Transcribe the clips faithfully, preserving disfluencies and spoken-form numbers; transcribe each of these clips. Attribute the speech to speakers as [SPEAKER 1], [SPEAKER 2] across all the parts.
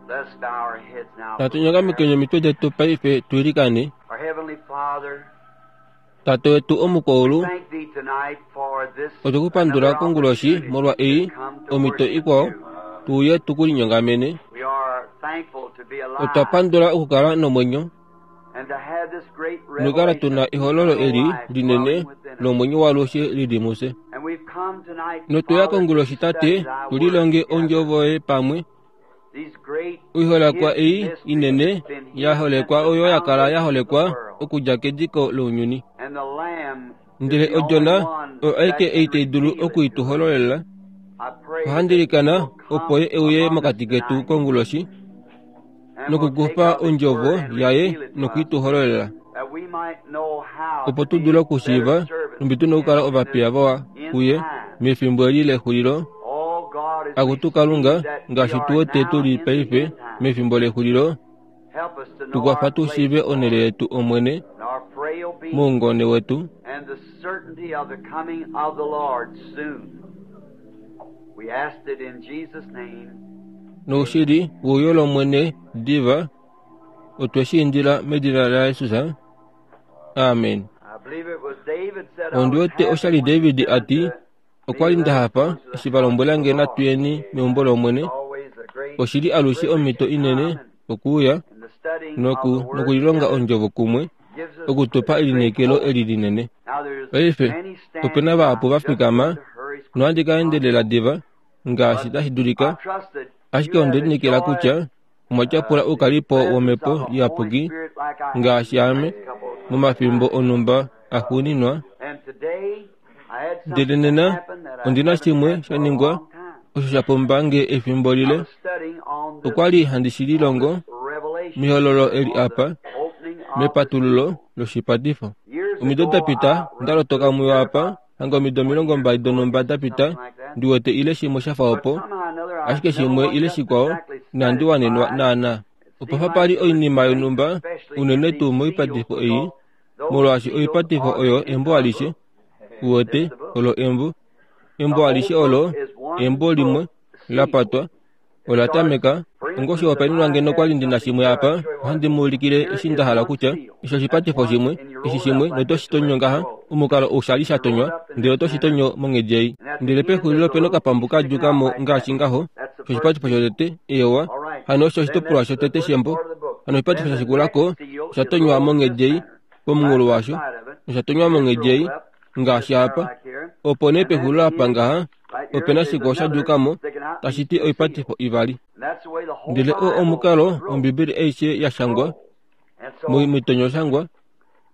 [SPEAKER 1] Let's bow our heads now.
[SPEAKER 2] Natu nyongamekeni omitwe detu paife tuilikane.
[SPEAKER 1] Our Heavenly Father,
[SPEAKER 2] Tate wetu omukwaulu,
[SPEAKER 1] thank thee tonight for this
[SPEAKER 2] otwekupandula konguloshi molwa ei omito ikwao tuuye tukulinyongamene.
[SPEAKER 1] We are thankful to be alive
[SPEAKER 2] Otwa pandula okukala nomwenyo
[SPEAKER 1] and to have this great
[SPEAKER 2] nokukala
[SPEAKER 1] revelation
[SPEAKER 2] tuna ehololo eli linene
[SPEAKER 1] dwelling within us.
[SPEAKER 2] lomwenyo walushe lili muse.
[SPEAKER 1] And we've come tonight,
[SPEAKER 2] Notuya
[SPEAKER 1] Father, to
[SPEAKER 2] konguloshi
[SPEAKER 1] study
[SPEAKER 2] tate
[SPEAKER 1] thy word
[SPEAKER 2] tulilonge
[SPEAKER 1] together.
[SPEAKER 2] ondjovo yoye pamwe.
[SPEAKER 1] These great
[SPEAKER 2] Oiholekwa ei
[SPEAKER 1] hidden mysteries
[SPEAKER 2] inene
[SPEAKER 1] have been hidden
[SPEAKER 2] yaholekwa
[SPEAKER 1] since the
[SPEAKER 2] oyo yakala
[SPEAKER 1] foundation of the
[SPEAKER 2] yaholekwa
[SPEAKER 1] world.
[SPEAKER 2] okudja kediko lounyuni.
[SPEAKER 1] And the Lamb is
[SPEAKER 2] Ndele
[SPEAKER 1] the only
[SPEAKER 2] odjona
[SPEAKER 1] one
[SPEAKER 2] oyo
[SPEAKER 1] that
[SPEAKER 2] aike
[SPEAKER 1] can
[SPEAKER 2] ei tai dulu
[SPEAKER 1] reveal it to us.
[SPEAKER 2] okuituhololela.
[SPEAKER 1] I pray that
[SPEAKER 2] Ohandilikana
[SPEAKER 1] he will
[SPEAKER 2] opo
[SPEAKER 1] come
[SPEAKER 2] ye euye
[SPEAKER 1] among us
[SPEAKER 2] mokati ketu
[SPEAKER 1] tonight
[SPEAKER 2] konguloshi
[SPEAKER 1] and will take
[SPEAKER 2] nokukufa
[SPEAKER 1] of his
[SPEAKER 2] ondjovo
[SPEAKER 1] word and
[SPEAKER 2] yaye
[SPEAKER 1] reveal it to us,
[SPEAKER 2] nokuituhololela
[SPEAKER 1] that we might know how
[SPEAKER 2] opo
[SPEAKER 1] to
[SPEAKER 2] tu
[SPEAKER 1] be
[SPEAKER 2] dule okushiiva
[SPEAKER 1] better servants
[SPEAKER 2] numbi tu
[SPEAKER 1] to
[SPEAKER 2] na okukala
[SPEAKER 1] him in
[SPEAKER 2] ovapiya
[SPEAKER 1] this
[SPEAKER 2] vawa
[SPEAKER 1] end
[SPEAKER 2] kuye
[SPEAKER 1] time.
[SPEAKER 2] mefimbo eli lexulilo.
[SPEAKER 1] Oh God, as we
[SPEAKER 2] Akutu
[SPEAKER 1] see
[SPEAKER 2] Kalunga
[SPEAKER 1] that we
[SPEAKER 2] ngaashi
[SPEAKER 1] are
[SPEAKER 2] tu wete
[SPEAKER 1] now
[SPEAKER 2] tuli
[SPEAKER 1] in the
[SPEAKER 2] paife
[SPEAKER 1] end time,
[SPEAKER 2] mefimbo lexulilo,
[SPEAKER 1] help us to know
[SPEAKER 2] tukwafa
[SPEAKER 1] our
[SPEAKER 2] tu
[SPEAKER 1] place,
[SPEAKER 2] shiive onhele
[SPEAKER 1] Lord,
[SPEAKER 2] yetu Omwene
[SPEAKER 1] and our frail being
[SPEAKER 2] moungone wetu
[SPEAKER 1] and the certainty of the coming of the Lord soon. We asked it in Jesus' name.
[SPEAKER 2] noushili wuuyo lOmwene diva otwe shi indila medina laJesus. Amen.
[SPEAKER 1] I believe it was David said, I
[SPEAKER 2] Ondi
[SPEAKER 1] was
[SPEAKER 2] wete
[SPEAKER 1] happy
[SPEAKER 2] oshali
[SPEAKER 1] when he
[SPEAKER 2] David
[SPEAKER 1] said
[SPEAKER 2] ati
[SPEAKER 1] unto
[SPEAKER 2] okwa
[SPEAKER 1] me,
[SPEAKER 2] li
[SPEAKER 1] Let
[SPEAKER 2] nda
[SPEAKER 1] us
[SPEAKER 2] hafa
[SPEAKER 1] go to the
[SPEAKER 2] eshi va
[SPEAKER 1] house of
[SPEAKER 2] lombwela
[SPEAKER 1] the
[SPEAKER 2] nge
[SPEAKER 1] Lord.
[SPEAKER 2] natuyeni meumbo lOmwene.
[SPEAKER 1] It's always a great
[SPEAKER 2] Oshili alushe
[SPEAKER 1] privilege
[SPEAKER 2] omhito
[SPEAKER 1] to
[SPEAKER 2] inene
[SPEAKER 1] come and,
[SPEAKER 2] okuuya
[SPEAKER 1] and the studying of
[SPEAKER 2] noku
[SPEAKER 1] the Word
[SPEAKER 2] nokulilonga
[SPEAKER 1] together
[SPEAKER 2] ondjovo kumwe
[SPEAKER 1] gives us
[SPEAKER 2] okutupa
[SPEAKER 1] a great
[SPEAKER 2] elineekelo
[SPEAKER 1] hope.
[SPEAKER 2] eli linene.
[SPEAKER 1] Now there's
[SPEAKER 2] Paife
[SPEAKER 1] many
[SPEAKER 2] opena
[SPEAKER 1] standing.
[SPEAKER 2] vahapu
[SPEAKER 1] I'm
[SPEAKER 2] va
[SPEAKER 1] just going
[SPEAKER 2] fikama
[SPEAKER 1] to hurry as quick
[SPEAKER 2] nohandi
[SPEAKER 1] as
[SPEAKER 2] ka endelela
[SPEAKER 1] possible.
[SPEAKER 2] diva ngaashi
[SPEAKER 1] But
[SPEAKER 2] tashi
[SPEAKER 1] I
[SPEAKER 2] dulika,
[SPEAKER 1] trust that
[SPEAKER 2] ashike
[SPEAKER 1] you
[SPEAKER 2] onde
[SPEAKER 1] have
[SPEAKER 2] lineekela
[SPEAKER 1] enjoyed
[SPEAKER 2] kutya omwa tyapula
[SPEAKER 1] uh, the
[SPEAKER 2] oukalipo
[SPEAKER 1] presence
[SPEAKER 2] womhepo
[SPEAKER 1] of the Holy
[SPEAKER 2] iyapuki
[SPEAKER 1] Spirit like I have in
[SPEAKER 2] ngaashi
[SPEAKER 1] the
[SPEAKER 2] ame
[SPEAKER 1] last couple of
[SPEAKER 2] momafimbo
[SPEAKER 1] times.
[SPEAKER 2] onhumba axuuninwa.
[SPEAKER 1] And today I had
[SPEAKER 2] Ndele
[SPEAKER 1] something
[SPEAKER 2] nena
[SPEAKER 1] happen that I
[SPEAKER 2] ondina
[SPEAKER 1] haven't
[SPEAKER 2] shimwe
[SPEAKER 1] had
[SPEAKER 2] sha
[SPEAKER 1] for a
[SPEAKER 2] ningwa
[SPEAKER 1] long time.
[SPEAKER 2] osho sha pumba nge efimbo
[SPEAKER 1] I
[SPEAKER 2] lile.
[SPEAKER 1] was studying on this
[SPEAKER 2] Okwa li handi shi
[SPEAKER 1] on
[SPEAKER 2] lilongo
[SPEAKER 1] this revelation
[SPEAKER 2] mihololo eli
[SPEAKER 1] on the
[SPEAKER 2] apa
[SPEAKER 1] opening of the
[SPEAKER 2] mepatululo
[SPEAKER 1] seal.
[SPEAKER 2] loshipatifo.
[SPEAKER 1] Years
[SPEAKER 2] Omido
[SPEAKER 1] ago
[SPEAKER 2] da pita
[SPEAKER 1] I
[SPEAKER 2] nda
[SPEAKER 1] wrote
[SPEAKER 2] lotoka
[SPEAKER 1] to
[SPEAKER 2] muyo
[SPEAKER 1] here
[SPEAKER 2] apa
[SPEAKER 1] about
[SPEAKER 2] hanga omido
[SPEAKER 1] twenty
[SPEAKER 2] omilongo
[SPEAKER 1] years
[SPEAKER 2] mbali
[SPEAKER 1] ago or
[SPEAKER 2] donhumba da pita
[SPEAKER 1] something like that.
[SPEAKER 2] ndi wete ile shimwe sha fa
[SPEAKER 1] But
[SPEAKER 2] opo
[SPEAKER 1] somehow or another I
[SPEAKER 2] ashike
[SPEAKER 1] never
[SPEAKER 2] shimwe
[SPEAKER 1] was
[SPEAKER 2] ile
[SPEAKER 1] just
[SPEAKER 2] shikwao
[SPEAKER 1] exactly
[SPEAKER 2] inandi wanenwa
[SPEAKER 1] satisfied.
[SPEAKER 2] naana.
[SPEAKER 1] It
[SPEAKER 2] Opa
[SPEAKER 1] seemed
[SPEAKER 2] fa
[SPEAKER 1] like
[SPEAKER 2] pali
[SPEAKER 1] there was
[SPEAKER 2] oinima
[SPEAKER 1] things,
[SPEAKER 2] yonhumba
[SPEAKER 1] especially in
[SPEAKER 2] unene
[SPEAKER 1] these
[SPEAKER 2] tuu
[SPEAKER 1] seals,
[SPEAKER 2] moipatifo ei
[SPEAKER 1] because those
[SPEAKER 2] molwaashi
[SPEAKER 1] seals
[SPEAKER 2] oipatifo
[SPEAKER 1] are
[SPEAKER 2] oyo
[SPEAKER 1] the
[SPEAKER 2] embo
[SPEAKER 1] entire
[SPEAKER 2] alishe
[SPEAKER 1] book.
[SPEAKER 2] uwete
[SPEAKER 1] It's the book.
[SPEAKER 2] olo embo
[SPEAKER 1] The
[SPEAKER 2] embo
[SPEAKER 1] whole
[SPEAKER 2] alishe
[SPEAKER 1] book
[SPEAKER 2] olo
[SPEAKER 1] is one
[SPEAKER 2] embo limwe
[SPEAKER 1] book sealed.
[SPEAKER 2] lapatwa
[SPEAKER 1] It
[SPEAKER 2] ola
[SPEAKER 1] starts,
[SPEAKER 2] tameka
[SPEAKER 1] for
[SPEAKER 2] ongo
[SPEAKER 1] instance, if
[SPEAKER 2] oshihopaenenwa
[SPEAKER 1] I
[SPEAKER 2] ngeno
[SPEAKER 1] had
[SPEAKER 2] kwali ndina
[SPEAKER 1] something
[SPEAKER 2] shimwe
[SPEAKER 1] here,
[SPEAKER 2] apa
[SPEAKER 1] I'd show you what
[SPEAKER 2] ohandi mu ulikile
[SPEAKER 1] here
[SPEAKER 2] eshi
[SPEAKER 1] is
[SPEAKER 2] nda hala
[SPEAKER 1] one
[SPEAKER 2] kutya
[SPEAKER 1] seal.
[SPEAKER 2] eshi
[SPEAKER 1] That's
[SPEAKER 2] oshipatifo
[SPEAKER 1] one,
[SPEAKER 2] shimwe
[SPEAKER 1] and you
[SPEAKER 2] eshi
[SPEAKER 1] roll it
[SPEAKER 2] shimwe
[SPEAKER 1] up like
[SPEAKER 2] noto
[SPEAKER 1] this
[SPEAKER 2] shi
[SPEAKER 1] the way
[SPEAKER 2] tonyo
[SPEAKER 1] it's
[SPEAKER 2] ngaha
[SPEAKER 1] rolled.
[SPEAKER 2] omukalo ou sha li sha
[SPEAKER 1] You roll
[SPEAKER 2] tonywa
[SPEAKER 1] it up in
[SPEAKER 2] ndele
[SPEAKER 1] this
[SPEAKER 2] oto shi
[SPEAKER 1] manner,
[SPEAKER 2] tonyo monghedi ei
[SPEAKER 1] and at the
[SPEAKER 2] ndele
[SPEAKER 1] end there's
[SPEAKER 2] pexulilo
[SPEAKER 1] a
[SPEAKER 2] opena
[SPEAKER 1] little
[SPEAKER 2] okapambu
[SPEAKER 1] piece
[SPEAKER 2] ka
[SPEAKER 1] sticking
[SPEAKER 2] djuka
[SPEAKER 1] out
[SPEAKER 2] mo
[SPEAKER 1] like that.
[SPEAKER 2] ngaashi ngaho
[SPEAKER 1] That's the first
[SPEAKER 2] oshipatifo
[SPEAKER 1] seal.
[SPEAKER 2] shotete ewa
[SPEAKER 1] All right.
[SPEAKER 2] hano osho
[SPEAKER 1] Then
[SPEAKER 2] oshitopolwa
[SPEAKER 1] that's the
[SPEAKER 2] shotete
[SPEAKER 1] first
[SPEAKER 2] shembo
[SPEAKER 1] part of the book.
[SPEAKER 2] hano oshipatifo
[SPEAKER 1] Then
[SPEAKER 2] sha
[SPEAKER 1] the
[SPEAKER 2] shikulako
[SPEAKER 1] next seal
[SPEAKER 2] osha
[SPEAKER 1] is
[SPEAKER 2] tonywa
[SPEAKER 1] rolled this
[SPEAKER 2] monghedi ei
[SPEAKER 1] manner, right
[SPEAKER 2] pomunghulo
[SPEAKER 1] on the
[SPEAKER 2] washo
[SPEAKER 1] side of it.
[SPEAKER 2] osha tonywa
[SPEAKER 1] It's
[SPEAKER 2] monghedi ei
[SPEAKER 1] rolled up this
[SPEAKER 2] ngaashi
[SPEAKER 1] manner
[SPEAKER 2] apa
[SPEAKER 1] like here.
[SPEAKER 2] opo nee
[SPEAKER 1] And then
[SPEAKER 2] pexulilo
[SPEAKER 1] at the
[SPEAKER 2] apa
[SPEAKER 1] end,
[SPEAKER 2] ngaha
[SPEAKER 1] right here
[SPEAKER 2] opena
[SPEAKER 1] is
[SPEAKER 2] shikwao sha
[SPEAKER 1] another
[SPEAKER 2] djuka mo
[SPEAKER 1] sticking out
[SPEAKER 2] tashi
[SPEAKER 1] these
[SPEAKER 2] ti
[SPEAKER 1] two seals.
[SPEAKER 2] oipatifo ivali.
[SPEAKER 1] And that's the way the whole
[SPEAKER 2] Ndele oo
[SPEAKER 1] Bible
[SPEAKER 2] omukalo
[SPEAKER 1] is wrote,
[SPEAKER 2] ombibeli aishe ya shangwa
[SPEAKER 1] scrolled. And so
[SPEAKER 2] mitonyo shangwa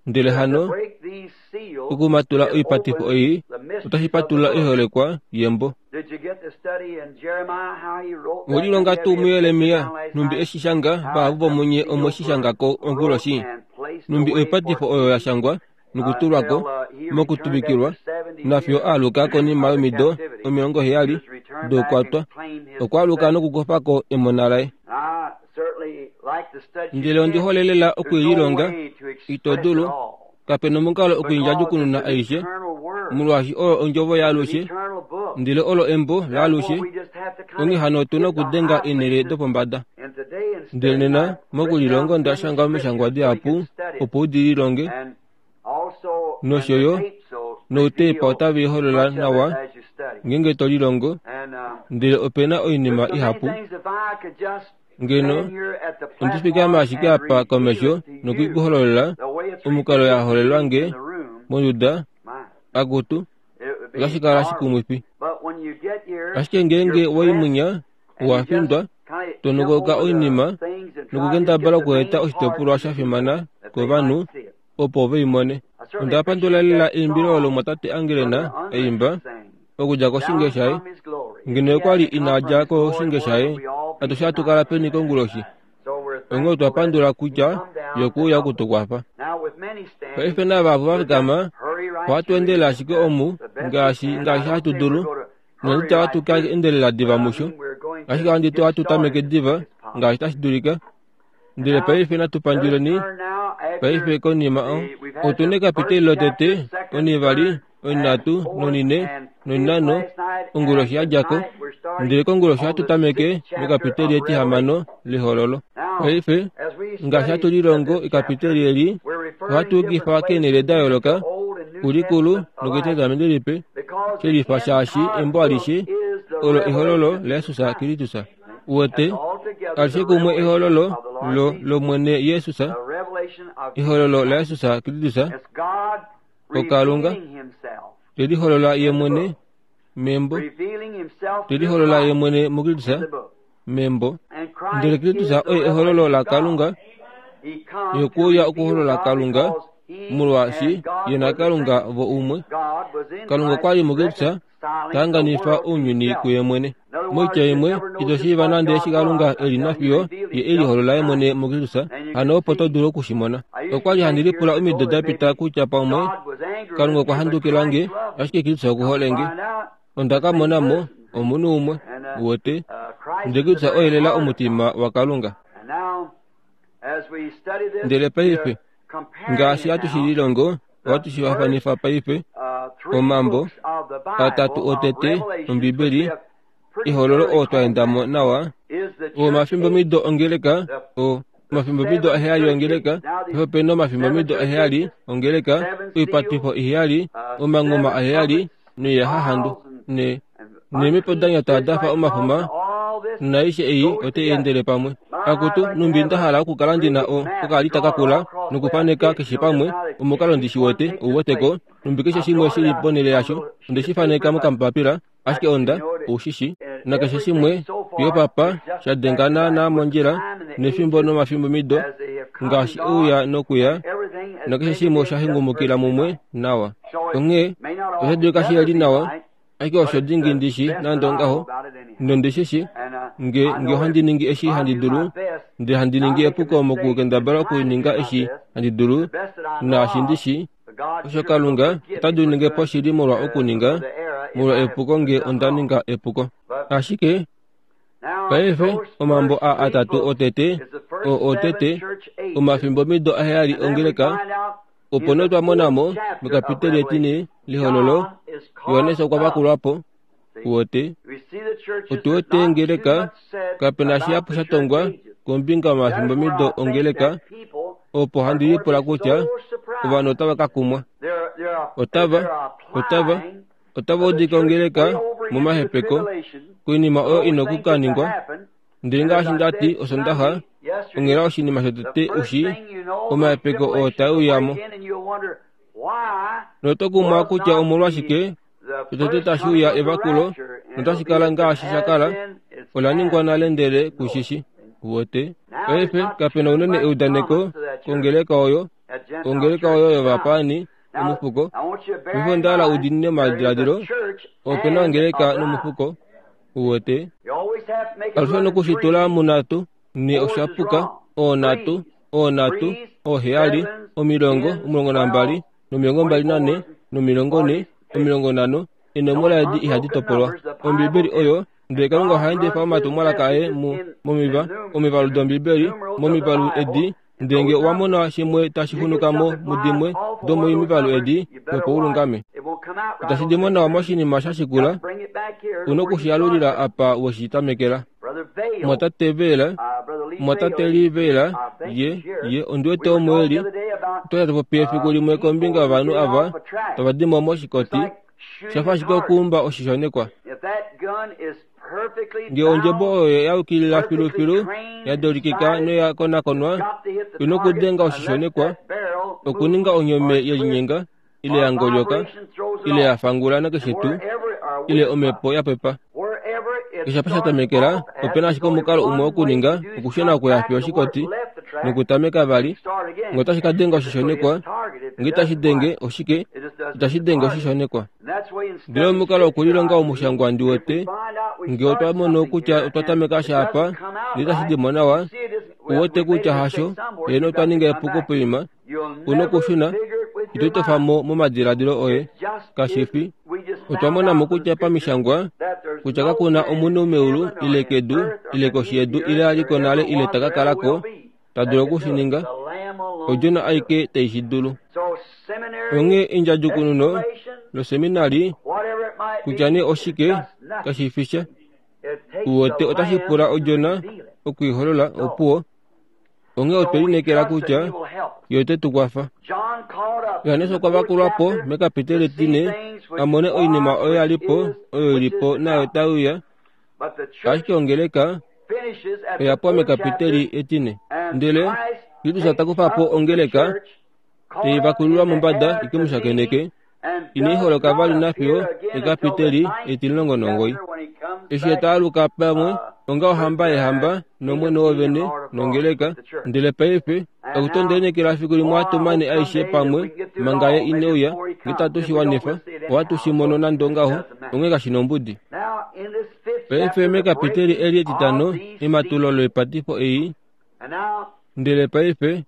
[SPEAKER 2] ndele
[SPEAKER 1] to, to
[SPEAKER 2] hano
[SPEAKER 1] break these seals,
[SPEAKER 2] okumatula
[SPEAKER 1] it
[SPEAKER 2] oipatifo
[SPEAKER 1] opens
[SPEAKER 2] ei
[SPEAKER 1] the mysteries
[SPEAKER 2] otashi
[SPEAKER 1] of the
[SPEAKER 2] patulula
[SPEAKER 1] book.
[SPEAKER 2] oiholekwa yembo.
[SPEAKER 1] Did you get the study in Jeremiah how he wrote that? Did
[SPEAKER 2] Mwelilonga
[SPEAKER 1] you have
[SPEAKER 2] tuu
[SPEAKER 1] your picture
[SPEAKER 2] muYeremia
[SPEAKER 1] down last
[SPEAKER 2] numbi
[SPEAKER 1] night?
[SPEAKER 2] eshi shanga
[SPEAKER 1] How
[SPEAKER 2] vahapu
[SPEAKER 1] the
[SPEAKER 2] vomunye omwe
[SPEAKER 1] seals
[SPEAKER 2] shi
[SPEAKER 1] were
[SPEAKER 2] shangako
[SPEAKER 1] wrote
[SPEAKER 2] onguloshi
[SPEAKER 1] and placed
[SPEAKER 2] numbi
[SPEAKER 1] away for
[SPEAKER 2] oipatifo oyo ya shangwa nokutulwako
[SPEAKER 1] until uh, he returned
[SPEAKER 2] mokutuvikilwa
[SPEAKER 1] after seventy
[SPEAKER 2] nafiyo
[SPEAKER 1] years
[SPEAKER 2] aaluka konima
[SPEAKER 1] of the
[SPEAKER 2] yomido
[SPEAKER 1] captivity.
[SPEAKER 2] omilongo
[SPEAKER 1] He
[SPEAKER 2] heyali
[SPEAKER 1] was returned back and
[SPEAKER 2] doukwatwa
[SPEAKER 1] claimed his
[SPEAKER 2] okwaaluka
[SPEAKER 1] possession.
[SPEAKER 2] nokukufako emona laye.
[SPEAKER 1] I certainly like to study. You
[SPEAKER 2] Ndele ondi
[SPEAKER 1] can't,
[SPEAKER 2] hole lela
[SPEAKER 1] there's no
[SPEAKER 2] okuililonga
[SPEAKER 1] way to
[SPEAKER 2] ito
[SPEAKER 1] express it
[SPEAKER 2] dulu
[SPEAKER 1] all
[SPEAKER 2] kapena omukalo
[SPEAKER 1] because it's
[SPEAKER 2] okuindjadjukununa
[SPEAKER 1] an
[SPEAKER 2] aishe
[SPEAKER 1] eternal word.
[SPEAKER 2] molwaashi oyo ondjovo
[SPEAKER 1] It's an
[SPEAKER 2] yaalushe
[SPEAKER 1] eternal book.
[SPEAKER 2] ndele olo embo
[SPEAKER 1] Therefore,
[SPEAKER 2] laalushe
[SPEAKER 1] we just have to kind
[SPEAKER 2] onghee
[SPEAKER 1] of
[SPEAKER 2] hano otuna
[SPEAKER 1] get the
[SPEAKER 2] okudenga
[SPEAKER 1] high
[SPEAKER 2] eenhele
[SPEAKER 1] places.
[SPEAKER 2] dopombada.
[SPEAKER 1] And today, in
[SPEAKER 2] Ndele
[SPEAKER 1] studying,
[SPEAKER 2] nena
[SPEAKER 1] I've written down
[SPEAKER 2] mokulilonga onda
[SPEAKER 1] many
[SPEAKER 2] shanga omishangwa
[SPEAKER 1] scriptures so you
[SPEAKER 2] dihapu
[SPEAKER 1] can study it.
[SPEAKER 2] opo u di lilonge
[SPEAKER 1] And also, and
[SPEAKER 2] nosho
[SPEAKER 1] the
[SPEAKER 2] yo
[SPEAKER 1] tapes will
[SPEAKER 2] noutepa
[SPEAKER 1] reveal
[SPEAKER 2] otave i holola
[SPEAKER 1] much of it
[SPEAKER 2] nawa
[SPEAKER 1] as you study.
[SPEAKER 2] ngeenge to lilongo
[SPEAKER 1] And um,
[SPEAKER 2] ndele opena oinima
[SPEAKER 1] there's so many
[SPEAKER 2] ihapu
[SPEAKER 1] things if I could just
[SPEAKER 2] ngeno
[SPEAKER 1] stand here at the
[SPEAKER 2] ondi fikama
[SPEAKER 1] platform
[SPEAKER 2] ashike
[SPEAKER 1] and
[SPEAKER 2] apa
[SPEAKER 1] reveal
[SPEAKER 2] komesho
[SPEAKER 1] it to you
[SPEAKER 2] nokuikuhololela
[SPEAKER 1] the way it's
[SPEAKER 2] omukalo
[SPEAKER 1] revealed
[SPEAKER 2] ya
[SPEAKER 1] to
[SPEAKER 2] holelwa
[SPEAKER 1] me
[SPEAKER 2] nge
[SPEAKER 1] in the room,
[SPEAKER 2] monduda
[SPEAKER 1] my,
[SPEAKER 2] akutu
[SPEAKER 1] it would be
[SPEAKER 2] otashi kala
[SPEAKER 1] marvelous.
[SPEAKER 2] shikumwifi.
[SPEAKER 1] But when you get here,
[SPEAKER 2] Ashike ngeenge
[SPEAKER 1] you're pressed
[SPEAKER 2] waimunya
[SPEAKER 1] and you just
[SPEAKER 2] owafindwa
[SPEAKER 1] kind of jump
[SPEAKER 2] tonokoka
[SPEAKER 1] over the
[SPEAKER 2] oinima
[SPEAKER 1] things and try to just get
[SPEAKER 2] nokukendabala
[SPEAKER 1] the
[SPEAKER 2] okueta
[SPEAKER 1] main part
[SPEAKER 2] oshitopolwa
[SPEAKER 1] to
[SPEAKER 2] sha
[SPEAKER 1] the people
[SPEAKER 2] fimana
[SPEAKER 1] that they
[SPEAKER 2] kovanhu
[SPEAKER 1] might see it.
[SPEAKER 2] opo ve i mone.
[SPEAKER 1] I certainly
[SPEAKER 2] Onda pandula
[SPEAKER 1] appreciate
[SPEAKER 2] lela
[SPEAKER 1] that
[SPEAKER 2] eimbilo olo
[SPEAKER 1] song
[SPEAKER 2] mwatate
[SPEAKER 1] Brother
[SPEAKER 2] Angelena
[SPEAKER 1] Unrecht
[SPEAKER 2] aimba
[SPEAKER 1] sang,
[SPEAKER 2] okudja koshinge
[SPEAKER 1] Down
[SPEAKER 2] shaye.
[SPEAKER 1] from His Glory. If
[SPEAKER 2] Ngeno
[SPEAKER 1] he
[SPEAKER 2] okwali
[SPEAKER 1] hadn't come
[SPEAKER 2] ina
[SPEAKER 1] from
[SPEAKER 2] dja
[SPEAKER 1] His glory,
[SPEAKER 2] koshinge
[SPEAKER 1] where
[SPEAKER 2] shaye
[SPEAKER 1] would we all be
[SPEAKER 2] atushe hatu
[SPEAKER 1] tonight?
[SPEAKER 2] kala peni konguloshi.
[SPEAKER 1] So we're
[SPEAKER 2] Onghee otwa
[SPEAKER 1] thankful that
[SPEAKER 2] pandula
[SPEAKER 1] He
[SPEAKER 2] kutya
[SPEAKER 1] come down to
[SPEAKER 2] yokuuya
[SPEAKER 1] help us.
[SPEAKER 2] okutukwafa.
[SPEAKER 1] Now, with many standing,
[SPEAKER 2] Paife navahapu va
[SPEAKER 1] we'll just
[SPEAKER 2] fikama
[SPEAKER 1] hurry right
[SPEAKER 2] ohatu
[SPEAKER 1] through it
[SPEAKER 2] endele ashike omu
[SPEAKER 1] the best we
[SPEAKER 2] ngaashi
[SPEAKER 1] can. I
[SPEAKER 2] ngaashi
[SPEAKER 1] don't
[SPEAKER 2] hatu
[SPEAKER 1] say we're
[SPEAKER 2] dulu
[SPEAKER 1] going to
[SPEAKER 2] nonande
[SPEAKER 1] hurry right
[SPEAKER 2] ohatu ka
[SPEAKER 1] through it,
[SPEAKER 2] endelela diva
[SPEAKER 1] but I
[SPEAKER 2] musho
[SPEAKER 1] mean we're going
[SPEAKER 2] ashike
[SPEAKER 1] to
[SPEAKER 2] ohandi tu
[SPEAKER 1] get
[SPEAKER 2] ohatu tameke
[SPEAKER 1] started as
[SPEAKER 2] diva
[SPEAKER 1] quick as possible.
[SPEAKER 2] ngaashi tashi dulika.
[SPEAKER 1] And
[SPEAKER 2] Ndele
[SPEAKER 1] now,
[SPEAKER 2] paife natu
[SPEAKER 1] let us
[SPEAKER 2] panduleni
[SPEAKER 1] turn now after
[SPEAKER 2] paife konima o
[SPEAKER 1] the, we've had
[SPEAKER 2] otuna
[SPEAKER 1] the
[SPEAKER 2] ekapiteli
[SPEAKER 1] first
[SPEAKER 2] lotete
[SPEAKER 1] chapter, second,
[SPEAKER 2] onivali
[SPEAKER 1] third, and
[SPEAKER 2] onhinhatu
[SPEAKER 1] fourth,
[SPEAKER 2] nonine
[SPEAKER 1] and fifth
[SPEAKER 2] noinhano
[SPEAKER 1] last night,
[SPEAKER 2] onguloshi
[SPEAKER 1] and
[SPEAKER 2] ya djako
[SPEAKER 1] tonight we're
[SPEAKER 2] Ndele konguloshi ohatu tameke mekapiteli etihamano lehololo. Paife ngaashi hatu lilongo ekapiteli eli, ohatu yukifa keenhele da yooloka, kulikulu noketestamenti lipe, shelifa shaashi embo alishe olo ehololo laJesus Kristus. Uwete alishe kumwe ehololo lo lomwene Jesus, ehololo laJesus Kristus, okalunga teliholola ye mwene membo, teliholola ye mwene muKristus membo. Ndele Kristus oye ehololo laKalunga, yekuuya okuholola Kalunga, molwaashi ye naKalunga vo umwe. Kalunga okwali muKristus tahanganifa ounyuni kuye mwene. Moitya imwe, ito shiiva nande eshi Kalunga eli nafiyo ye eliholola ye mwene muKristus, hano opo to dulu okushimona. Okwali handi lipula omido da pita kutya pamwe Kalunga okwa handukila nge, ashike Kristus okuhole nge. Onda ka mona mo omunhu umwe, uwete, ndele Kristus oye lela omutima waKalunga. Ndele paife, ngaashi hatu shi lilongo, ohatu shi fafanifa paife, omambo atatu otete Ombibeli, ehololo oo twa endamo nawa, omafimbomido ongeleka, o omafimbomido aheyali ongeleka, opena omafimbomido aheyali ongeleka, oipatifo iheyali, omangoma aheyali, noiyahahandu, ne neemipo da nyata dafa omafuma, naishe ei otai endele pamwe. Akutu numbi nda hala okukala ndina o okaalita kakula nokufaneka keshe pamwe omukalo ndishi wete ouweteko, numbi keshe shimwe shili ponhele yasho, onde shi faneka mokambapila, ashike onda oushishi, nakeshe shimwe yopapa sha denga naana mondjila nefimbo nomafimbomido ngaashi ouya nokuya, nakeshe shimwe osha hengumukila mumwe nawa. Onghee osha dulika shiheli nawa, ashike osho dingi ndishi nande ongaho, nondishishi nge nge ohandi ningi eshi handi dulu, ndele handi ningi epuko mokukendabala okuninga eshi handi dulu naashi ndishi, osho Kalunga ota dulu ninge po shili molwa okuninga molwa epuko nge onda ninga epuko. Ashike paife omambo a atatu otete o otete omafimbomido aheyali ongeleka, opo nee twa mona mo mekapiteli etine lehololo, Johannes okwa vakulwa po. Uwete otu wete ongeleka kapena shihapu sha tongwa kombinga yomafimbomido ongeleka, opo handi lipula kutya ovanhu otava ka kumwa. Otava, otava, otava udika ongeleka momahepeko koinima oyo ina okukaningwa. Ndele ngaashi ndati osondaxa, onghela oshinima shotete ushi omahepeko oo tae uyamo. Noto kumwa kutya omolwashike shotete tashi uya evakulo notashi kala ngaashi sha kala, ola ningwa nale ndele kushishi. Uwete paife kapena unene eudaneko kongeleka oyo, ongeleka oyo yovapaani omufuko. Paife onda hala udinine omadiladilo, opena ongeleka nomufuko. Uwete alushe nokushitula munhatu, ne oshapuka, oonhatu, oonhatu, ooheyali, omilongo, omulongo nambali, nomilongo mbali nane, nomilongo ne, omilongo nhano, enomola edi ihadi topolwa. Ombibeli oyo, ndele Kalunga oha endifa omatumwalaka aye mu momiva, omivalu dombibeli, momivalu edi, ndele nge owa mona shimwe tashi xunuka mo mudimwe domomivalu edi, opo ulungame. Itashi di mo nawa moshinima sha shikula, una okushiyalulila apa weshi tamekela. Mwatate Vela, mwatate Lee Vela, ye, ye ondi wete omo eli, otwa li hatu popi efiku limwe kombinga yovanhu ava tava di mo moshikoti, shafa ashike okuumba oshishonekwa. Nge ondjebo oyo ya yukilila filufilu, ya dolikika noya konakonwa, ina okudenga oshishonekwa, okuninga onyome yelinyenga, ile ya ngolyoka, ile ya fangula nakeshe tuu, ile omhepo ya pepa. Keshe apa sha tamekela, opena ashike omukalo umwe wokuninga, okushuna okuya fiyo oshikoti, nokutameka vali, nge otashi ka denga oshishonekwa, nge itashi denge oshike, itashi denge oshishonekwa. Ndele omukalo wokulilonga omushangwa ndi wete, nge otwa mono kutya otwa tameka sha apa, ndele itashi di mo nawa, uwete kutya hasho, yeno otwa ninga epuko poima, una okushuna, ito tofa mo momadiladilo oye, kashifi. Otwa mona mo kutya pamishangwa, kutya kakuna omunhu meulu ile kedu ile koshi yedu ile aliko nale ile taka kalako ta dulu okushininga, odjona aike tai shi dulu. Onghee endjadjukununo loseminari kutya nee oshike kashi fi sha, Uwote otashi pula odjona okuiholola opuwo. Onghee otwe lineekela kutya ye ote tu kwafa. Johannes okwa vakulwa po mekapiteli etine a mone oinima oyo ya li po, oyo ili po naayo tai uya, ashike ongeleka oya pwa mekapiteli etine. Ndele Kristus ta kufa po ongeleka, tei vakulilwa mombada ike mu shakeneke, inai holoka vali nafiyo ekapiteli etimulongo nomugoyi. Eshi ye ta aluka pamwe onga ohamba yehamba nomwene wovene nongeleka, ndele paife okutondenekela efiku limwe ohatu mane aishe pamwe manga ye ine uya, nge tatu shi wanifa, ohatu shi mono nande ongaho, onghee kashi nombudi. Paife mekapiteli eli etitano ematulo loipatifo ei, ndele paife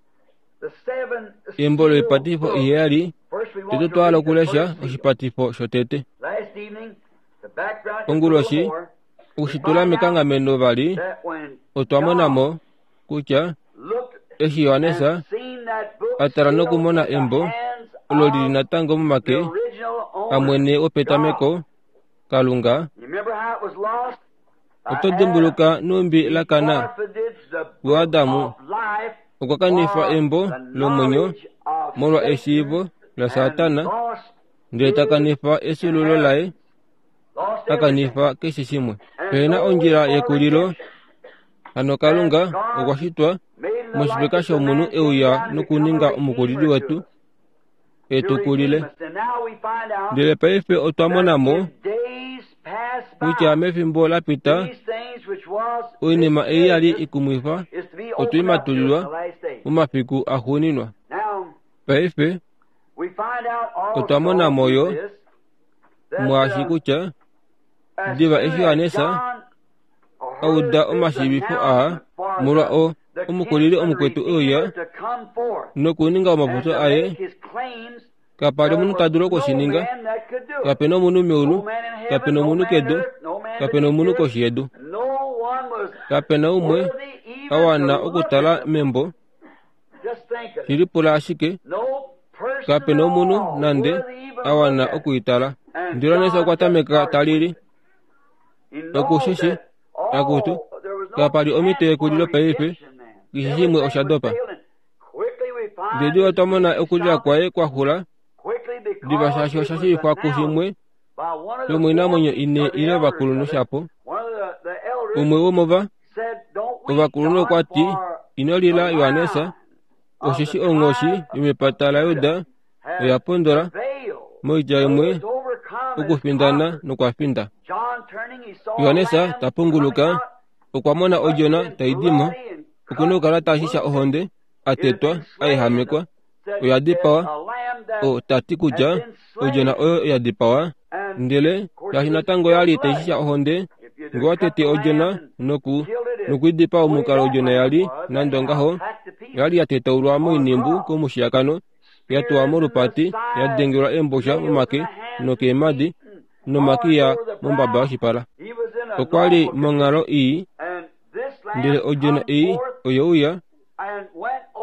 [SPEAKER 2] embo loipatifo iheyali, tete otwa hala okulesha oshipatifo shotete. Onguloshi, okushitula mekanghameno vali, otwa mona mo kutya eshi Johannes a tala nokumona embo olo lili natango momake amwene wopetameko, Kalunga, oto dimbuluka numbi la kana kuAdamu okwa kanifa embo lomwenyo molwa eshiivo laSatana, ndele ta kanifa efyuululo laye, a kanifa keshe shimwe. Pehena ondjila yekulilo, hano Kalunga okwa shitwa moshifeka shomunhu euya nokuninga omukulili wetu, e tu kulile. Ndele paife otwa mona mo kutya mefimbo la pita oinima ei ya li ikumwifa otwe i matulilwa momafiku axuuninwa. Paife otwa mona mo yo mwaashi kutya diva eshi Johannes a uda omashiivifo aa molwa o omukulili omukwetu euya nokuninga omapopyo aye, kapa li omunhu ta dulu okushininga. Kapena omunhu meulu, kapena omunhu kedu, kapena omunhu koshi yedu. Kapena umwe a wana okutala membo. Shilipula ashike, kapena omunhu nande a wana okuitala. Ndele Johannes okwa tameka ta lili. Okushishi, akutu, kapa li omhito yekulilo paife, keshe shimwe osha dopa. Ndele diva otwa mona okulila kwaye kwa xula, diva shaashi osha shiivifwa kushimwe shomoinamwenyo ine ile ovakulunhu shapo. Umwe womova ovakulunhu okwa ti, ino lila Johannes, osheshi onghoshi yomepata laJuda oya pondola, moitya imwe okufindana nokwa finda. Johannes ta punguluka, okwa mona odjona tai di mo, okuna okukala ta shisha ohonde, a tetwa, a ehamekwa, oya dipawa. O ta ti kutya odjona oyo ya dipawa, ndele shaashi natango ya li tai shisha ohonde, ngee wa tete odjona noku nokuidipaa omukalo odjona ya li nande ongaho, ya li ya tetaulwa moinimbu komushiyakano, ya tuwa molupati, ya dengelwa eembosha momake nokeemhadi, nomakiya mombaba yoshipala. Okwa li monghalo ii, ndele odjona ei oye uya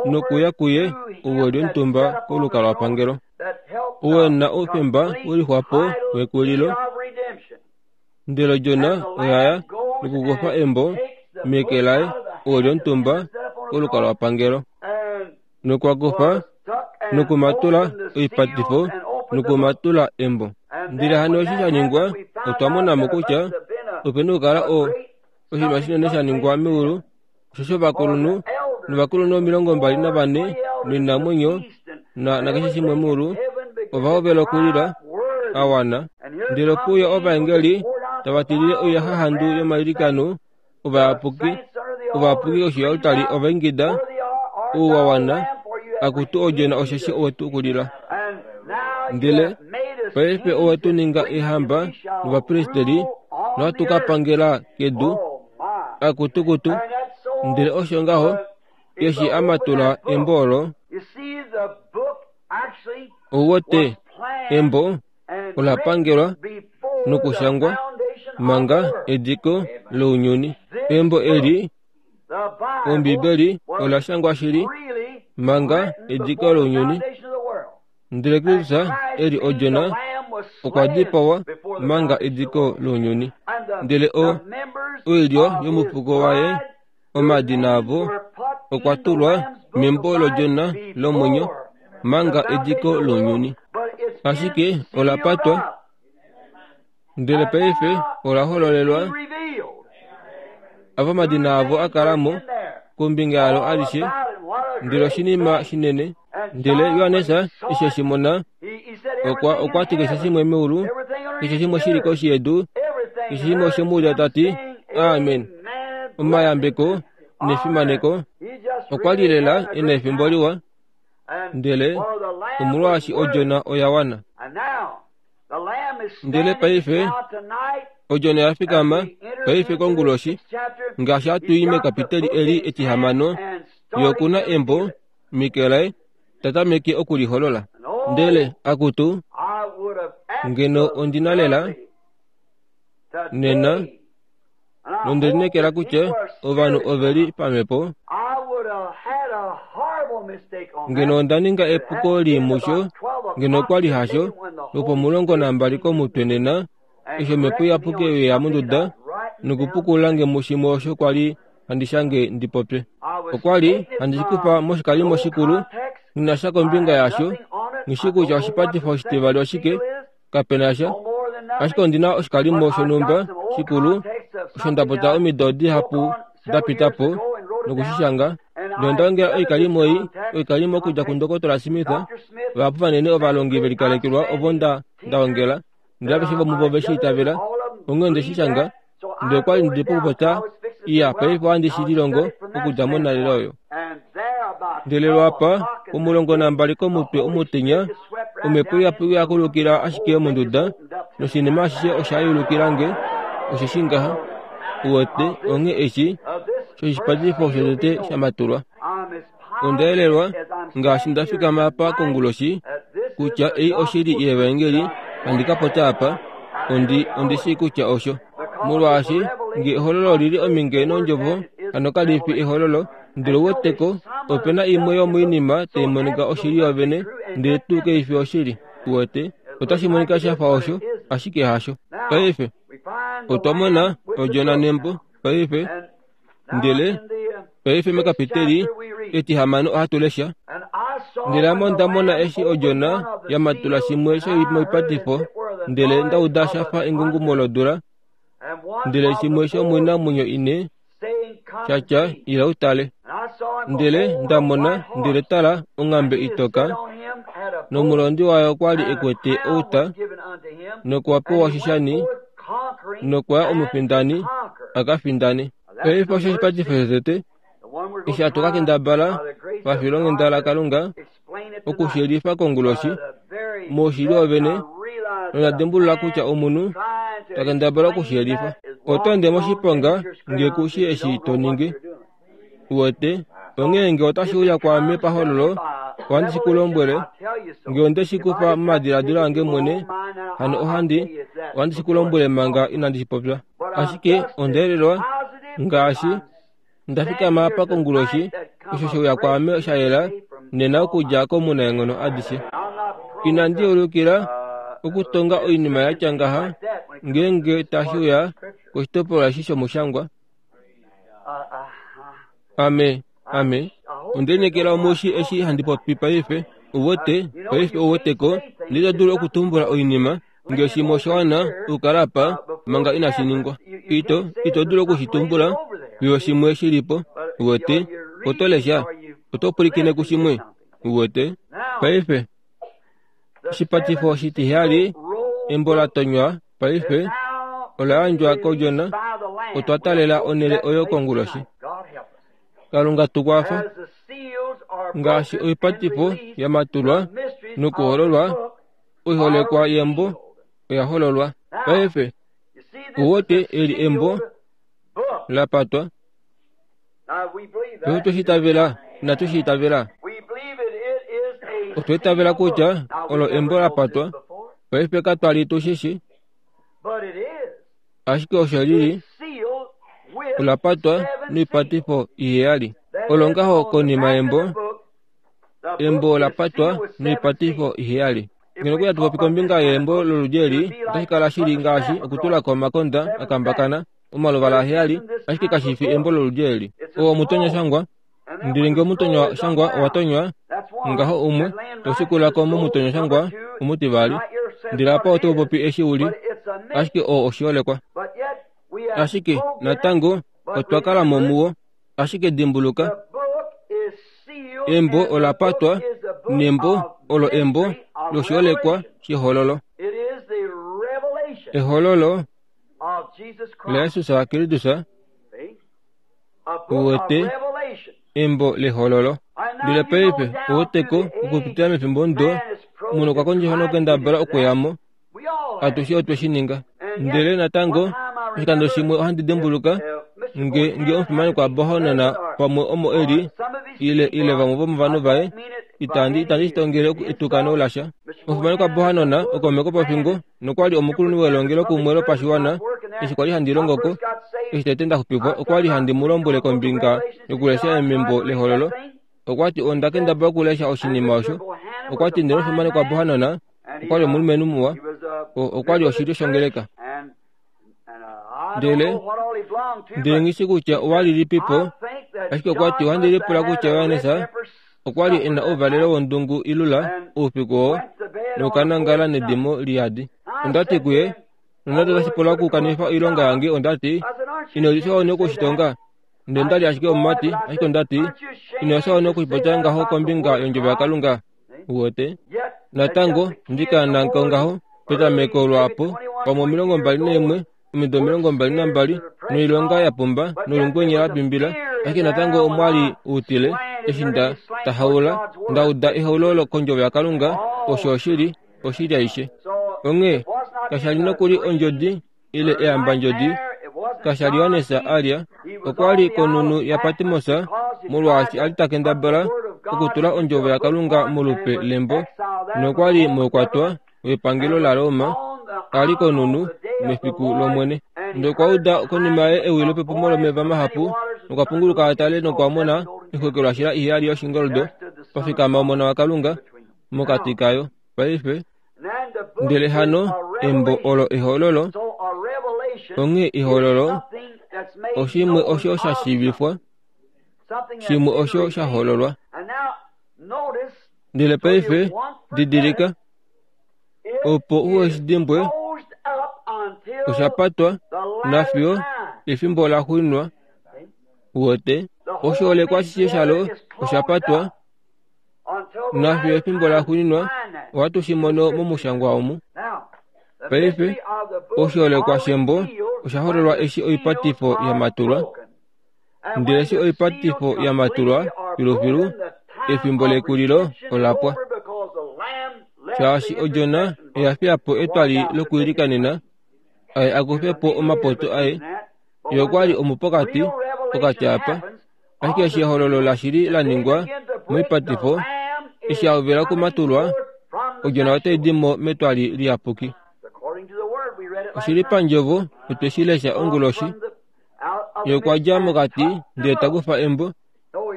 [SPEAKER 2] nokuya kuye ou e li omutumba kolukalwapangelo, ou e na oufemba welixwapo wekulilo. Ndele odjona oya ya nokukufa embo meke laye ou e li omutumba kolukalwapangelo, nokwa kufa nokumatula oipatifo nokumatula embo. Ndele hano eshi sha ningwa, otwa mona mo kutya opena okukala o oshinima shinene sha ningwa meulu, osho ovakulunhu novakulunhu omilongo mbali navane noinamwenyo na nakeshe shimwe meulu ova hovela okulila a wana. Ndele okuuya ovaengeli tava tilile oiyaxahandu yomailikano ovayapuki, ovayapuki koshi yoaltari ova ingida, ou wa wana, akutu odjona osheshi owetu okulila. Ndele paife owetu ninga eehamba novapristeli nohatu ka pangela kedu, akutukutu. Ndele osho ngaho eshi a matula embo olo, ouwete embo ola pangelwa nokushangwa manga ediko lounyuni. Embo eli Ombibeli ola shangwa shili manga ediko lounyuni. Ndele Kristus eli odjona Okwa dipawa manga ediko lounyuni. Ndele o oilyo yomufuko waye, omadina avo okwa tulwa membo lodjona lomwenyo manga ediko lounyuni. Ashike ola patwa, ndele paife ola hololelwa ava omadina avo a kala mo kombinga yalo alishe. Ndele oshinima shinene. Ndele Johannes eshi eshi mona, okwa okwa ti keshe shimwe meulu, keshe shimwe shili koshi yedu, keshe shimwe oshe ta ti amen. Omayambeko nefimaneko. Okwa li lela ena efimbo liwa, ndele omolwaashi odjona oya wana. Ndele paife odjona ya fikama paife konguloshi, ngaashi hatu i mekapiteli eli etihamano, ye okuna embo Mikael tatameke okuliholola. Ndele akutu ngeno ondina lela nena nonde linekela kutya ovanhu oveli pamhepo. Ngeno onda ninga epuko liimusho, ngeno okwa li hasho lwopomulongo nambali komutwe nena, eshi omhepo iyapuki yeya monduda nokupukula nge mushimwe osho kwa li handi shange ndi popye. Okwa li handi shikufa moshikalimo shikulu, nghi sha kombinga yasho, nghi kutya oshipatifo oshitivali oshike, kapena sha. Ashike ondina oshikalimo shonhumba shikulu osho nda popya omido dihapu da pita po nokushishanga. Nonda ongela oikalimo ei, oikalimo okudja kundokotola Smith, vahapu vanene ovalongi velikalekelwa ovo nda ongela, ndele aveshe vomuvo ve shi itavela, onghee onde shi shanga. Ndele okwa li ndi pokupopya iya paife ohandi shi lilongo okudja monalele oyo. Ndele lwapa omulongo nambali komutwe omutenya, omhepo iyapuki ya kulukila ashike monduda, noshinima ashishe osha yulukila nge, osheshi ngaha uwete onghee eshi shoshipatifo shotete sha matulwa. Onda yelelwa ngaashi nda fikama apa konguloshi kutya ei oshili yevaengeli handi ka popya apa, ondi ondi shii kutya osho. Molwaashi nge ehololo lili ominge nondjovo, hano kali fi ehololo. Ndele uweteko opena imwe yomoinima tai monika oshili yovene, ndele tuu kaifi oshili. Uwete otashi monika shafa osho, ashike hasho. Paife otwa mona odjona nembo paife, ndele paife mekapiteli etihamano ohatu lesha. Ndele ame onda mona eshi odjona ya matula shimwe shomoipatifo, ndele nda uda shafa engungumo lodula, ndele shimwe shomoinamwenyo ine shatya ila utale. Ndele nda mona, ndele tala, onghambe itoka, nomulondi wayo okwa li ekwete outa, nokwa pewa oshishani, nokwa ya omufindani a ka findane. Paife osho oshipatifo shotete eshi hatu ka kendabala pafilonghenda laKalunga okushiyelifa konguloshi moushili wovene, nonda dimbulula kutya omunhu ta kendabala okushiyelifa. Oto ende moshiponga nge kushi eshi to ningi. Uwete, onghee nge otashi uya kwaame pahololo, ohandi shi ku lombwele. Nge onde shi kufa momadiladilo ange mwene, hano ohandi ohandi shi ku lombwele manga inandi shi popya. Ashike onda yelelwa ngaashi nda fikama apa konguloshi, osho she uya kwaame sha yela nena okudja komunaenghono adishe. Inandi ulukila okutonga oinima ya tya ngaha ngeenge tashi uya koshitopolwa eshi shomushangwa. Ame, ame, onde linekela omushi eshi handi popi paife. Uwete, paife uweteko, ndele ito dulu okutumbula oinima nge shimwe osha wana okukala apa manga inashi ningwa. Ito, ito dulu okushitumbula fiyo shimwe shilipo. Uwete, oto lesha, oto pwilikine kushimwe. Uwete, paife oshipatifo oshitiheyali, embo la tonywa paife ola yandjwa kodjona. Otwa talela onhele oyo konguloshi. Kalunga tukwafa ngaashi oipatifo ya matulwa nokuhololwa, oiholekwa yembo oya hololwa. Paife uwete eli embo la patwa. Paife tweshitavela, inatu shi itavela. Otwa itavela kutya olo embo la patwa. Paife katwa li tu shishi, ashike osho lili ola patwa noipatifo iheyali. Olo ngaho konima yembo, embo ola patwa noipatifo iheyali. Ngeno kuya tupopi kombinga yembo loludi eli, otashi kala shili ngaashi okutulako omakonda akambakana omaluvala aheyali, ashike kashifi embo loludi eli. Oo omutonywa shangwa, ndele ngee omutonywa shangwa owa tonywa, ngaho umwe, toshikulako momutonywa shangwa omutivali. Ndele apa oto popi eshi uli, ashike oo oshiholekwa. Ashike, natango, otwa kala mo muwo, ashike dimbuluka, embo ola patwa, nembo olo embo loshiholekwa shehololo. Ehololo laJesus Kristus, uwete embo lehololo. Ndele paife oweteko okupitila mefimbo ndo munhu okwa kondjifa nokukendabala okuyamo. Atushe otwe shi ninga. Ndele natango oshikando shimwe ohandi dimbuluka nge nge omufimani kwa Bohanana pamwe omo eli ile ile vamwe vomovanhu vaye, itandi itandi shitongele etukano lasha. Omufimani kwa Bohanana okomeko pofingo nokwali omukulunhu welongelo kumwe lopashiwana eshi kwali handi longoko. Eshi tete ndaxupifwa okwali handi mu lombwele kombinga yokulesha embo lehololo. Okwati onda kendabala okulesha oshinima osho. Okwati ndele omufimani kwa Bohanana okwali omulumenhu muwa, okwali oshilyo shongeleka. Ndele ndele ngishi kutya owalilipipo, ashike okwati ohandi lipula kutya Johannes okwali ena ouvalelo wondungu ilula oufiku oo nokanangala nedimo liyadi. Ondati kuye, nonande otashi pula okukanifa oilonga yange, ondati ino lifya one okushitonga. Ndele ndali ashike omumati, ashike ondati ino lifya one okushipopya ngaho kombinga yondjovo yaKalunga. Uwete natango ndikananko ngaho petameko lwaapo pamwe omilongo mbali naimwe, omido omilongo mbali nambali, noilonga ya pumba nolungwenye la pimbila, ashike natango omwali utile eshi nda tahaula ndauda ehaulolo kondjovo yaKalunga. Osho oshili, oshili aishe. Onghee kashali nokuli ondjodi ile eyambandjodi, kashali Johannes alya, okwali konunu yaPatmos molwaashi ali takendabala okutula ondjovo yaKalunga molupe lembo, nokwali moukwatwa wepangelo laRoma, ali konunu mefiku lOmwene. Ndele okwa uda konima yaye ewi lopepumo lomeva mahapu, nokwa punguluka atale nokwa mona oixwekelwashila iheyali yoshingoldo pafikama Omona waKalunga mokati kayo. Paife ndele hano embo olo ehololo. Onghee ehololo oshimwe osho sha shiivifwa, shimwe osho sha hololwa. Ndele paife didilika, opo uweshidimbwe osha patwa nafiyo efimbo la xuuninwa. Uwete oshiholekwa ashishe shalo osha patwa nafiyo efimbo la xuuninwa. Ohatu shi mono momushangwa omu. Paife oshiholekwa shembo osha hololwa eshi oipatifo ya matulwa. Ndele eshi oipatifo ya matulwa filufilu, efimbo lekulilo ola pwa. Shaashi odjona oya fiya po etwali lokuilikanena, aye akufe po omapoto aye. Ye okwali omupokati pokati apa, ashike eshi ehololo lashili la ningwa moipatifo, eshi a hovela okumatulwa, odjona otai di mo metwali liyapuki. Oshili pandjovo, otwe shi lesha onguloshi. Ye okwa dja mokati ndele ta kufa embo.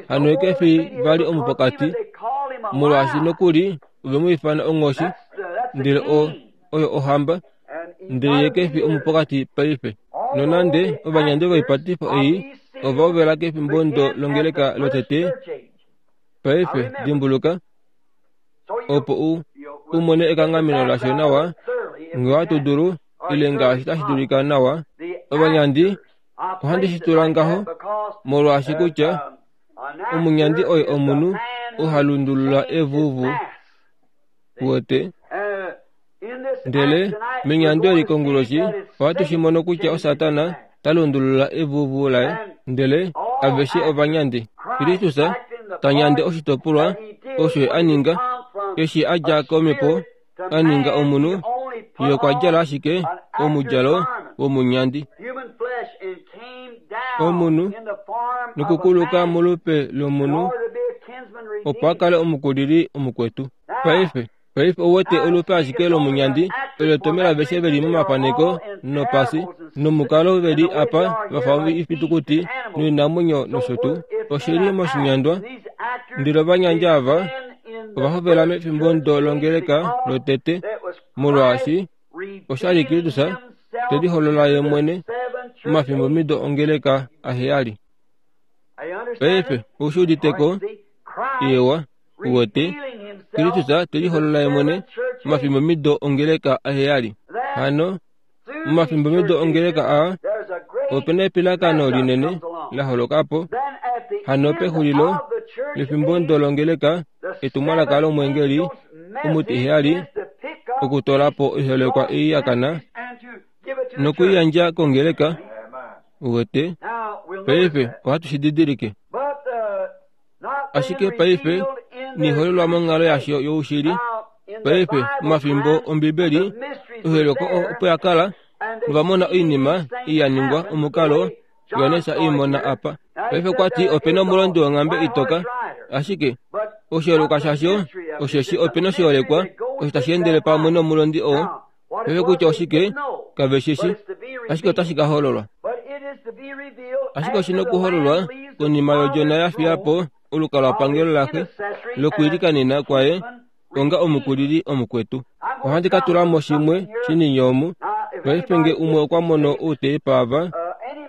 [SPEAKER 2] Hano ye kefi vali omupokati, molwaashi nokuli ove mu ifana onghoshi, ndele o oyo ohamba, ndele ye kefi omupokati paife. Nonande ovanyandi voipatifo ei ova hovela kefimbo ndo longeleka lotete, paife dimbuluka, opo u umone ekanghameno lasho nawa, ngee ohatu dulu, ile ngaashi tashi dulika nawa. Ovanyandi ohandi shi tula ngaho molwaashi kutya omunyandi oye omunhu oha lundulula evuvu. Uwete? Ndele menyando eli konguloshi ohatu shi mono kutya oSatana ta lundulula evuvu laye, ndele aveshe ovanyandi. Kristus ta nyande oshitopolwa osho a ninga eshi a dja komhepo a ninga omunhu, ye okwa djala ashike omudjalo womunyandi. Omunhu nokukuluka molupe lomunhu opo a kale omukulili omukwetu. Paife paife ouwete olupe ashike lomunyandi olo tomela aveshe veli momafaneko nopasi nomukalo veli apa vafa ifitukuti noinamwenyo nosho tuu. Oshili moshinyandwa, ndele ovanyandi ava Ovahovela mefimbo ndo longeleka lotete molwaashi oshali Kristus teliholola ye mwene momafimbo mido ongeleka aheyali. Paife oushi uditeko ewa uwete Kristus teliholola ye mwene momafimbo mido ongeleka aheyali. Hano momafimbo mido ongeleka a opena epilakano linene laholokapo. Hano pexulilo lefimbo ndo longeleka etumwalaka lomwengeli omutiheyali okutolapo oiholekwa ei yakana nokuiyandja kongeleka. Uwete paife ohatu shididilike. Ashike paife niholelwa monghalo yasho youshili. Paife momafimbo Ombibeli oiholekwa opo yakala novamona oinima ei yaningwa omukalo Johannes eimona apa. Paife kwati opena omulondi wonghambe itoka, ashike oshiholekwa shasho osheshi opena oshiholekwa osho tashi endele pamwe nomulondi oo. Paife kutya oshike kave shishi, ashike otashi ka hololwa. Ashike oshina okuhololwa konima yodjona yafiya po olukalwapangelo laxe lokuilikanena kwaye onga omukulili omukwetu. Ohandi ka tula mo shimwe shinini omu. Paife nge umwe okwa mono outeipa ava,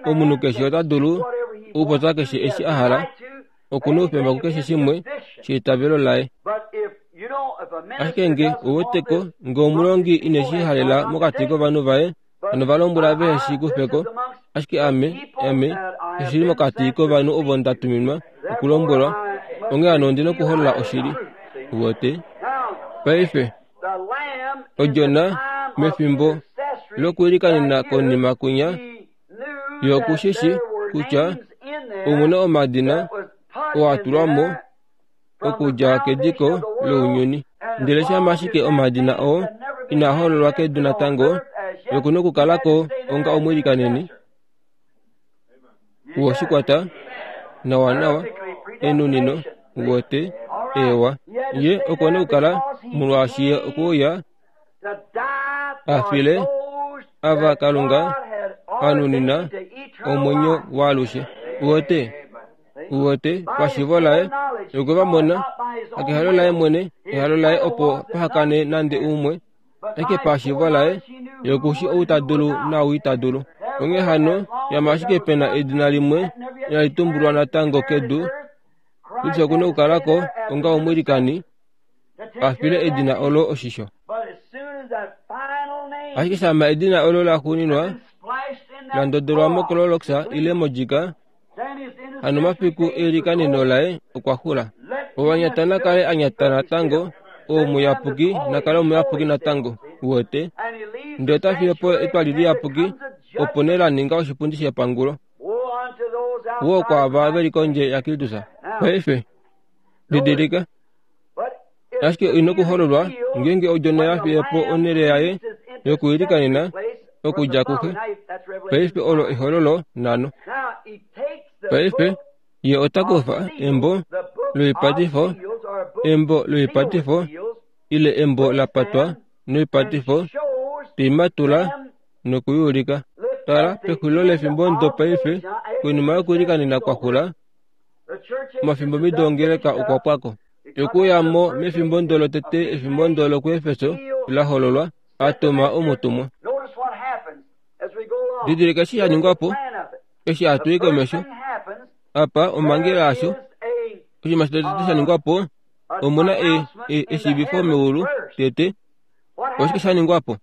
[SPEAKER 2] omunhu keshe ota dulu okupopya keshe eshi a hala, okuna oufemba kukeshe shimwe sheitavelo laye. Ashike nge ouweteko nge omulongi ineshi halela mokati kovanhu vaye, hano va lombwela vehe shi kufeko. Ashike ame, ame, oshili mokati kovanhu ovo nda tuminwa okulombwelwa, onghee hano ondina okuholola oshili. Uwete? Paife odjona mefimbo lokuilikanena konima kwinya yokushishi kutya omuna omadina oo a tulwa mo okudja kediko lounyuni. Ndele shama ashike omadina oo inaa hololwa kedu natango, yokuna okukalako onga omwiilikaneni woshikwata nawa nawa enunino. Uwete? Ewa, ye okuna okukala molwaashi ye okuuya afile ava Kalunga anunina omwenyo waalushe. Uwete? Uwete? Pashivo laye okwe va mona akehalo laye mwene, ehalo laye opo pahakane nande umwe, ashike pashivo laye yokushi ou ta dulu naau ita dulu. Onghee hano yama ashike pena edina limwe inali tumbulwa natango kedu, Kristus okuna okukalako onga omwiilikani afile edina olo oshisho. Ashike shama edina olo laxuuninwa la ndodolwa moClorox ile modjika, hano mafiku eilikaneno laye okwa xula. Owanyata nakale anyata natango, oo muyapuki nakale omuyapuki natango. Uwete? Ndele ota fiye po etwali liyapuki, opo nee la ninga oshipundi shepangulo. Woo kwaava veli kondje yaKristus. Paife didilika, ashike oina okuhololwa ngeenge odjona yafiye po onhele yaye yokuilikanena okudja kuxe. Paife olo ehololo nhano. Paife ye ota kufa embo loipatifo, embo loipatifo ile embo la patwa noipatifo, teimatula nokuyuulika. Tala pexulilo lefimbo ndo paife konima yokuilikanena kwa xula, omafimbo mido ongeleka okwa pwako. Okuyamo mefimbo ndo lotete efimbo ndo lokuEfeso la hololwa, a tuma omutumwa. Didilika eshi sha ningwa po, eshi hatu i komesho. Apa omhangela yasho, oshinima shotete sha ningwa po, omuna e, e, eshiivifo meulu tete. Oshike sha ningwa po?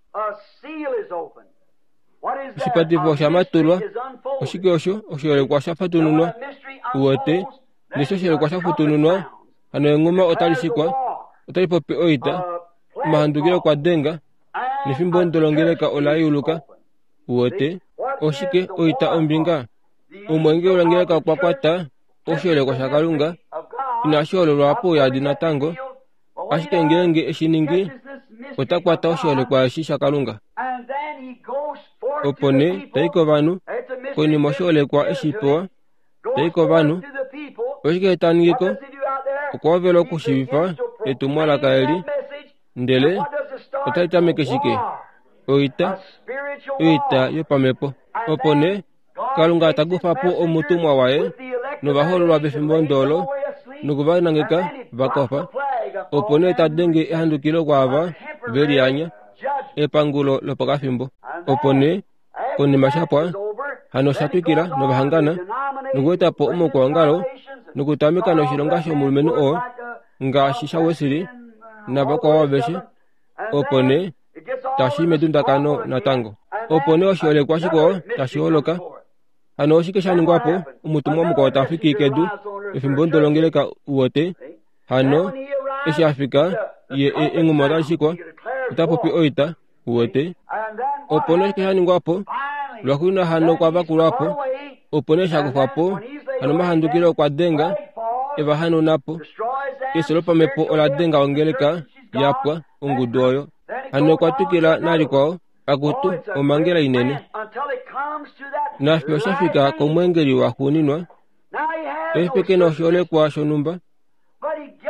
[SPEAKER 2] Oshipatifo osha matulwa. Oshike osho? Oshiholekwa osha fatununwa. Uwete? Ndele oshiholekwa osha futununwa, hano enghuma otali shikwa, otali popi oita, omahandukilo okwa denga, nefimbo ndo longeleka ola yuluka. Uwete? Oshike oita ombinga? Omwenge wolongeleka okwa kwata oshiholekwa shaKalunga, inashi hololwa pouyadi natango, ashike ngeenge eshi ningi, ota kwata oshiholekwa eshi shaKalunga. Opo nee tai kovanhu, konima oshiholekwa eshi pewa, tai kovanhu. Oshike ta ningiko? Okwa hovela okushiivifa etumwalaka eli, ndele otali tameke shike? Oita, oita yopamhepo. Opo nee Kalunga ta kufa po omutumwa waye novahololwa pefimbo ndolo nokuva nangeka va kofa. Opo nee ta denge ehandukilo kwaava ve lianya, epangulo lopakafimbo. Opo nee konima shapwa hano sha twikila novahangana nokueta po omaukwaongalo nokutameka noshilonga shomulumenhu oo ngaashi shaWesley navakwao aveshe. Opo nee tashi medundakano natango. Opo nee oshiholekwa shikwao tashi holoka. Hano oshike sha ningwa po? Omutumwa mukwao ta fiki kedu efimbo ndolongeleka uwote. Hano eshi afika ye enghuma otali shikwa, ota popi oita uwote. Opo nee oshike sha ningwa po? Lwaxuuninwa hano okwa vakulwa po. Opo nee sha kufwa po. Hano omahandukilo okwa denga eva hanauna po. Efyo lopamhepo ola denga ongeleka yapwa ongudu oyo. Hano okwa twikila nalikwao akutu omhangela inene. Nafye osha fika komweengeli waxuuninwa. Paife ke na oshiholekwa shonhumba,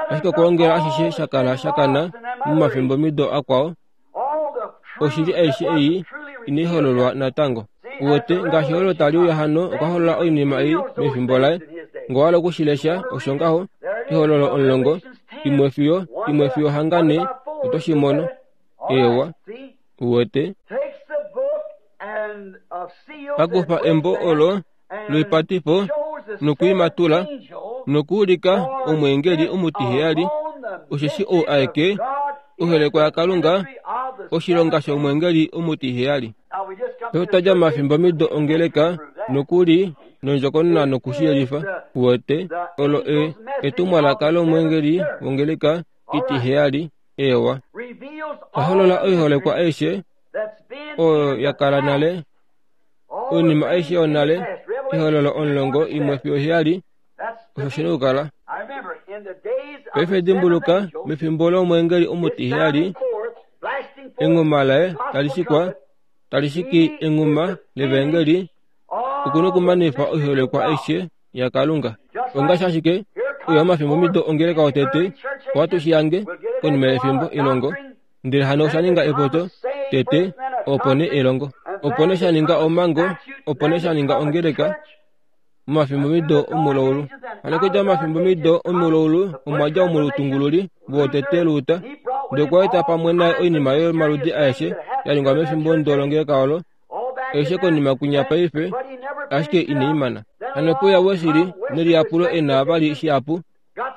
[SPEAKER 2] ashike okwoongela ashishe sha kala shakana momafimbomido akwao. Oshili aishe ei inai hololwa natango. Uwete ngaashi olo tali uya hano okwa holola oinima ei mefimbo laye. Ngowala okushilesha osho ngaho ehololo omulongo imwe fiyo imwe fiyo hangane oto shi mono. Ewa uwete pakufa embo olo loipatifo nokuimatula nokuulika omweengeli omutiheyali, osheshi ou aeke oholekwa yaKalunga oshilonga shomweengeli omutiheyali. Otwa mafimbomido ongeleka nokuli nondjokonona nokushiyelifa. Uwete olo e etumwalaka lomweengeli wongeleka itiheyali. Ewa oholola oiholekwa aishe oyo yakala nale, oinima aishe yonale. Ehololo omulongo imwe fiyo heyali osho shina okukala. Paife dimbuluka mefimbo lomweengeli omutiheyali enghuma laye tali shikwa, tali shiki enghuma levaengeli, okuna okumanifa oiholekwa aishe yaKalunga. Ongaashi ashike oyo omafimbomido ongeleka wotete owatu shiyange konima yefimbo elongo, ndele hano osha ninga epoto tete, opo nee elongo, opo nee sha ninga omhango, opo nee sha ninga ongeleka momafimbomido omulaulu. Hano okudja momafimbomido omulaulu omwa dja omutungululi wotete Luther, ndele okwa eta pamwe naye oinima yomaludi aeshe ya ningwa mefimbo ndolongeleka olo, aishe konima kwinya paife, ashike inai mana. Hano pouya Wesley neliyapulo e na vali shihapu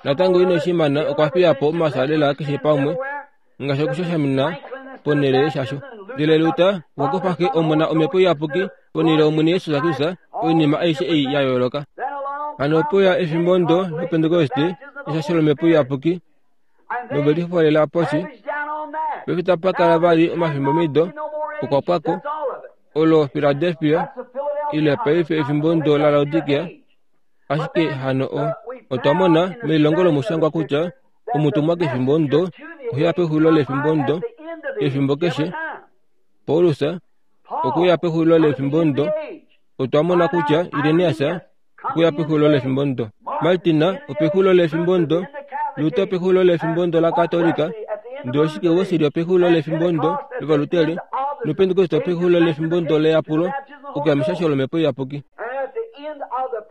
[SPEAKER 2] natango ine shi mana, okwa fiya po omasalela keshe pamwe ngaashi okushashamina ponhele yeshasho. Ndele Luther okwa kufa xe Omona Omhepo Iyapuki ponhele yOmwene Jesus Kristus, oinima aishe ei ya yooloka. Hano pouya efimbo ndo loPentekoste eshasho lOmhepo Iyapuki novelifolela poshi. Paife tapa kala vali omafimbomido okwa pwako olo Philadelphia ile paife efimbo ndo laLaodikia. Ashike hano o otwa mona melilongo lomushangwa kutya omutumwa kefimbo ndo oheya pexulilo lefimbo ndo efimbo keshe. Paulus okuya pexulilo lefimbo ndo. Otwa mona kutya Irenaeus okuya pexulilo lefimbo ndo, Martin opexulilo lefimbo ndo, Luther opexulilo lefimbo ndo laKatolika, ndele oshike Wesley opexulilo lefimbo ndo lOvaluteri, noPentekoste opexulilo lefimbo ndo leyapulo okuya meshasho lOmhepo Iyapuki.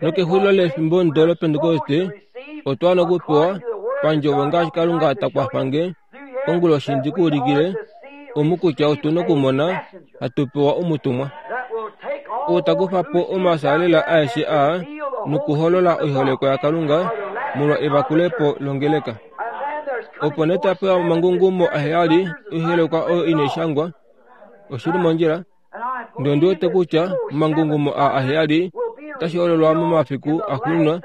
[SPEAKER 2] Nokexulilo lefimbo ndo loPentekoste otwa wana okupewa pandjovo ngaashi Kalunga ta kwafa nge onguloshi ndi ku ulikile omu kutya otu na okumona hatu pewa omutumwa oo ta kufa po omasalela aeshe aa nokuholola oiholekwa yaKalunga molwa evakulepo longeleka. Opo nee ta pewa omangungumo aheyali oiholekwa oyo inai shangwa. Oshili mondjila. Ndele ondi wete kutya omangungumo aa aheyali otashi hololwa momafiku axuuninwa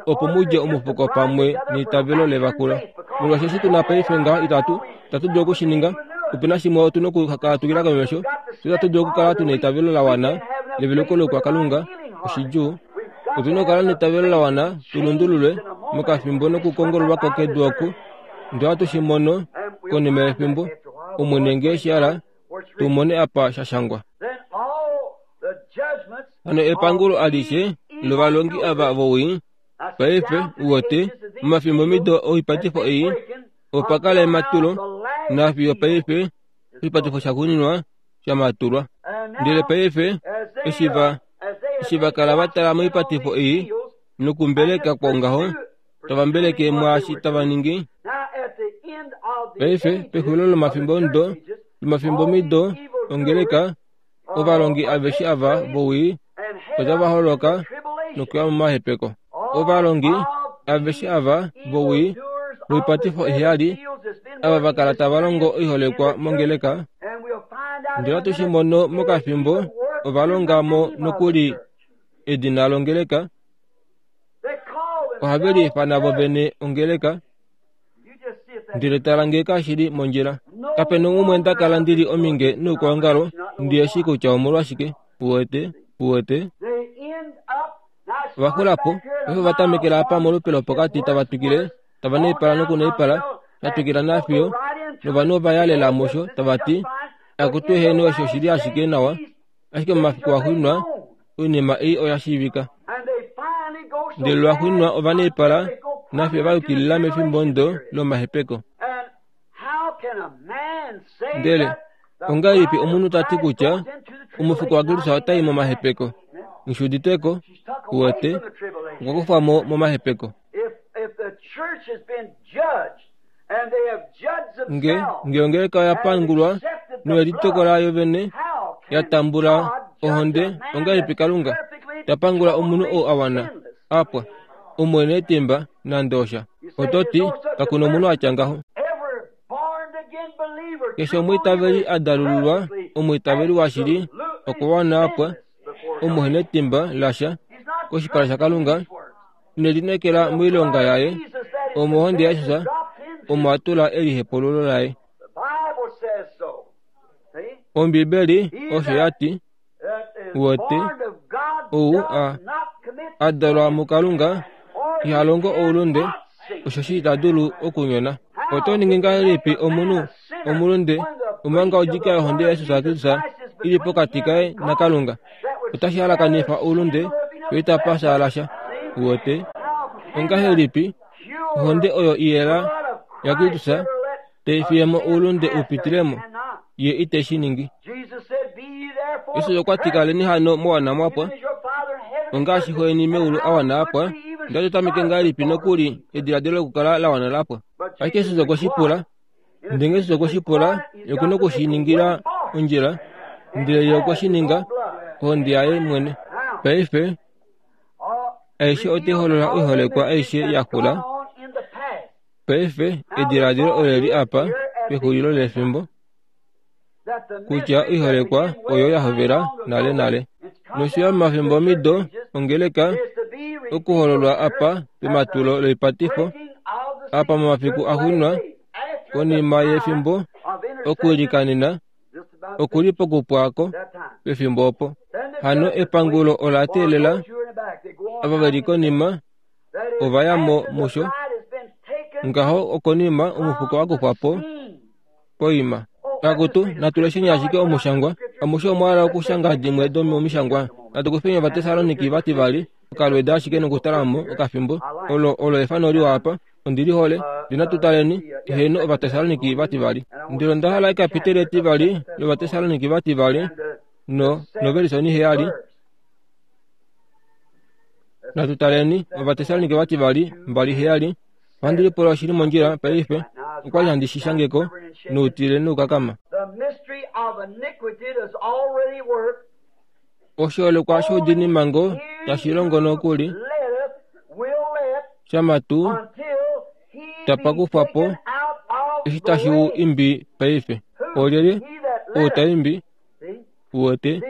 [SPEAKER 2] opo mudje omufuko pamwe neitavelo levakulo. Molwaashi eshi tuna paife ngaha itatu itatu dulu okushininga. Ope na shimwe otu na okukala tukila komesho. Fye itatu dulu okukala tuna eitavelo la wana leveluko lokwakalunga. Oshidjuu. Otu na okukala neitavelo la wana tu lundululwe mokafimbo nokukongololwa ko kedu oku. Ndele ohatu shi mono konima yefimbo, Omwene ngee shi hala, tu mone apa sha shangwa. Hano epangulo alishe lovalongi ava vowii paife uwete momafimbomido oipatifo ei opa kala ematulo nafiyo paife oshipatifo shaxuuninwa shamatulwa. Ndele paife eshi va eshi va kala va tala moipatifo ei nokumbeleka kwongaho, tava mbeleke mwaashi tava ningi. Paife pexulilo lomafimbo ndo lomafimbo mido ongeleka ovalongi aveshe ava vowii otava holoka nokuya momahepeko. Ovalongi aveshe ava vowii voipatifo iheyali ava vakala tava longo oiholekwa mongeleka ndele ohatu shi mono mokafimbo ovalonga mo nokuli edina longeleka ohave liifana vo vene ongeleka ndele tala ngee kashili mondjila. Kapena umwe nda kala ndili ominge noukwaongalo ndiyeshi kutya omolwashike. Uwete uwete ovaxulapo paife ovatamekela apa molupe lopokati tava twikile tava naipala nokunaipala shatwikila nafiyo novanhu ova yalela musho tava ti akutu eheno osho oshili ashike nawa ashike momafiku axuuninwa oinima ei oya shiivika. Ndele lwaxuuninwa ova naipala nafiyo va yukilila mefimbo ndo lomahepeko. Ndele ongahelipi omunhu tati kutya omufuko waKristus otai momahepeko? Nghishiuditeko uwete okwa kufwa mo momahepeko. Nge nge ongeleka oya pangulwa noyelitokola yo vene ya tambula ohonde, ongahelipi Kalunga ta pangula omunhu oo a wana apwa omwene etimba nande osha? Oto ti kakuna omunhu atya ngaho. Keshe omwiitaveli a dalululwa omwiitaveli washili okwa wana apwa omuhena etimba lasha koshipala shaKalunga nelineekela moilonga yaye omohonde yaJesus omo a tula elihepululo laye. Ombibeli osho yati uwete ou a a dalwa muKalunga iha longo oulunde oshoshi ita dulu okunyona. Oto ningi ngahelipi omunhu omulunde omanga odjika yohonde yaJesus Kristus ili pokati kaye naKalunga? Otashi halakanifa oulunde yo itapa shaala sha. Uwete ongahelipi ohonde oyo iyela yaKristus taifiyemo oulunde upitilemo ye ite shi ningi. Jesus okwa ti kaleni hano mwawana mwapwa ongaashi xo yeni meulu a wana apwa. Ndele tameke ngahelipi nokuli ediladilo lokukala la wana lapwa? Ashike Jesus okwe shi pula, ndele Jesus okwe shi pula ye okuna okushiningila ondjila, ndele ye okwe shi ninga ohonde yaye mwene. Paife aishe otai holola oiholekwa aishe yakula. Paife ediladilo oleli apa pexulilo lefimbo kutya oiholekwa oyo ya hovela nale nale nosho yo momafimbo mido ongeleka okuhololwa apa pematulo loipatifo apa momafiku axuuninwa konima yefimbo okuilikanena okuli pokupwako pefimbo opo. Hano epangulo ola teelela ava veli konima ova ya mo musho ngaho okonima omufuko wa kufwa po poima. Akutu natulesheni ashike omushangwa amushe omwa okushanga dimwe domomishangwa. Natukufeni Ovatesaloniki vativali okalweda ashike nokutalamo okafimbo olo olo efano liwa apa ondili hole ndinatutaleni eheno Ovatesaloniki vativali. Ndele onda hala ekapiteli etivali lOvatesaloniki vativali no novelisoni heyali. Natutaleni Ovatesaloniki vativali mbali heyali. Ohandi lipula oshili mondjila paife okwali handi shi shangeko noutile noukakama. Oshiholekwa shoudiinimango tashi longo nokuli shamatu tapa kufwa po eshi tashi u imbi paife. Olyelye ou ta imbi? Uwete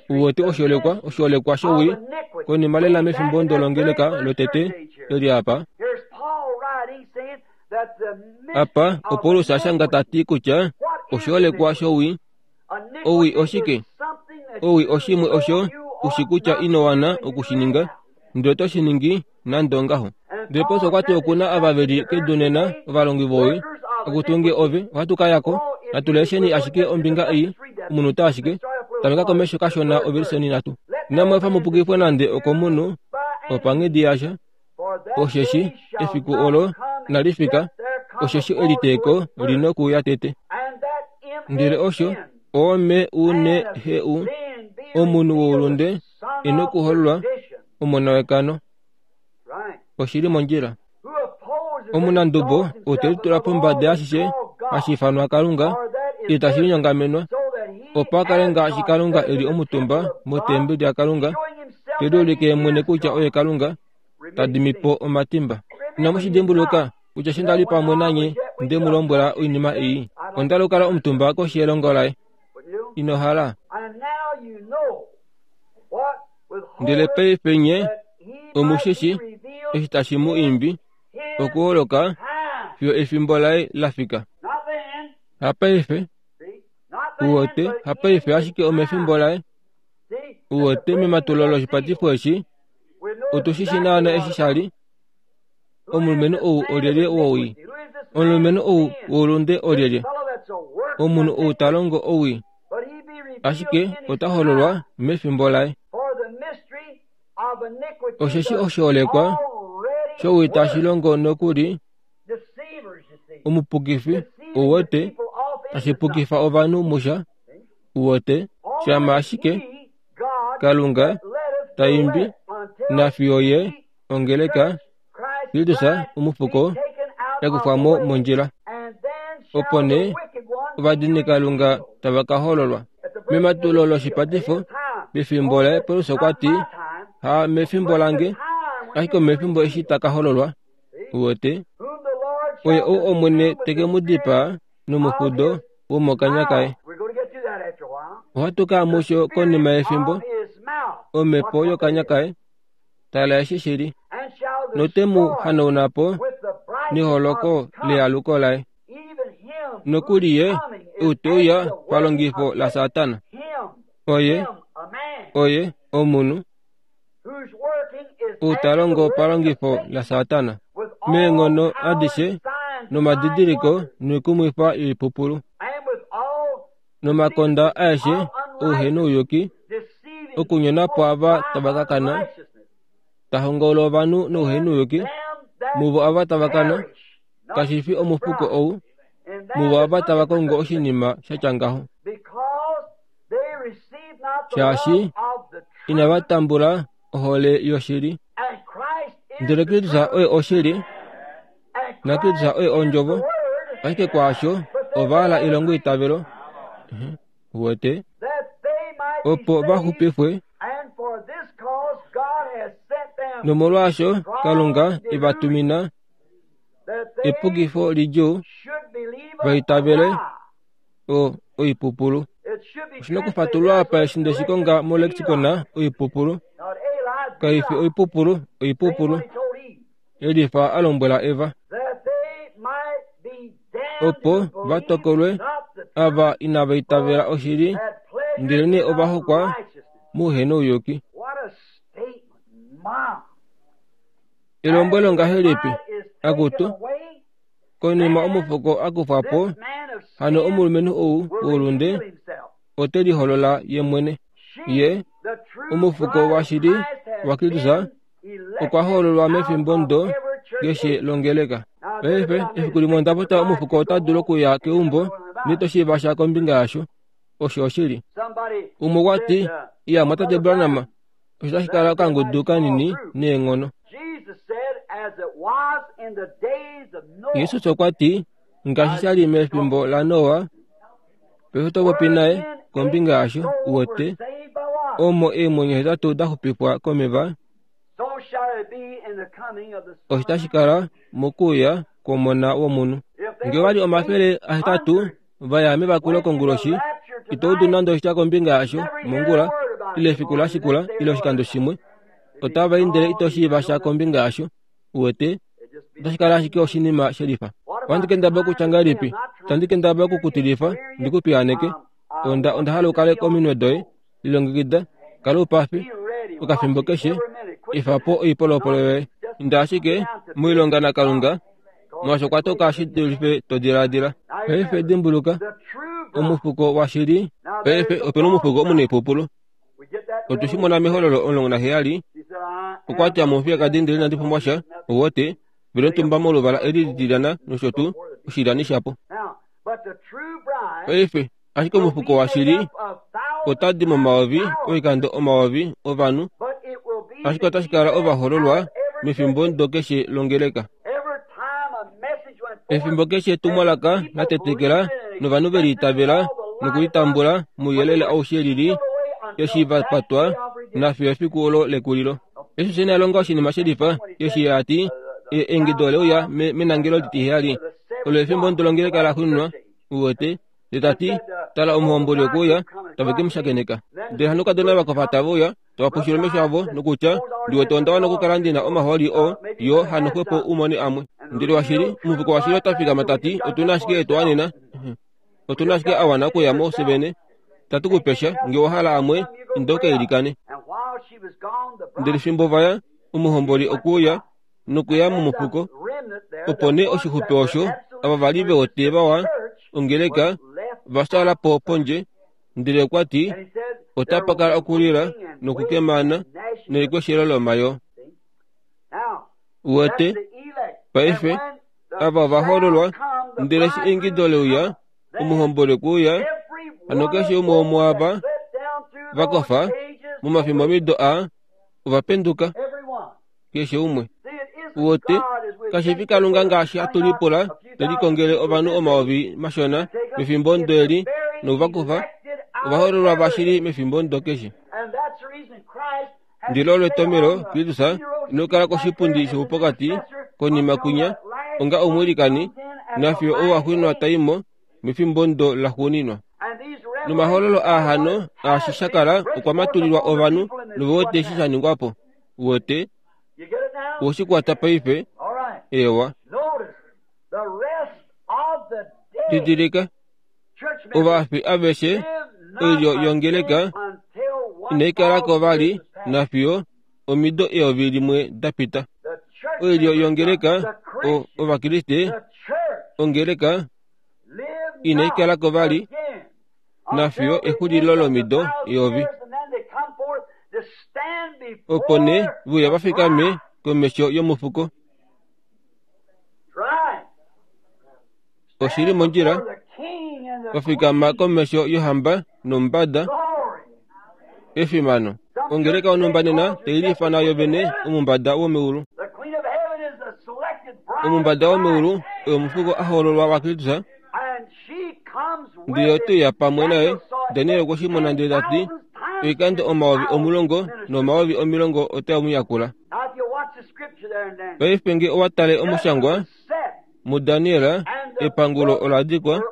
[SPEAKER 2] uwete oshiholekwa oshiholekwa showii konima lela mefimbo ndo longeleka lotete leli apa. Apa oPaulus ashanga tati kutya oshiholekwa showii owii oshike? Owii oshimwe osho ushi kutya ino wana okushininga ndele oto shi ningi nande ongaho. Ndele Paulus okwa ti okuna ava veli kedu nena ovalongi vowii akutunge ove ohatu ka yako. Natulesheni ashike ombinga ei omunute ashike tameka komesho kashona ovelisoni nhatu. Inamweefa mupukifwe nande okomunhu opanghedi yasha osheshi efiku olo inali fika osheshi eliteeko lina okuuya tete. Ndele osho ome u ne he u omunhu woulunde ina okuhololwa omona wekano. Oshili mondjila. Omunandubo ou te litula pombada yashishe hashi ifanwa Kalunga ile tashi linyongamenwa, opo a kale ngaashi Kalunga e li omutumba motembeli yaKalunga, te liulike mwene kutya oye Kalunga, ta dimi po omatimba. Inamu shi dimbuluka kutya eshi nda li pamwe nanye nde mu lombwela oinima ei? Onda li kala omutumba koshi yelongo laye. Ino hala. Ndele paife nye omushishi eshi tashi mu imbi okuholoka fiyo efimbo laye la fika. Hapaife uwote, hapaife ashike omefimbo laye. Uwote mematulo loshipatifo eshi, otushishi naana eshi sha li. Omulumenhu ou olyelye wowii? Omulumenhu ou woulunde olyelye? Omunhu ou ta longo owii, ashike ota hololwa mefimbo laye. Osheshi oshiholekwa showii tashi longo nokuli omupukifi uwote, tashi pukifa ovanhu musha uwote, shama ashike Kalunga taimbi nafiyo ye ongeleka Kristus omufuko yakufwamo mondjila. Opo nee ovadini Kalunga tava ka hololwa. Mematulo loshipatifo pefimbo laye Paulus okwa ti, ha mefimbo lange, ashike omefimbo eshi ta ka hololwa. Uwote, oye ou Omwene te ke mu dipaa nomufudo womokanya kaye. Ohatu ka musho konima yefimbo, omhepo yokanya kaye, tala eshi shili, note mu hanauna po neholoko lealuko laye. Nokuli ye ou te uya palongifo laSatana. Oye, oye omunhu ou ta longo palongifo laSatana meenghono adishe nomadidiliko noikumwifa yoipupulu nomakonda aeshe ouhenouyuki, okunyona po ava tava ka kana, ta hongaula ovanhu nouhenouyuki, muvo ava tava kana, kashi fi omufuko ou, muvo ava tava kongo oshinima sha tya ngaho. Shaashi inava tambula ohole yoshili. Ndele Kristus oye oshili, na Kristus oye ondjovo, ashike kwaasho ova hala ilongo itavelo, uwete, opo va xupifwe. Nomolwaasho Kalunga e va tumina epukifo lidjuu va itavele o oipupulu. Oshina okufatululwa apa eshi nde shi konga molexicon oipupulu. Kaifi oipupulu, oipupulu. Elifa a lombwela Eva, opo va tokolwe ava inava itavela oshili, ndelenee ova hokwa mouhenouyuki. Elombwelo ngahelipi, akutu, konima omufuko a kufwa po, hano omulumenhu ou woulunde ote liholola ye mwene. Ye omufuko washili waKristus okwa hololwa mefimbo ndo keshe longeleka. Paife efiku limwe onda pota omufuko ota dulu okuya keumbo nitoshiiva sha kombinga yasho. Osho oshili. Umwe okwa ti, iya mwatate Branham, osho tashi kala okangudu kanini neenghono. Jesus okwa ti, ngaashi sha li mefimbo laNoa, paife oto popi naye kombinga yasho, uwete, omo eemwenyo hetatu da xupifwa komeva, osho tashi kala mokuuya kwomona womunhu. Ngee ova li omafele ahetatu va ya mevakulo konguloshi, ito udu nande oshitya kombinga yasho mongula, ile efiku la shikula, ile oshikando shimwe, otava i ndele ito shiiva sha kombinga yasho, uwete, otashi kala ashike oshinima shelifa. Ohandi kendabala okutya ngahelipi? Itandi kendabala okukutilifa ndi ku piyaaneke. Onda onda hala ukale kominwe doye, lilongekida, kala oupafi okafimbo keshe, efa po oipolopolo yoye. Inda ashike moilonga naKalunga, molwaashi okwa toka shi dulife to diladila. Paife dimbuluka, omufuko washili. Paife opena omufuko omunaipupulu. Otu shi mona mehololo omulongo naheyali. Okwa ti amufiyakadi ndele inandi pumbwa sha, uwote, vele omutumba moluvala eli litilyana nosho tuu, oshilyani shapo. Paife ashike omufuko washili ota di momayovi oikando omayovi ovanhu, ashike otashi kala ovahololwa mefimbo ndo keshe longeleka. Efimbo keshe etumwalaka la tetekela novanhu ve liitavela nokulitambula mouyelele aushe lili eshi va patwa nafiyo efiku olo lekulilo. Jesus ina longa oshinima shelifa eshi a ti eingido ole uya menangelo litiheyali olo efimbo ndolongeleka la xunwa uwete ndele tati tala omuhomboli okuuya tave ke mu shakeneka. Ndele hano kadona vakofa tave uya tava pushile omesho avo nokutya ndiwete onda wana okukala ndina omahooli oo yo hano xwepo umone amwe. Ndele washili omufuko washili ota fikama tati otuna ashike etuwanena otuna ashike awana okuya mo sevene tatu kupesha nge owahala amwe inda ukailikane. Ndele fimbo vaya omuhomboli okuuya nokuya momufuko opo nee oshixupe osho ava vali vewote vawa ongeleka vasala po pondje. Ndele okwa ti otapa kala okulila nokukemana nelikweshelo lomayo. Uwete paife ava vahololwa ndele eshi eingido leuya omuhomboli okuuya hano keshe umwe womuava vakofa momafimbo mido a ovapenduka keshe umwe. Uwete kashifi Kalunga ngaashi hatu lipula telikongele ovanhu omayovi mashona mefimbo ndo eli nokuvakufa ovahololwa vashili mefimbo ndo keshe. Ndilo olo etomelo Kristus inokala koshipundi shoupokati konima kunya onga omwiilikani nafiyo ouwaxwinwa taimo mefimbo ndo laxuuninwa. Nomahololo ahano aashi shakala okwa matulilwa ovanhu novewete eshi sha ningwapo. Uwete oshikwata paife ewa. Didilika ovafi aveshe oilyo yongeleka inaikalako vali nafiyo omido eyovi limwe dapita. Oilyo yongeleka ovakriste ongeleka inaikalako vali nafiyo exulilo lomido eyovi. Opo nee vuya vafikame komesho yomufuko. Oshili mondjila vafikama komesho yohamba nombada efimano. Ongeleka onumba nena teilifana yovene omumbada womeulu. Omumbada womeulu oyo omufuko ahololwa waKristus ndele oteya pamwe naye. Daniel okwe shi mona ndele tati oikando omayovi omulongo nomayovi omilongo otae mu yakula. Paife nge owa tale omushangwa muDaniel epangulo ola dikwa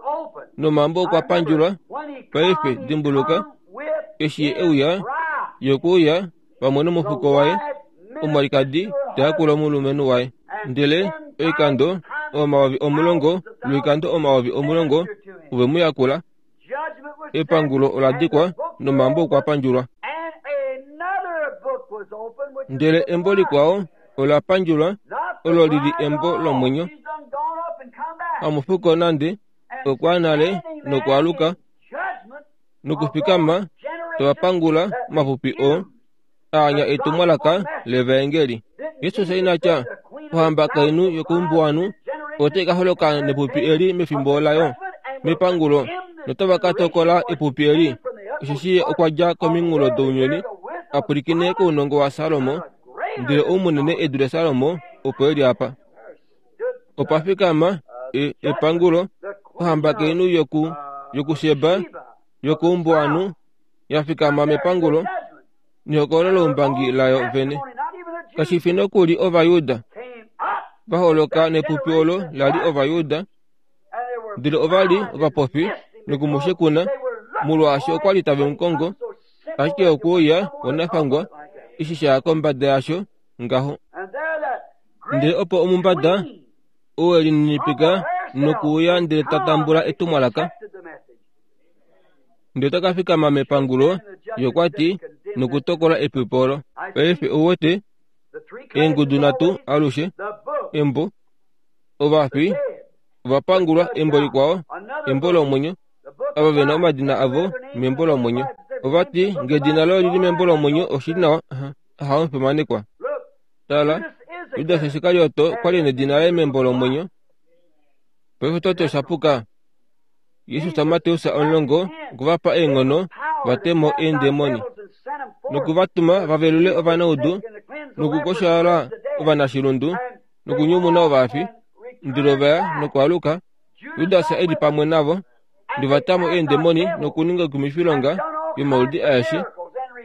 [SPEAKER 2] nomambo okwa pandjulwa. Paife dimbuluka eshi euya yokuuya pamwe nomufuko waye omwalikadi tayakula omulumenhu waye. Ndele oikando omayovi omulongo lwoikando omayovi omulongo ove mu yakula. Epangulo ola dikwa nomambo okwa pandjulwa. Ndele embo likwao ola pandjulwa olo lili embo lomwenyo. Hamufuko nande okwa nale nokwaluka nokufikama tovapangula mapupi o aanya etumwalaka levaengeli. Jesus inatya ohamba kainu yokuumbuwanu otai ka holoka nepupi eli mefimbo layo mepangulo notava ka tokola epupi eli. Osheshi okwa dja kominghulo dounyuni apwilikine kounongo waSalomo ndele oumunene edu laSalomo opo eli apa. Opa fikama epangulo ohamba kainu yoku yokuSheba yokuumbuwanu yafikama mepangulo nehokololo loumbangi layo vene. Kashifi nokuli Ovayuda vaholoka nepupi olo lali Ovayuda ndele ovali ovapofi nokumushekuna molwaashi okwali tave mukongo ashike okuuya onafangwa eshi shaya kombada yasho ngaho. Ndele opo omumbada ou elininipika nokuuya ndele tatambula etumwalaka ndele taka fikama mepangulo yokwati nokutokola epupi olo. Paife ouwete eengudu nhatu alushe embo ovafi ovapangulwa embo likwao embo lomwenyo ava vena omadina avo membo lomwenyo. Ovati ngedina loye lili membo lomwenyo oshili nawa hamufimanekwa. Tala Judas Iskarioto okwali nedina laye membo lomwenyo. Paife toti oshapuka. Jesus Mateus omulongo okuvapa eenghono vatemo eendemoni nokuvatuma vavelule ovanaudu nokukoshala ovanashilundu nokunyumuna ovafi Ndele ova ya nokwaaluka, Judas e li pamwe navo, ndele va ta mo eendemoni nokuninga oikumwifilonga yomaudi aeshe,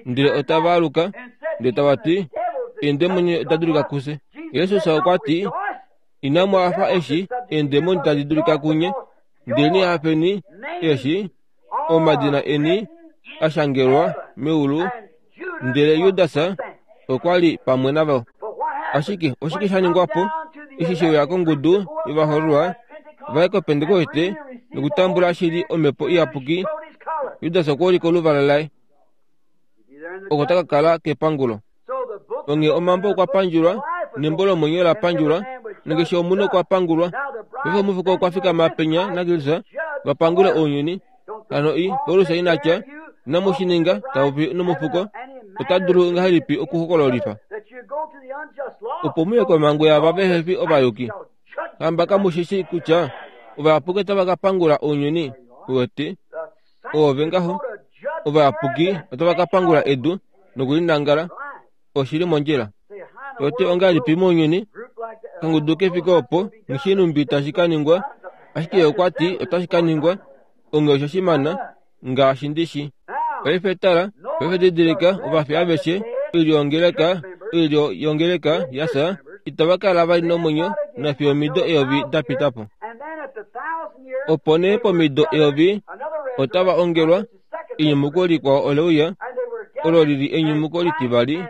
[SPEAKER 2] ndele otava aluka, ndele tava ti, eendemoni oda dulika kufye. Jesus okwa ti, inamu hafa eshi eendemoni tadi dulika kunye, ndele hafeni eshi omadina eni ashangelwa meulu. Ndele Judas okwa li pamwe navo. Ashike oshike sha ningwa po eshi she uya kongudu yovahoololwa va ye koPentekoste nokutambula shili omhepo iyapuki? Judas okwa ulika oluvala laye, oko taka kala kepangulo. Onghee omambo okwa pandjulwa nembo lomwenyo la pandjulwa, nokeshe omunhu okwa pangulwa. Paife omufuko okwa fikama penya naKristus va pangule ounyuni. Hano i Paulus ina tya, inamu shi ninga, ta popi nomufuko, ota dulu ngahelipi okuhokololifa? Opo muye komhangu yaava vehe fi ovayuki. Hamba kamu shi shii kutya ovayapuki otava ka pangula ounyuni? Uwete, oove ngaho, ovayapuki otava ka pangula edu nokulinangala. Oshili mondjila. Ote ongahelipi mounyuni? Kangudu kefike opo, nghishinumbi tashi ka ningwa, ashike okwa ti otashi ka ningwa, onghee osho shimana ngaashi ndishi. Paife tala, paife didilika, ovafi aveshe, oilyo yongeleka, oilyo yongeleka yafya, itava kala vali nomwenyo nafiyo omido eyovi da pita po. Opo nee pomido eyovi otava ongelwa, enyumuko likwao ole uya, olo lili enyumuko litivali,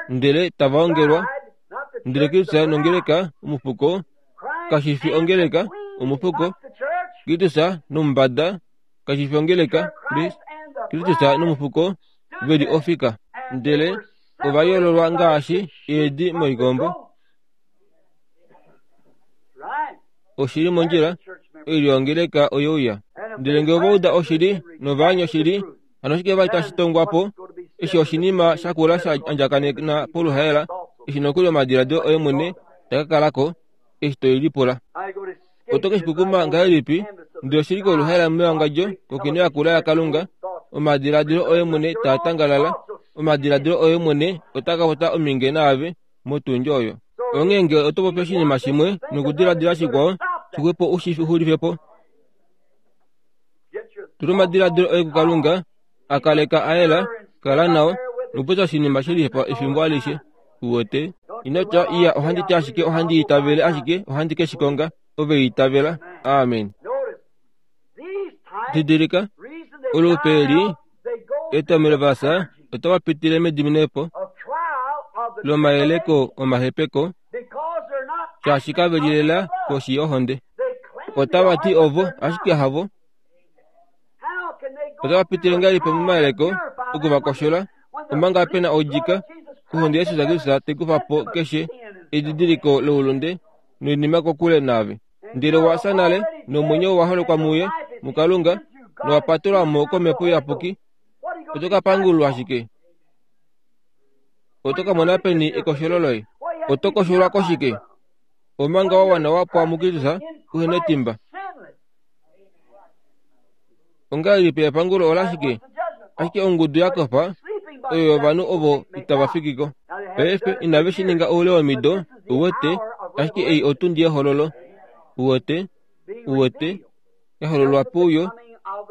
[SPEAKER 2] ndele tava ongelwa, ndele Kristus nongeleka omufuko, kashi fi ongeleka omufuko, Kristus nomumbada, kashi fi ongeleka, Kristus nomufuko veli ofika, ndele ova yoololwa ngaashi eedi moikombo. Oshili mondjila, oilyo yongeleka oye uya. Ndele ngee ova uda oshili novaanya oshili, hano oshike vali tashi tongwa po? Eshi oshinima shakula sha andjakanena poluhaela, eshi nokuli omadiladilo oye mwene taka kalako eshi toi lipula. Oto ke shikukuma ngahelipi? Ndele oshili koluhaela mewangadjo kokino yakula yaKalunga, omadiladilo oye mwene taa tangalala, omadiladilo oye mwene otaa ka pota ominge naave motundji oyo. Onghee ngee oto popi oshinima shimwe nokudiladila shikwao, shixwepo u shi xulife po. Tula omadiladilo oye kuKalunga, a kaleka a yela, kala nao, nokupopya oshinima shelifa efimbo alishe. Uwete, ino tya iya ohandi ti ashike ohandi itavele ashike ohandi ke shi konga, ove itavela. Amen. Didilika, olupe eli etomelo vasa otava pitile mediminepo lomayeleko omahepeko, shaashi kave lilela koshi yohonde. Otava ti ovo, ashike havo. Otava pitile ngahelipi momayeleko okuvakoshola, omanga pena odjika kohonde yaJesus Kristus taikufa po keshe edidiliko loulunde noinima kokule naave. Ndele owa fya nale, nomwenyo wa holekwa muye, muKalunga, nowa patelwa mo komhepo iyapuki. Oto ka pangulwa ashike. Oto ka mona peni ekosholo loye? Oto kosholwa koshike? Omanga wa wana wa pwa muKristus, uhe netimba. Ongahelipi epangulo olashike? Ashike ongudu ya kofa oyo yovanhu ovo itava fiki ko. Paife inave shi ninga oule womido, uwete, ashike ei otundi yehololo. Uwete, uwete, yahololwa puuyo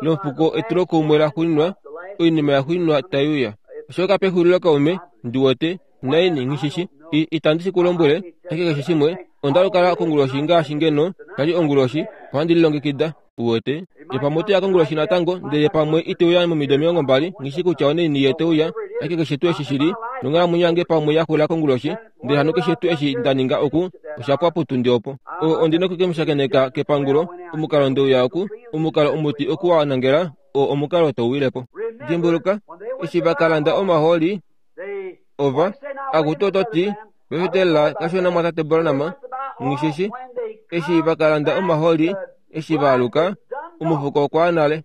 [SPEAKER 2] lomufuko etulokumwe laxuuninwa, oinima yaxuuninwa tai uya. Oshoka pexulilo kaume, ndiwete, naini nghishishi, itandi shi ku lombwele, ashike keshe shimwe, onda lukala konguloshi ngaashi ngeno tali onguloshi, ohandi lilongekida. Uwete, ye pamwe ote ya konguloshi natango, ndele pamwe ite uya momido omilongo mbali, nghishi kutya onaini ye te uya, ashike keshe tuu eshi shili, nonghalamwenyo yange pamwe ya xula konguloshi, ndele hano keshe tuu eshi nda ninga oku, osha pwa potundi opo. O, ondi noku ke mu shakeneka kepangulo, omukalo ndeuya oku, omukalo omuti oku wa nangela, oo omukalo to wile po. Dimbuluka, eshi va ka landa omahooli, ova, akutu oto ti, pefetelela kashona mwatate Branham, nghishishi, eshi va ka landa omahooli, eshi va aluka, omufuko okwa ya nale,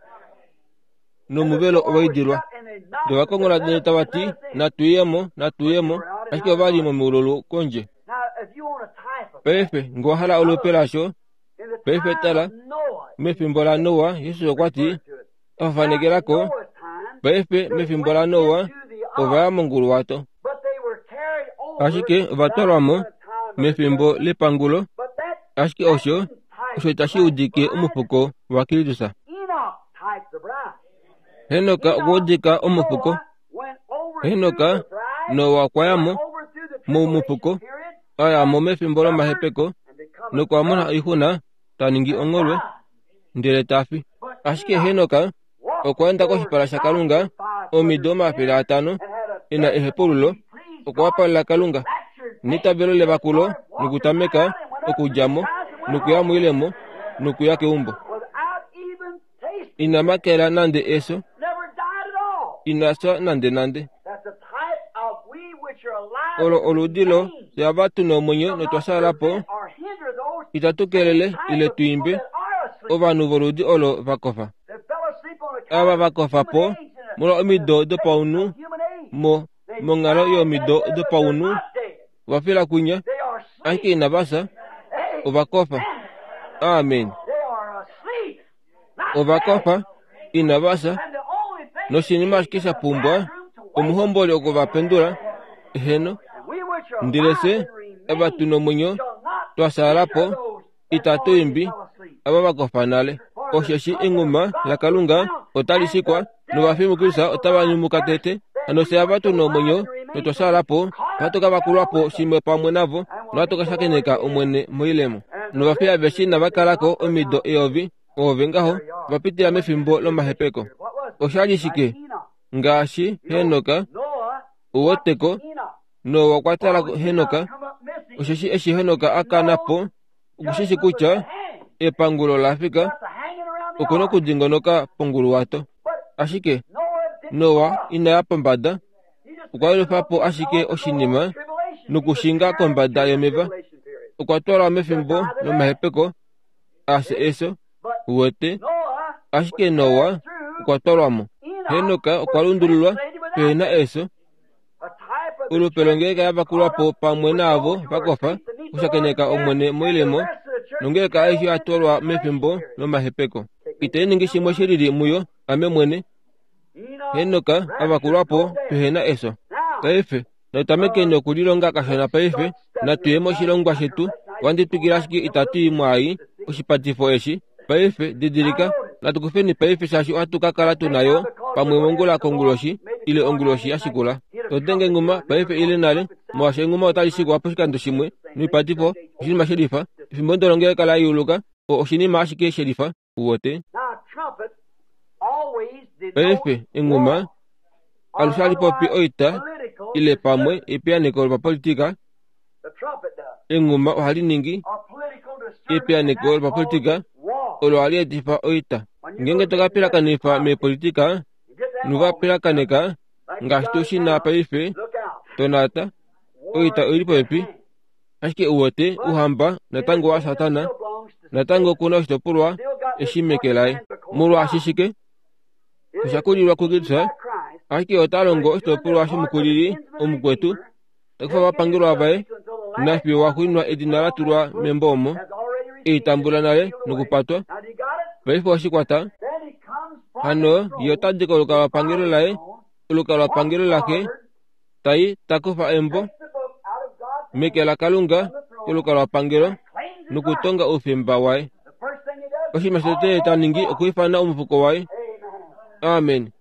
[SPEAKER 2] nomuvelo owa idilwa. Ndele ovakongola ndele tava ti, natu yemo, natu yemo, ashike ova li momiululu kondje. Paife, ngee owa hala olupe lasho, paife tala, mefimbo laNoa, Jesus okwa ti, a fafanekelako, paife mefimbo laNoa, ova ya monguluwato. Ashike ova twalwa mo mefimbo lepangulo, Ashike osho osho tashi udike omufuko waKristus. Henoka okwa udika omufuko. Henoka Noa okwa ya mo momufuko, a ya mo mefimbo lomahepeko nokwa mona oixuna, ta ningi ongholwe ndele ta fi. Ashike Henoka okwa enda koshipala shaKalunga omido omafele atano e na ehepululo, okwa wapalela Kalunga neitavelo levakulo nokutameka okudja mo nokuya moilemo nokuya keumbo. Ina makela nande eso, ina fya nande nande. Olo oludi lo fyava tuna omwenyo notwa shaala po, itatu kelele ile tu imbe ovanhu voludi olo vakofa. Ava vakofa po molwa omido dopaunhu mo monghalo yomido dopaunhu vafila kwinya, ashike inava fya, ovakofa. Amen. Ovakofa inava fya, noshinima ashike sha pumbwa omuhomboli okuvapendula. Eheno, ndele fye ava tuna omwenyo twa shaala po itatu imbi ava vakofa nale. Osheshi enghuma laKalunga otali shikwa novafi muKristus otava nyumuka tete. Hano fye ava tuna omwenyo notwa shaala po ohatu ka vakulwa po shimwe pamwe navo nohatu ka shakeneka Omwene moilemo. Novafi aveshe inava kalako omido eyovi, oove ngaho va pitila mefimbo lomahepeko. Oshali shike? Ngaashi Henoka, uweteko, Noa okwa tala Henoka. Osheshi eshi Henoka a kana po, okushishi kutya epangulo la fika, okuna okudingonoka ponguluwato. Ashike Noa ina ya pombada, okwa yelufa po ashike oshinima nokushinga kombada yomeva. Okwa twalwa mefimbo lomahepeko afye eso, uwete. Ashike Noa okwa twalwa mo. Henoka okwa lundululwa pehena eso. Olupe longeleka yavakulwa po pamwe naavo vakofa okushakeneka Omwene moilemo, nongeleka aishe ya twalwa mefimbo lomahepeko. Itai ningi shimwe shilili muyo, ame mwene. Henoka avakulwa po pehena eso. Paife natutameke nokulilonga kashona paife, natuye moshilongwa shetu. Wanditwikila ashike itatu imwe oshipatifo eshi. Paife didilika, natukufeni paife shaashi ohatu ka kala tunayo pamwe mongula konguloshi ile onguloshi ya shikula. Totenge enghuma paife ile nale, molwaashi enghuma otali shikwa poshikando shimwe noipatifo oshinima shelifa. Efimbo ndolo ngele la yuluka, oshinima ashike shelifa, uwete. Paife enghuma alushe hali popi oita ile pamwe epiyaneko lopapolitika. Enghuma ohali ningi epiyaneko lopapolitika olo hali etifa oita. Ngeenge tokapilakanifa meepolitika nuvapilakaneka ngaashi tu shina paife, tonata oita oili popepi. Ashike uwete uhamba natango wa Satana, natango kuna oshitopolwa eshi meke laye. Molwaashi shike? Osha kulilwa kuKristus, ashike ota longo oshitopolwa shomukulili omukwetu, takufa ovapangelwa vaye, nafiyo waxuuninwa edina la tulwa membo omo, ei tambula nale nokupatwa. Paife oshikwata. Hano ye ota dika olukalwapangelo laye, olukalwapangelo lake, tai takufa embo meke laKalunga kolukalwapangelo nokutonga oufemba waye. Oshinima shotete ta ningi okwiifana omufuko waye. Amen.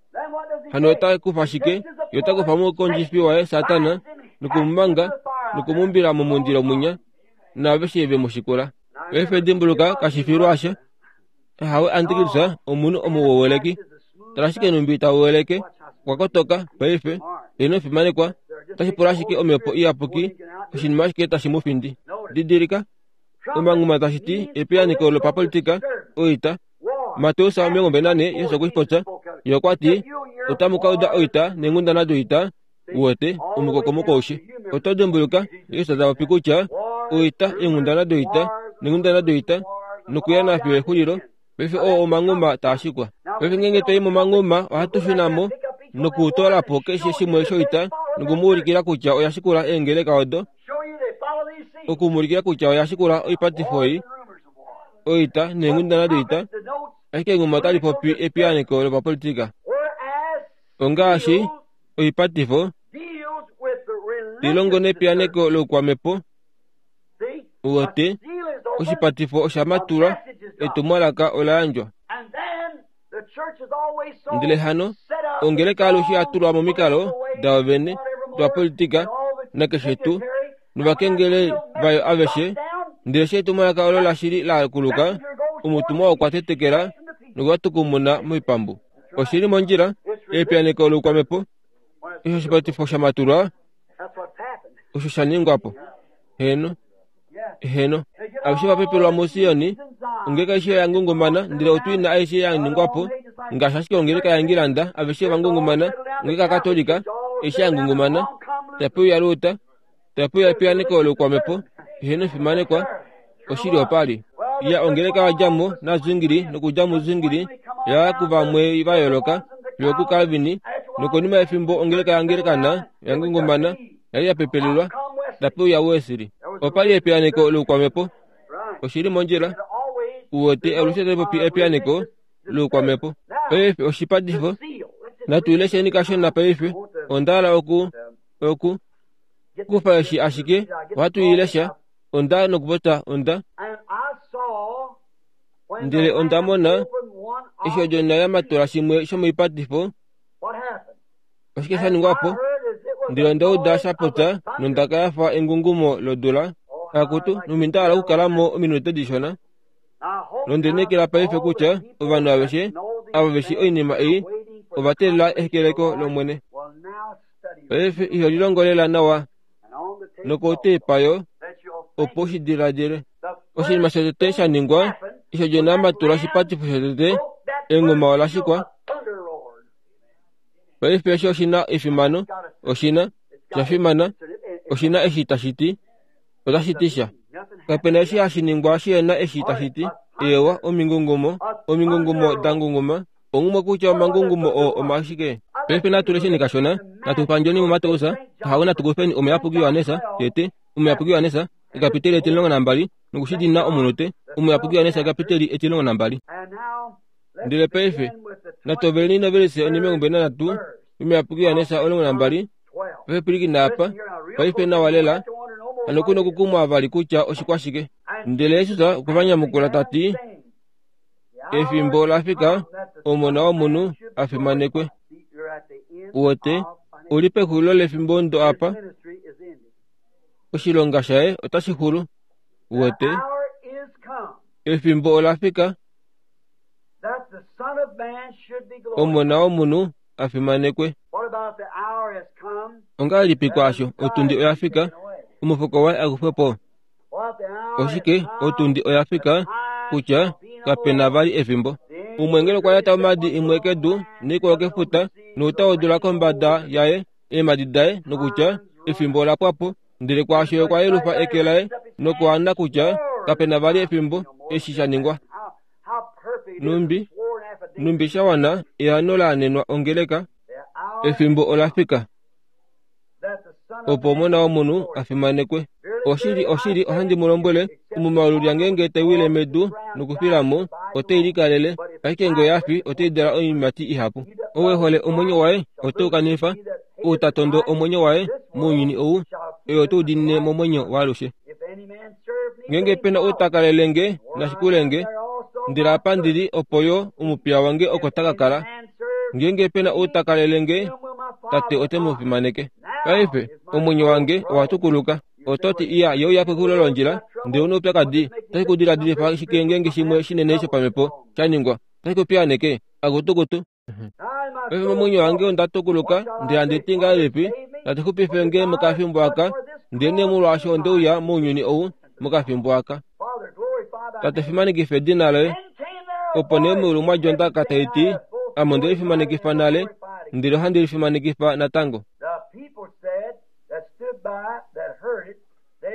[SPEAKER 2] Hano ota kufa shike? Ye ota kufa omukondjifi waye Satana nokumumanga nokumumbila momundilo mwinya naaveshe ve mu shikula. Paife dimbuluka kashifilwasha. Hawe Antikristus omunhu omuwoweleki. Tala ashike numbi tawoweleke, okwa kotoka paife, ino fimanekwa, otashi pula ashike omhepo iyapuki, oshinima ashike tashi mu findi. Didilika, omanghuma tashi ti epiyaneko lopapolitika, oita. Mateus omilongo mbali nane Yesu okwe shi popya, ye okwa ti, otamu ka uda oita neenghundana doita, uwete omukokomoko aushe. Oto dimbuluka Yesu ta popi kutya oita, eenghundana doita neenghundana doita, nokuya nafiyo exulilo. Paife oo omanghuma taa shikwa. Paife ngeenge twai momanghuma ohatu shuna mo nokutoola po keshe shimwe shoita nokumuulikila kutya oya shikula eengeleka odo, okumuulikila kutya oya shikula oipatifo ei, oita neenghundana doita. Ashike enghuma otali popi epiyaneko lopapolitika. Ongaashi oipatifo ilongo nepiyaneko loukwamhepo, uwete Oshipatifo osha matulwa, etumwalaka ola yandjwa. Ndele hano ongeleka alushe ya tulwa momikalo dayo vene dopapolitika nakeshe tuu novakengeli vayo aveshe. Ndele eshi etumwalaka olo lashili la kuluka, omutumwa okwa tetekela nokuwatukumuna moipambu. Oshili mondjila, epiyaneko loukwamhepo. Eshi oshipatifo sha matulwa, osho sha ningwa po. Heno, heno, aveshe va pepelwa muSioni, ongeleka aishe ya ngungumana, ndele otwina aishe ya ningwa po, ngaashi ashike ongeleka yaIngilanda, aveshe va ngungumana, ongeleka yaKatolika, aishe ya ngungumana, tape uya Luta, tape uya epiyaneko loukwamhepo, heno efimanekwa, oshili opali. Ya ongeleka wadjamo naZwingli nokudja muZwingli ya kuvamwe va yooloka fiyo kuCalvin, nokonima yefimbo ongeleka yaAnglikana ya ngungumana yali ya pepelelwa, tape uya Wesley. Opali epiyaneko loukwamhepo. Oshili mondjila. Uwete alushe taipopi epiyaneko loukwamhepo. Paife oshipatifo natu ilesheni kashona paife. Onda oku oku kufa eshi ashike ohatu ilesha. Onda nokupota onda. Ndele onda mona eshi odjona ya matula shimwe shomoipatifo. Oshike sha ningwa po? Ndele onda uda sha popya nondaka ya fa engungumo lodula. Akutu numinda ala okukalamo ominute dishona. Nondenekela paife kutya ovanhu aveshe ava veshi oinima ei ova teelela ehekeleko lOmwene. Paife iho lilongolela nawa nokotepa yo opo ushi diladile. Oshinima shotete sha ningwa eshi odjona ya matula oshipatifo shotete, enguma ola shikwa. Paife eshi oshina efimano, oshina sha fimana, oshina eshi tashi ti, otashi ti sha. Kapena eshi hashi ningwa shihena eshi tashi ti. Ewa omingungumo, omingungumo da ngunguma, ongumwe kutya omangungumo oo omashike. Paife natu lesheni kashona, natu pandjeni muMateus, hawe natu kufeni omuyapuki Johannes, tete, omuyapuki Johannes, ekapiteli etilongo nambali, nokushidina omunute, omuyapuki Johannes ekapiteli etilongo nambali. Ndele paife natoveleni novelise onimengumbe nanhatu omuyapuki Johannes omulongo nambali, paife pwilikina apa, paife nawa lela, hano kuna okukumwa vali kutya oshikwashike. Ndele Jesus okwa va nyamukula ta ti, efimbo la fika omona womunhu a fimanekwe. Uwete, uli pexulilo lefimbo ndo apa, oshilonga shaye otashi xulu. Uwete, efimbo ola fika omona womunhu a fimanekwe. Ongahelipi kwaasho otundi oya fika, omufuko waye akufwe po? Oshike otundi oya fika kutya kapena vali efimbo. Umwe okwa yata omadi imwe kedu neikwao kefuta nouta wodula kombada yaye eemadi daye nokutya efimbo ola pwa po. Ndele kwaasho okwa yelufa eke laye nokuana kutya kapena vali efimbo eshi sha ningwa. Numbi numbi sha wana eano laanenwa ongeleka, efimbo ola fika opo omona womunhu a fimanekwe. Oshili oshili ohandi mu lombwele, omumaulu lyangenge taiwile medu nokufilamo otei likalele, ashike ngee oya fi otei dala oiimati ihapu. Ou e hole omwenyo waye ote u kanifa, ou ta tondo omwenyo waye mounyuni ou, oye ote u diinine momwenyo waalushe. Ngeenge pena ou ta kalele nge nashikule nge, ndele apa ndili opo yo omupiya wange oko ta ka kala. Ngeenge pena ou ta kalele nge, Tate ote mu fimaneke. Paife omwenyo wange owa tukuluka. Ototi iya ye uya pexulilo londjila, ndele una oupyakadi, otashi ku diladilifa shike ngeenge shimwe shinene shopamhepo sha ningwa, otashi ku piyaaneke akutukutu. Paife momwenyo wange onda tukuluka, ndele handi ti ngahelipi, Tate xupife nge mokafimbo aka, ndele nee molwaasho onde uya mounyuni ou mokafimbo aka. Tate fimanekifa edina loye. Opo nee meulu mwa dja ondaka tai ti, ame onde lifimanekifa nale, ndele ohandi lifimanekifa natango.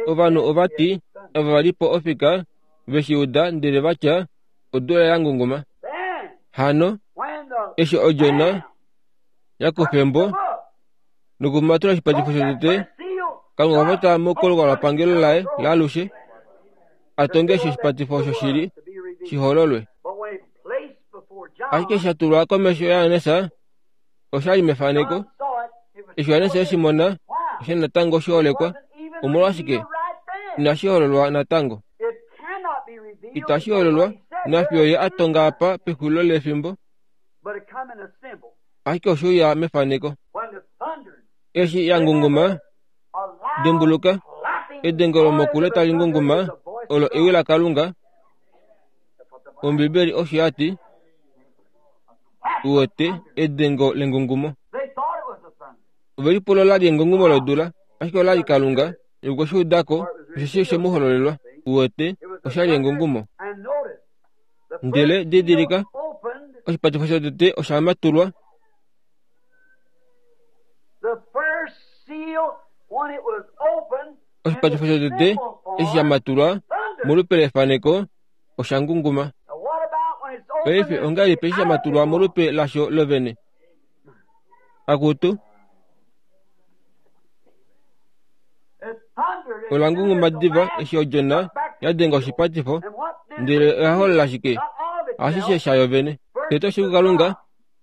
[SPEAKER 2] Ovanhu ova ti, ava va li po ofika, veshi uda ndele va tya, odula ya ngunguma. Hano, eshi odjona ya kufa embo nokumatula oshipatifo shotete, Kalunga okwa pota mokolukalwapangelo laye laalushe, a tonge eshi oshipatifo osho shili shihololwe. Ashike sha tulwa komesho yaJohannes, oshali mefaneko. Eshi Johannes eshi mona, osha natango shiholekwa. Omolwashike? Inashi hololwa natango. Itashi hololwa nafiyo ye a tonga apa pexulilo lefimbo, ashike oshe uya mefaneko. Eshi ya ngunguma, dimbuluka, edengo lomokule tali ngunguma olo ewi laKalunga. Ombibeli osho ya ti, uwete edengo lengungumo. Ove lipula ola li engungumo lodula, ashike ola li Kalunga. Okwe shi udako, osheshi oshe mu hololelwa. Uwete, osha li engungumo. Ndele didilika, oshipatifo shotete osha matulwa. Oshipatifo shotete eshi sha matulwa molupe lefaneko osha ngunguma. Paife ongahelipi eshi sha matulwa molupe lasho lovene? Akutu, ola ngunguma diva eshi odjona ya denga oshipatifo, ndele oya holola shike? Ashishe shayo vene. Tete oshili kuKalunga,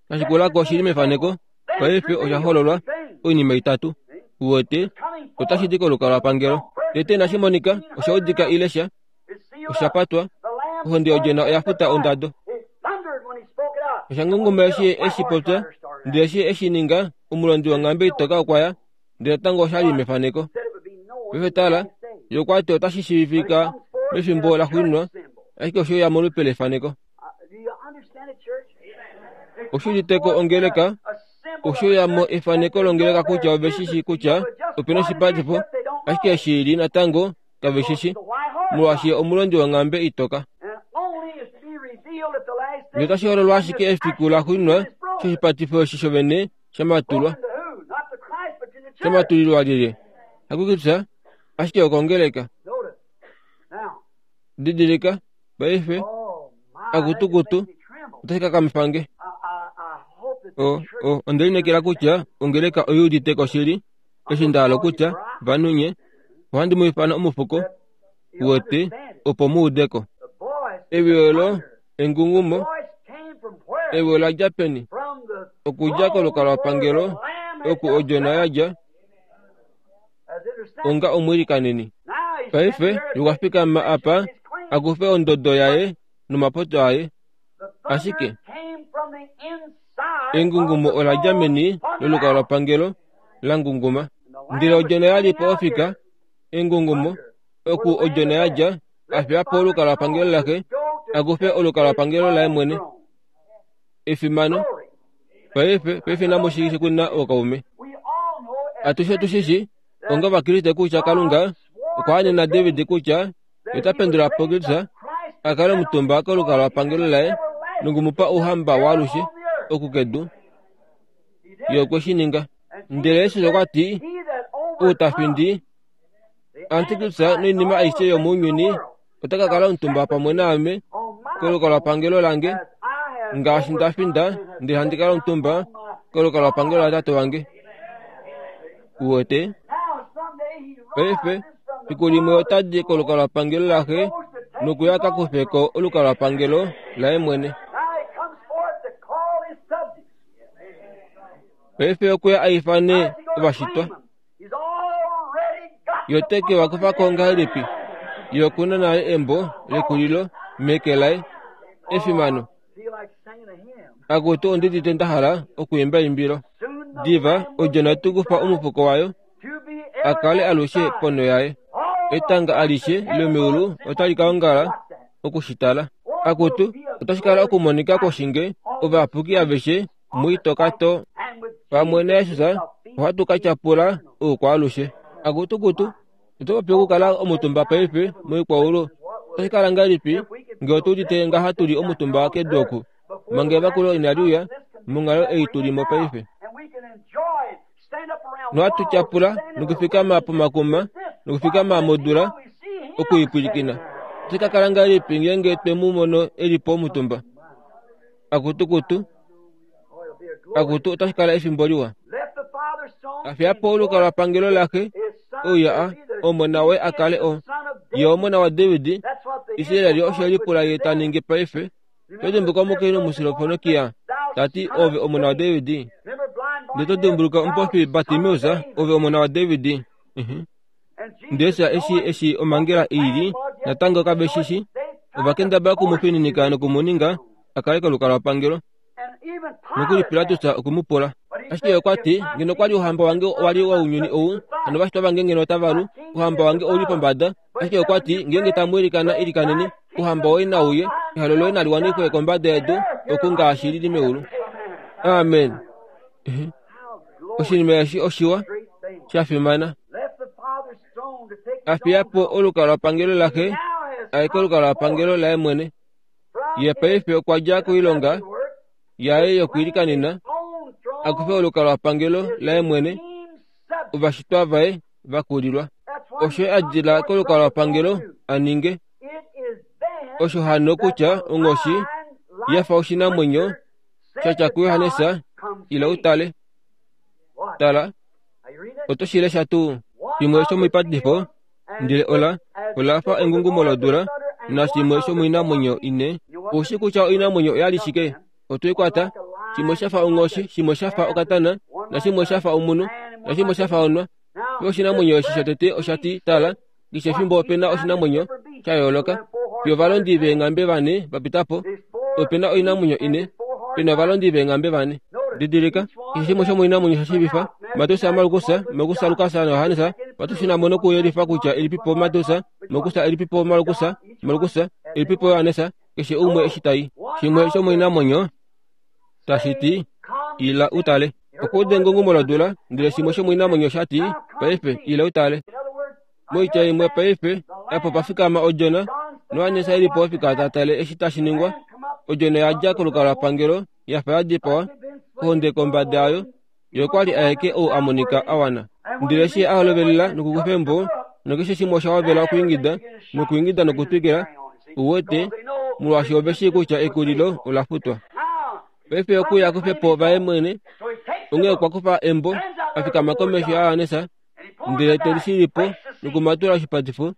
[SPEAKER 2] kashikulako oshili mefaneko, paife osha hololwa oinima itatu. Uwete, otashi di kolukalwapangelo. Tete inashi monika, osha udika ile sha, osha patwa, ohonde yodjona oya futa ondado. Osha ngunguma eshi eshi popya, ndele eshi eshi ninga, omulondi wonghambe itoka okwa ya, ndele natango osha li mefaneko. Paife tala, ye okwa ti otashi shiivifika mefimbo laxuuninwa, ashike oshe uya molupe lefaneko. Oshi uditeko ongeleka, oshe uya mo efaneko longeleka kutya ove shi shii kutya opena oshipatifo, ashike eshi li natango kave shi shi, molwaashi omulondi wonghambe itoka. Ndele otashi hololwa ashike efiku laxuuninwa eshi oshipatifo eshi shovene sha matulwa. Sha matulilwa lyelye? Hakukutya, ashike okongeleka. Didilika, paife, akutukutu, otashi kakamifa nge. O, o, onde lineekela kutya ongeleka oi udite ko shili, eshi nda hala okutya, vanhu nye, ohandi mu ifana omufuko, uwete, opo mu ude ko. Ewi olo engungumo, ewi ola dja peni? Okudja kolukalwapangelo, oku odjona ya dja, onga omwiilikaneni. Paife okwa fikama apa a kufe ondodo yaye nomapopyo aye. Ashike engungumo ola dja meni lolukalwapangelo la ngunguma. Ndele odjona ya li po ofika, engungumo, oku odjona ya dja, a fiya po olukalwapangelo laxe, a kufe olukalwapangelo laye mwene. Efimano. Paife, paife namu shi kuna ookaume. Atushe otu shi shi, onga Ovakriste kutya Kalunga okwa anena David kutya ota pendula po Kristus a kale omutumba kolukalwapangelo laye nokumupa ouhamba waalushe oku kedu. Ye okwe shi ninga. Ndele Jesus okwa ti, ou ta findi Antikristus noinima aishe yomounyuni ota ka kala omutumba pamwe naame kolukalwapangelo lange, ngaashi nda finda ndele handi kala omutumba kolukalwapangelo latate wange. Uwete? Paife, fiku limwe ota di kolukalwapangelo laxe nokuya ka kufe ko olukalwapangelo laye mwene. Paife okwe a ifane ovashitwa. Ye ote ke va kufa ko ngahelipi? Ye okuna nale embo lekulilo meke laye. Efimano. Akutu ondidite nda hala okwiimba eimbilo. Diva odjona ote kufa omufuko wayo a kale alushe ponho yaye. Etanga alishe lomeulu otali ka ongala okushitala. Akutu otashi kala okumonika kwoshinge ovayapuki aveshe muitokato pamwe naJesus ohatu ka tyapula oukwaalushe. Akutukutu, oto popi okukala omutumba paife moikwaulu. Otashi kala ngahelipi ngee otu udite ngaha tuli omutumba kedu oku, manga evakulo inali uya, monghalo ei tuli mo paife. Nohatu tyapula nokufikama pomakuma nokufikama modula okuipwilikina. Otashi ka kala ngahelipi ngeenge twe mu mono e li po omutumba? Akutukutu, akutu otashi kala efimbo liwa. A fiya po olukalwapangelo laxe, ouya a omona waye a kale o ye omona waDavid. Israel osho lipula ye ta ningi paife. Oto dimbuluka omukainhu omuSirofonokia ta ti, ove omona waDavid? Ndele oto dimbuluka omupofi Bartimeus, ove omona waDavid? Ndele eshi eshi omhangela i li, natango kave shi shi. Ovakendabala okumufininika nokumuninga a kale kolukalwapangelo. Nokuli Pilatus okumupula. Ashike okwa ti, ngeno kwali ouhamba wange wali wounyuni ou, hano ovashitwa vange ngeno otava lu, ouhamba wange ouli pombada. Ashike okwa ti, ngeenge tamu ilikana ilikaneni, ouhamba woye nauye, ehalo loye nali wanifwe kombada yedu, oku ngaashi lili meulu. Amen. Oshinima eshi oshiwa, sha fimana. A fiya po olukalwapangelo laxe, aye kolukalwapangelo laye mwene. Ye paife okwa dja koilonga yaye yokwiilikanena, a kufe olukalwapangelo laye mwene, ovashitwa vaye vakulilwa. Osho a dila kolukalwapangelo a ninge. Osho hano kutya onghoshi ya fa oshinamwenyo sha tya kuJohannes, ila utale. Tala, oto shi lesha tuu? Shimwe shomoipatifo, ndele ola ola fa engungumo lodula, nashimwe shomoinamwenyo ine. Oushi kutya oinamwenyo oyali shike? Otoi kwata. Shimwe sha fa onghoshi, shimwe sha fa okatana, nashimwe sha fa omunhu, nashimwe sha fa onwa. Pe oshinamwenyo eshi shotete osha ti, tala, keshe efimbo opena oshinamwenyo sha yooloka. Fiyo ovalondi veenghambe vane va pita po, opena oinamwenyo ine, pena ovalondi veenghambe vane. Didilika, keshe shimwe shomoinamwenyo sha shiivifa, Mateus, Markus, Markus, Lukas naJohannes, vatu nokuyelifa kutya elipipo Mateus, Markus elipipo Markus, Markus elipipo Johannes, keshe umwe eshi tai. Shimwe shomoinamwenyo tashi ti, ila utale. Okuuda engungumo lodula, ndele shimwe shomoinamwenyo sha ti, paife ila utale. Moitya imwe paife, apo pa fikama odjona, Johannes elipo ofika ta tale eshi tashi ningwa. Odjona ya dja kolukalwapangelo ya fa ya dipawa, ohonde kombada yayo, ye okwa li aeke ou a monika a wana. Ndele eshi a holovelela nokukufa embo, nokeshe shimwe osha hovela okwiingida, nokwiingida nokutwikila, uwete, molwaashi ove shii kutya ekulilo ola futwa. Paife okuya kufe po vaye mwene, onghee okwa kufa embo, a fikama komesho yaJohannes, ndele te lishilipo nokumatula oshipatifo,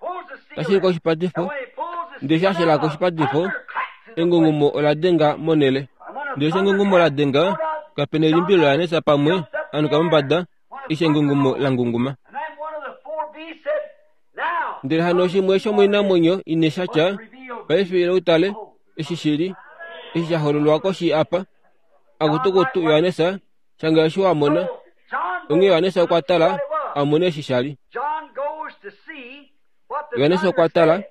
[SPEAKER 2] tashilika oshipatifo, ndele eshi a shilaka oshipatifo, engungumo ola denga monhele. Ndele eshi engungumo la denga, kapena elimbilo laJohannes pamwe anuka mombada, eshi engungumo la ngunguma. Ndele hano shimwe shomoinamwenyo ine sha tya, paife ila utale, eshi shili, eshi sha hololwa koshi apa. Akutukutu Johannes, shanga eshi wa mona. Onghee Johannes okwa tala, a mone eshi sha li. Johannes okwa tala,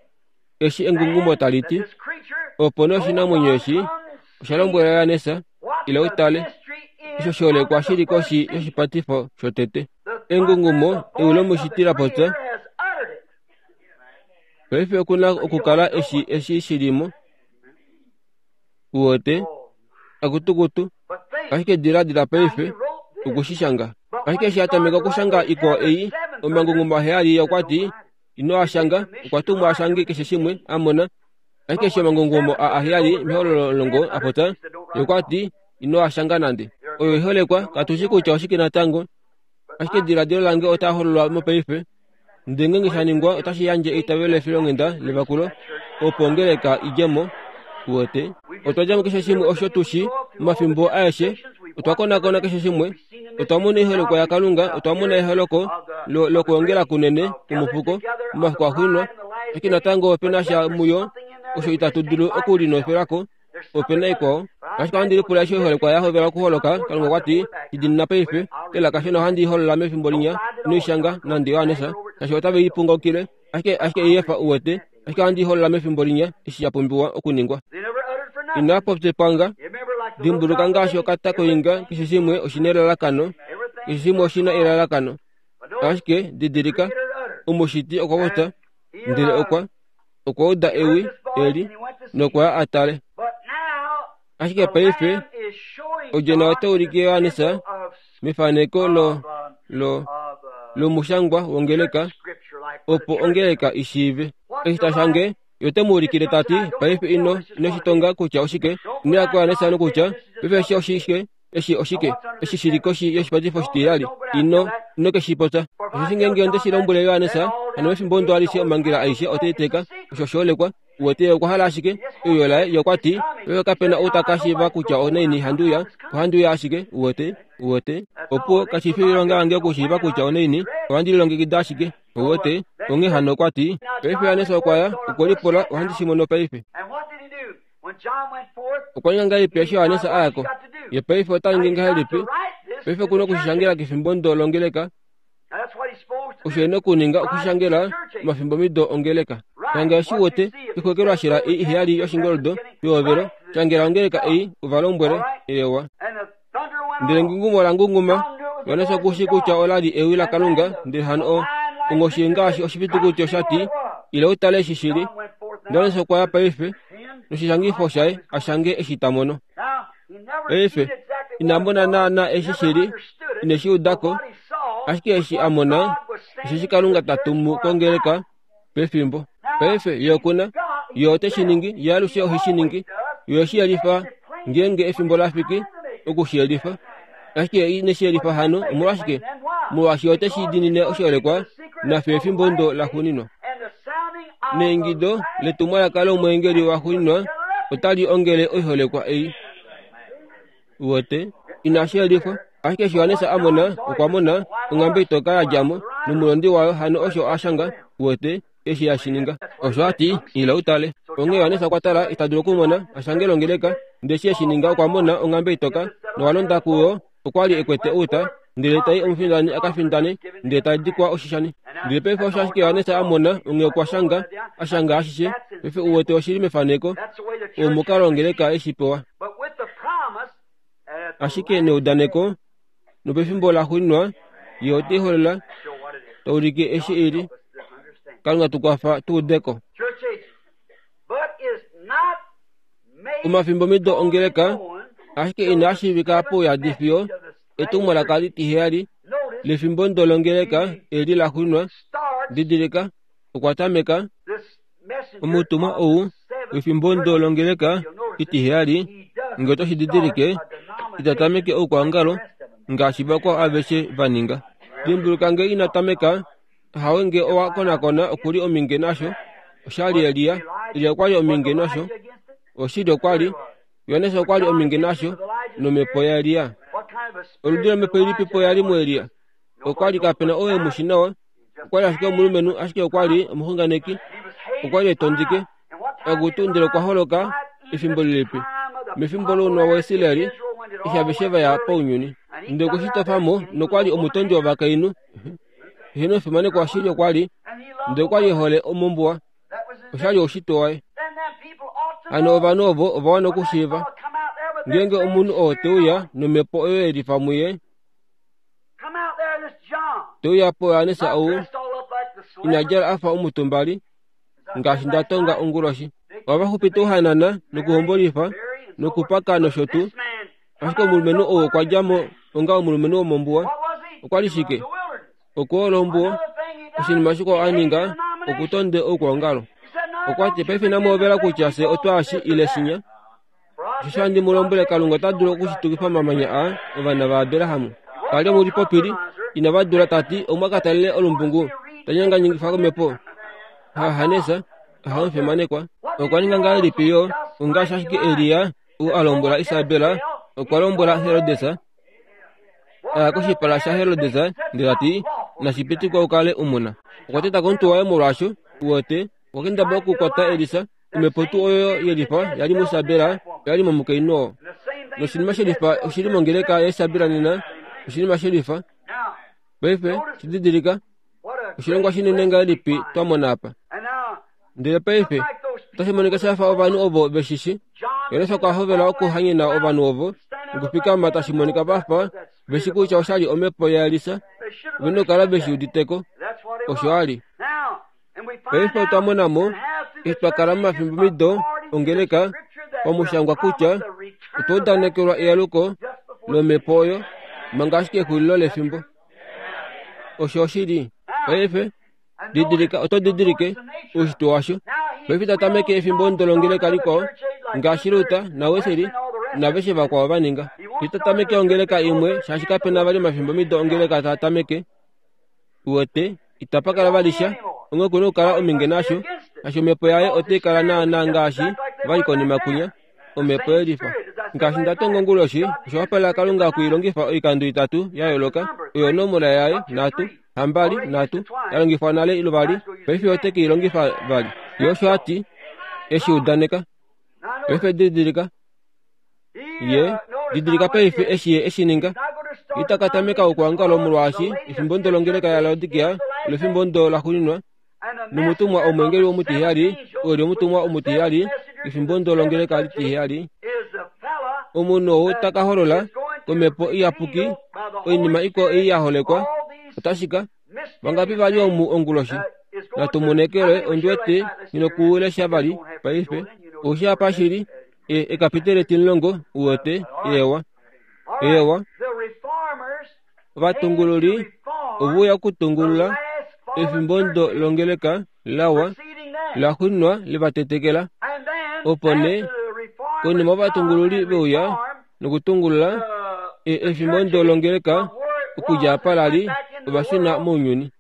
[SPEAKER 2] eshi engungumo tali ti, opo nee oshinamwenyo eshi osha lombwela Johannes, ila utale, osho shiholekwa shili koshi yoshipatifo shotete. Engungumo ewi lomushiti la popya. Paife okuna okukala eshi eshi shilimo. Uwete, akutukutu, ashike diladila paife okushishanga. Ashike eshi a tameka okushanga ikwao ei, omangungumo aheyali okwa ti, ino a shanga, okwa tumwa a shange keshe shimwe a mona. Ashike eshi omangungumo a aheyali mehololo omulongo a popya, ye okwa ti, ino a shanga nande. Oyo oiholekwa, katushi kutya oshike natango. Ashike diladilo lange otaa hololwa mopaife. Ndele ngeenge sha ningwa otashi yandje eitavelo lefilonghenda levakulo, opo ongeleka idje mo. Uwete, otwa dja mo keshe shimwe osho tu shi momafimbo aeshe, otwa konakona keshe shimwe, otwa mona oiholekwa yaKalunga, otwa mona eholoko lokwoongela kunene kwomufuko momafiku axuuninwa, ashike natango opena sha muyo osho itatu dulu okulinofelako, opena ikwao. Ashike ohandi lipula eshi oiholekwa ya hovela okuholoka, Kalunga okwa ti, shidinina paife, elaka shona ohandi i holola mefimbo linya, ino i shanga nande Johannes, shaashi otave i pungaukile, ashike ashike i efa uwete, ashike ohandi i holola mefimbo linya eshi sha pumbiwa okuningwa. Ina popya epwanga, dimbuluka ngaashi okata koinga, keshe shimwe oshina elalakano, keshe shimwe oshina elalakano. Ashike didilika, omushiti okwa popya, ndele okwa okwa uda ewi eli nokwa ya a tale. Ashike paife odjona ota ulike Johannes mefaneko lo lo lomushangwa wongeleka, opo ongeleka i shiive. Eshi ta shange, ye ote mu ulikile ta ti, paife ino ino shitonga kutya oshike, ino ya kuJohannes nokutya, paife eshi oshike, eshi oshike, eshi shili koshi yoshipatifo oshitiyali, ino ino ke shi popya. Osheshi ngeenge onde shi lombwele Johannes, hano mefimbo ndo alishe omhangela aishe otai teka, osho oshiholekwa, Uwete okwa hala ashike euyo laye, ye okwa ti, paife kapena ou ta ka shiiva kutya onaini handi uya, ohandi uya ashike, uwete, uwete. Opo kashi fi oilonga yange okushiiva kutya onaini, ohandi lilongekida ashike, uwete. Onghee hano okwa ti, paife Johannes okwa ya, okwe lipula, ohandi shi mono paife. Okwa ninga ngahelipi eshi Johannes a ya ko? Ye paife ota ningi ngahelipi? Paife oku na okushishangela kefimbo ndo longeleka. Osho e na okuninga okushishangela omafimbomido ongeleka. Shanga eshi uwete, ixwekelwashela ei iheyali yoshingoldo yoovelo, shangela ongeleka ei, uva lombwele, eewa. Ndele ngungumo la ngunguma, Johannes oku shii kutya ola li ewi laKalunga, ndele hano o onghoshi ngaashi oshifitukuti osha ti, ila utale eshi shili. Johannes okwa ya paife noshishangifo shaye a shange eshi ta mono. Paife, ina mona naana eshi shili, ine shi udako, ashike eshi a mona, osheshi Kalunga ta tumu kongeleka pefimbo. Paife, ye okuna, ye ote shi ningi, ye alushe ohe shi ningi, ye oshi yelifa ngeenge efimbo la fiki oku shi yelifa. Ashike ye ine shi yelifa hano, omolwashike? Molwaashi ote shi diinine oshiholekwa nafye efimbo ndo la xuuninwa. Neingido letumwalaka lomweengeli waxuuninwa otali ongele oiholekwa ei. Uwete, inashi yelifwa. Ashike eshi Johannes a mona, okwa mona onghambe itoka ya dja mo nomulondi wayo, hano osho a shanga, uwete, eshi hashi ninga. Osho a ti, ila utale. Onghee Johannes okwa tala, ita dulu okumona, a shange longeleka, ndele eshi eshi ninga okwa mona onghambe itoka, nowa londa kuyo, okwa li ekwete outa, ndele tai omufindani a ka findane, ndele ta dikwa oshishani. Ndele paife osho ashike Johannes a mona, onghee okwa shanga, a shanga ashishe. Paife uwete oshili mefaneko, omukalo wongeleka eshi pewa. Ashike neudaneko, nopefimbo la xuuninwa, ye ote holola, ta ulike eshi ili. Kalunga tu kwafa tu udeko. Omafimbomido ongeleka, ashike inaa shiivika pouyadi fiyo etumwalaka litiheyali lefimbo ndo longeleka eli la xuuninwa. Didilika, okwa tameka omutumwa ou wefimbo ndo longeleka itiheyali, nge oto shi didilike, ita tameke oukwaongalo ngaashi vakwao aveshe va ninga. Dimbuluka nge ina tameka, hawe nge owa konakona okuli ominge nasho, oshali Elia, Elia okwa li ominge nasho, oshili okwa li, Johannes okwa li ominge nasho, nomhepo yaElia. Oludi lomhepo ilipi po yali muElia? Okwa li kapena oo e mu shi nawa, okwa li ashike omulumenhu, ashike okwa li omuxunganeki, okwa li etondike. Akutu, ndele okwa holoka efimbo lilipi? Mefimbo lounwa waIsraeli, eshi aveshe va ya pounyuni. Ndele okwe shi tofa mo, nokwa li omutondi wovakainhu. Eheno efimaneko ashili okwa li, ndele okwa li e hole mombuwa. Osha li oushitwe waye. Hano ovanhu ovo ova wana okushiiva. Ngeenge omunhu oo te uya nomhepo oyo ye lifa muye, te uya poJohannes ou, ina djala a fa omutumbali, ngaashi nda tonga onguloshi. Ohava xupita ouhanana nokuhombolifa nokupaka nosho tuu. Ashike omulumenhu ou okwa dja mo onga omulumenhu womombuwa. Okwa li shike? Okwoolo ombuwa. Oshinima shikwao a ninga, okutonde oukwaongalo. Okwa ti, paife inamu hovela kutya fye otwaashi ile shinya. Osho handi mu lombwele, Kalunga ota dulu okushitukifa omamanya aa ovana vaAbraham. Kali omulipopili, inava dula ta ti, omwa ka talele olumbungu, ta nyanganyikifa komhepo. Ha Hanesa, ha omufimanekwa. Okwa ninga ngahelipi yo, ongaashi ashike Elia ou a lombwela Isabel, okwa lombwela Herodes, a ya koshipala shaHerodes, ndele ta ti, nashi pitikwa u kale u muna. Okwa teta komutwe waye molwaasho, uwete, okwa kendabala okukwata Elisa, omhepo tuu oyo yelifa yali muIsabel, oyali momukainhu oo. Noshinima shelifa oshili mongeleka yaIsabel nena, oshinima shelifa. Paife, shididilika, oshilongwa shinene ngahelipi twa mona apa. Ndele paife, otashi monika sha fa ovanhu ovo veshishi. Johannes okwa hovela okuhanyena ovanhu ovo, nokufikama tashi monika va fa veshi kutya osha li omhepo yaElisa, ove na okukala veshi uditeko. Osho a li. Paife otwa mona mo, eshi twa kala momafimbomido ongeleka, pamushangwa kutya otwa udanekelwa ealuko lomhepo oyo, manga ashike exulilo lefimbo. Osho oshili. Paife, didilika, oto didilike oushitwe washo. Paife ta tameke efimbo ndo longeleka likwao, ngaashi Luther naWesley naveshe vakwao va ninga. Ita tameke ongeleka imwe, shaashi kapena vali omafimbomido ongeleka taa tameke. Uwete, itapa kala vali sha, onghee oku na okukala ominge nasho, Ashi omhepo yaye otai kala naana ngaashi vali konima kunya, omhepo yelifa. Ngaashi nda tonga onguloshi, osha wapala Kalunga okuilongifa oikando itatu ya yooloka, oyo onomola yaye nhatu, hambali nhatu, ya longifwa nale luvali, paife ote ke i longifa vali. Ye osho a ti, eshi udaneka. Paife didilika. Ye, didilika paife eshi ye eshi ninga. Ita ka tameka okwoongala molwaashi efimbo ndolongeleka yaLaodikea olo efimbo ndo laxuuninwa, nomutumwa omweengeli omutiheyali oli omutumwa omutiheyali efimbo ndolongeleka litiheyali. Omunhu ou ta ka holola komhepo iyapuki oinima ikwao ei ya holekwa, otashi ka vangapi vali omu onguloshi. Natumonekele ondiwete ninokuulesha vali paife. Oushi apa shili ekapitele etimulongo uwete ewa. Ewa. Ovatungululi ovuya okutungulula efimbo ndo longeleka lawa laxuuninwa levatetekela. Opo nee konima ovatungululi veuya nokutungulula efimbo ndo longeleka okudja apa lali ovashuna mounyuni.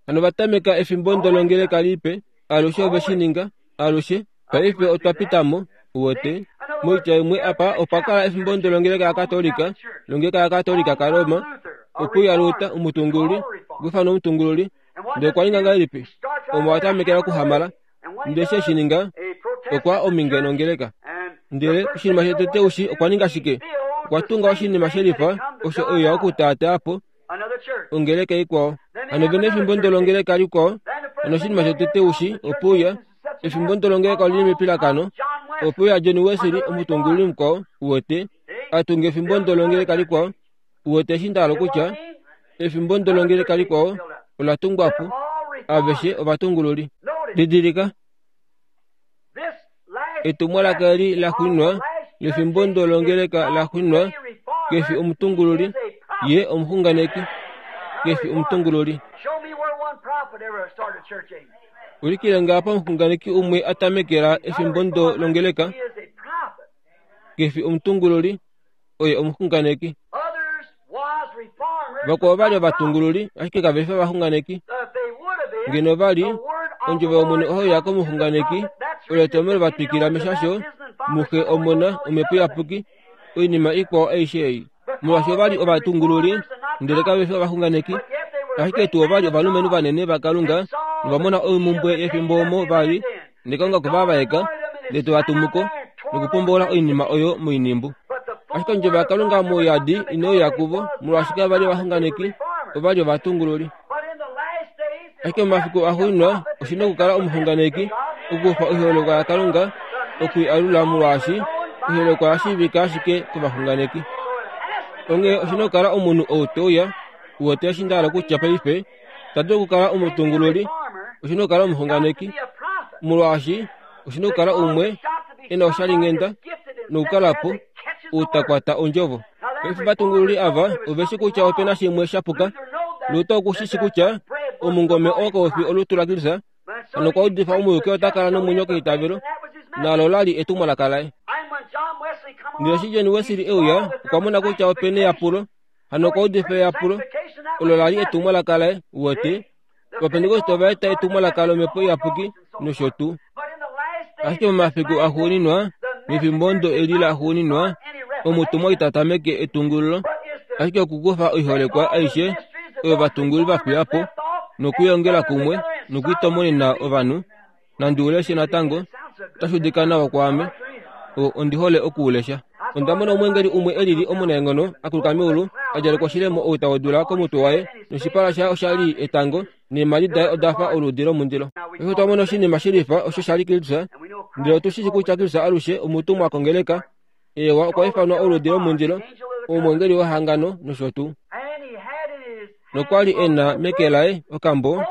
[SPEAKER 2] Hano vatameka efimbo ndo longeleka lipe, alushe ove shi ninga, alushe. Paife otwa pitamo, uwete. Moitya imwe apa opa kala efimbo ndo longeleka yaKatolika, longeleka yaKatolika kaRoma, okuya Luta omutungululi, okwiifana omutungululi. Ndele okwa ninga ngahelipi? Omo a tamekela okuhamala. Ndele eshi eshi ninga, okwa ominge nongeleka. Ndele oshinima shotete ushi okwa ninga shike? Okwa tunga oshinima shelifa osho oya okutaataa po ongeleka ikwao. Hano vena efimbo ndo longeleka likwao. Hano oshinima shotete ushi opuya efimbo ndo longeleka olili mepilakano. Opuya John Wesley omutungululi mukwao uwete atunga efimbo ndo longeleka likwao. Uwete eshi ndahala kutya efimbo ndo longeleka likwao ola tungwa po aveshe ovatungululi. Didilika etumwalaka eli laxuuninwa lefimbo ndo longeleka laxuuninwa kefi omutungululi, ye omuxunganeki, kefi omutungululi. Ulikile ngapa omuxunganeki umwe a tamekela efimbo ndo longeleka, kefi omutungululi, oye omuxunganeki. Vakwao vali ovatungululi, ashike kave fi ovaxunganeki. Ngeno vali ondjovo yOmwene oyo ya komuxunganeki, olo etomhelo va twikila meshasho muxe omona omhepo iyapuki, oinima ikwao aishe ei. Molwaashi ovali ovatungululi, ndele kave fi ovaxunganeki, ashike tuu ovali ovalumenhu vanene vaKalunga, novamona oimumbwe yefimbo omo vali, ndele Kalunga okwe va vaeka, ndele te va tumuko, nokupombola oinima oyo moinimbu. Ashike ondjovo yaKalunga mouyadi inoya kuvo, molwaashi kava li ovaxunganeki, ovali ovatungululi. Ashike momafiku axuuninwa oshi na okukala omuxunganeki, okukufa oiholekwa yaKalunga okui alula, molwaashi oiholekwa oya shiivika ashike kovaxunganeki. Onghee oshi na okukala omunhu ou te uya, uwete eshi nda hala kutya paife, ta dulu okukala omutungululi, oshi na okukala omuxunganeki, molwaashi oshi na okukala umwe e na oshalinghenda nokukala po ou ta kwata ondjovo. Paife ovatungululi ava ove shi kutya ope na shimwe sha puka. Luta oku shi shi kutya omungome oo kau fi olutu laKristus, hano okwa udifa omuyuki ota kala nomwenyo keitavelo, nalo la li etumwalaka laye. Ndele eshi John Wesley e uya, okwa mona kutya ope na eyapulo, hano okwa udifa eyapulo, olo la li etumwalaka laye. Uwete, Ovapentekoste ova eta etumwalaka lomhepo iyapuki nosho tuu. Ashike momafiku axuuninwa, mefimbo ndo eli laxuuninwa, omutumwa ita tameke etungululo, ashike okukufa oiholekwa aishe oyo ovatungululi va fiya po, nokuiongela kumwe nokuitomonena ovanhu. Nandi uleshe natango, otashi udika nawa kwaame. Ondi hole okuulesha. Onda mona omweengeli umwe e lili omunaenghono a kuluka meulu, a djalekwa oshilemo outa wodula komutwe waye, noshipala shaye osha li etango, neemhadi daye oda fa oluudi lomundilo. Paife otwa mona oshinima shilifa osho sha li Kristus, ndele otu shi shi kutya Kristus alushe omutumwa kongeleka. Ewa, okwa ifanwa oluudi lomundilo, omweengeli wehangano nosho tuu. Nokwa li e na meke laye okambo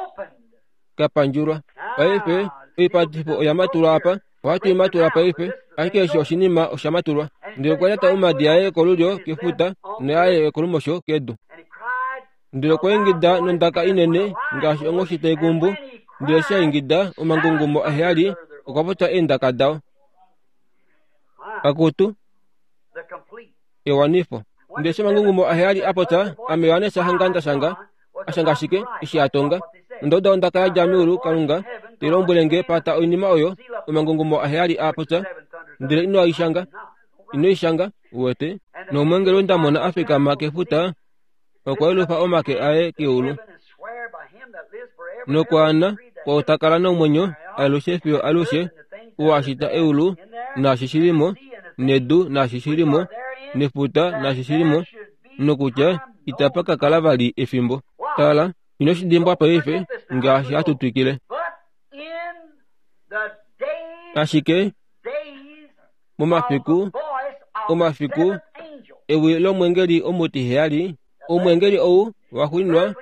[SPEAKER 2] ka pandjulwa. Paife oipatifo oya matulwa apa, ohatu i matula paife, ashike eshi oshinima osha matulwa. Ndele okwa lyata omadi aye kolulyo kefuta noyaye kolumosho kedu. Ndele okwa ingida nondaka inene ngaashi onghoshi tai kumbu, ndele eshi a ingida omangungumo aheyali okwa popya eendaka dao. Akutu ewanifo. Ndele eshi omangungumo aheyali a popya, ame Johannes hanga nda shanga, a shanga ashike eshi a tonga, Onda uda ondaka ya dja meulu Kalunga te lombwele nge pata oinima oyo omangungumo aheyali a popya, ndele ino i shanga, ino i shanga, uwete. Nomweengeli onda mona a fikama kefuta okwa yelufa omake aye keulu nokwaana kwao ta kala nomwenyo alushe fiyo alushe, ou a shita eulu naashi shi li mo, nedu naashi shi li mo, nefuta naashi shi li mo, nokutya itapa ka kala vali efimbo. Tala, ino shi dimbwa paife ngaashi hatu twikile. Ashike momafiku omafiku ewi lomwengeli omutiheyali, omwengeli ou waxuuninwa,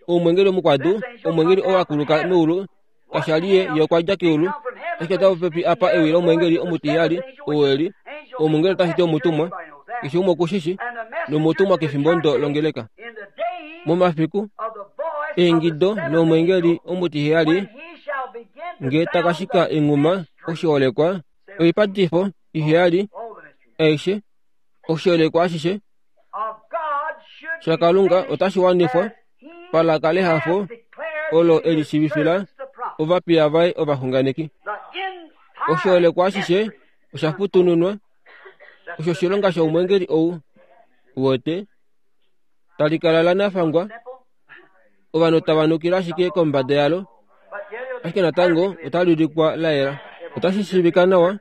[SPEAKER 2] omwengeli omukwadu, omwengeli ou akuluka meulu, kasha li ye ye okwa dja keulu, ashike ota popepi apa ewi lomwengeli omutiheyali, ou eli omwengeli otashi ti omutumwa, keshe umwe okushishi, nomutumwa kefimbo ndo longeleka. Momafiku eingido nomwengeli omutiheyali nge takashika enghuma oshiholekwa, oipatifo iheyali aishe, oshiholekwa ashishe shaKalunga otashi wanifwa palaka lehafo olo eli shiivifila ovapiya vaye ovaxunganeki. Oshiholekwa ashishe osha futununwa, osho oshilonga shomwengeli ou wote tali kala la nafangwa, ovanhu tava nukile ashike kombada yalo, ashike natango otali ulikwa la yela, otashi shiivika nawa,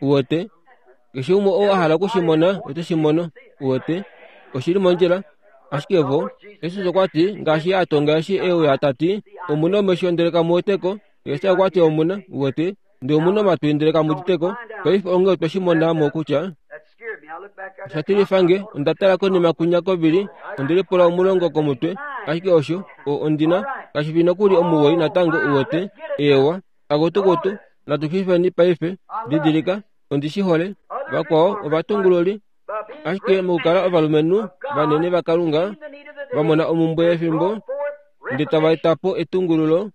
[SPEAKER 2] uwete. Keshe umwe oo a hala okushimona ote shi mono, uwete, oshili mondjila. Ashike vo, Jesus okwa ti ngaashi a tonga eshi e uya ta ti, omuna omesho ndele kamu weteko, Jesus okwa ti omuna, uwete, ndele omuna omatwi ndele kamu uditeko. Paife onge otwe shi mona mo kutya osha tilifa nge, onda tala konima kwinya kovili, onde lipula omulongo komutwe, ashike osho ondina kashi fi nokuli omuwoi natango, uwete. Eewa, akutukutu, natu fifeni paife, didilika, ondi shi hole. Vakwao ovatungululi, ashike mokukala ovalumenhu vanene vaKalunga va mona omumbwe yefimbo, ndele tava eta po etungululo.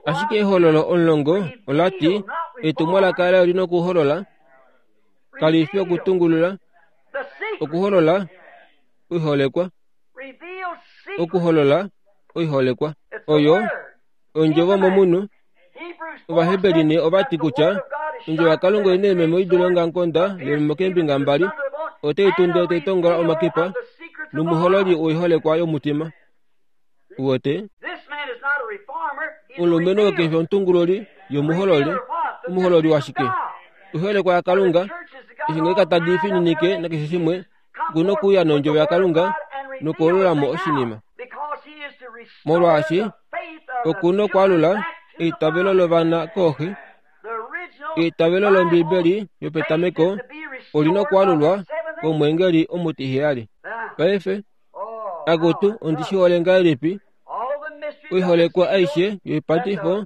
[SPEAKER 2] Ashike ehololo omulongo ola ti etumwalaka layo lina okuholola, kali fi okutungulula, okuholola oiholekwa, okuholola oiholekwa. Oyo ondjovo momunhu. Ovaheberi ne ova ti kutya ondjovo yaKalunga oina eememo i dule ongamukonda lememo keembinga mbali, otai tunde tai tongola omakipa nomuhololi woiholekwa yomutima. Uwete, omulumenhu oo kefi omutungululi yomuhololi, omuhololi washike? Oiholekwa yaKalunga, eshi ngenge tadi fininike nakeshe shimwe, oku na okuuya nondjovo yaKalunga nokuholola mo oshinima. Molwaashi oku na okwaalula eitavelo lovana kooxe, eitavelo lOmbibeli yopetameko olina okwaalulwa komwengeli omutiheyali. Paife, akutu ondi shi hole ngahelipi oiholekwa aishe yoipatifo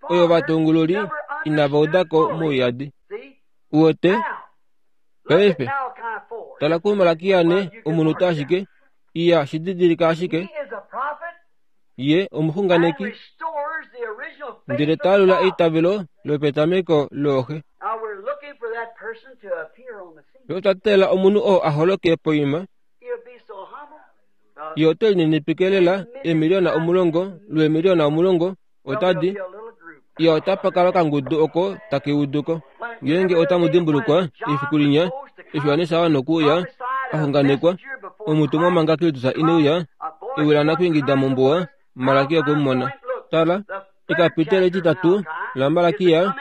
[SPEAKER 2] oyo ovatungululi inava udako mouyadi. Uwete, paife tala kuMalakia ne omunhu ashike, iya shididilika ashike, ye omuxunganeki, ndele taalula eitavelo lopetameko looxe. Otwa teelela omunhu oo a holoke poima, ye ote lininipike lela eemiliona omulongo lweemiliona omulongo otadi iya otapa kala okangudu oko take uduko. Ngeenge otamu dimbulukwa efiku linya eshi Johannes a wana okuuya a xunganekwa, omutumwa manga Kristus ine uya, ewi lanakwingida mombuwa, Malakia okwe mu mona. Tala, ekapiteli etitatu laMalakia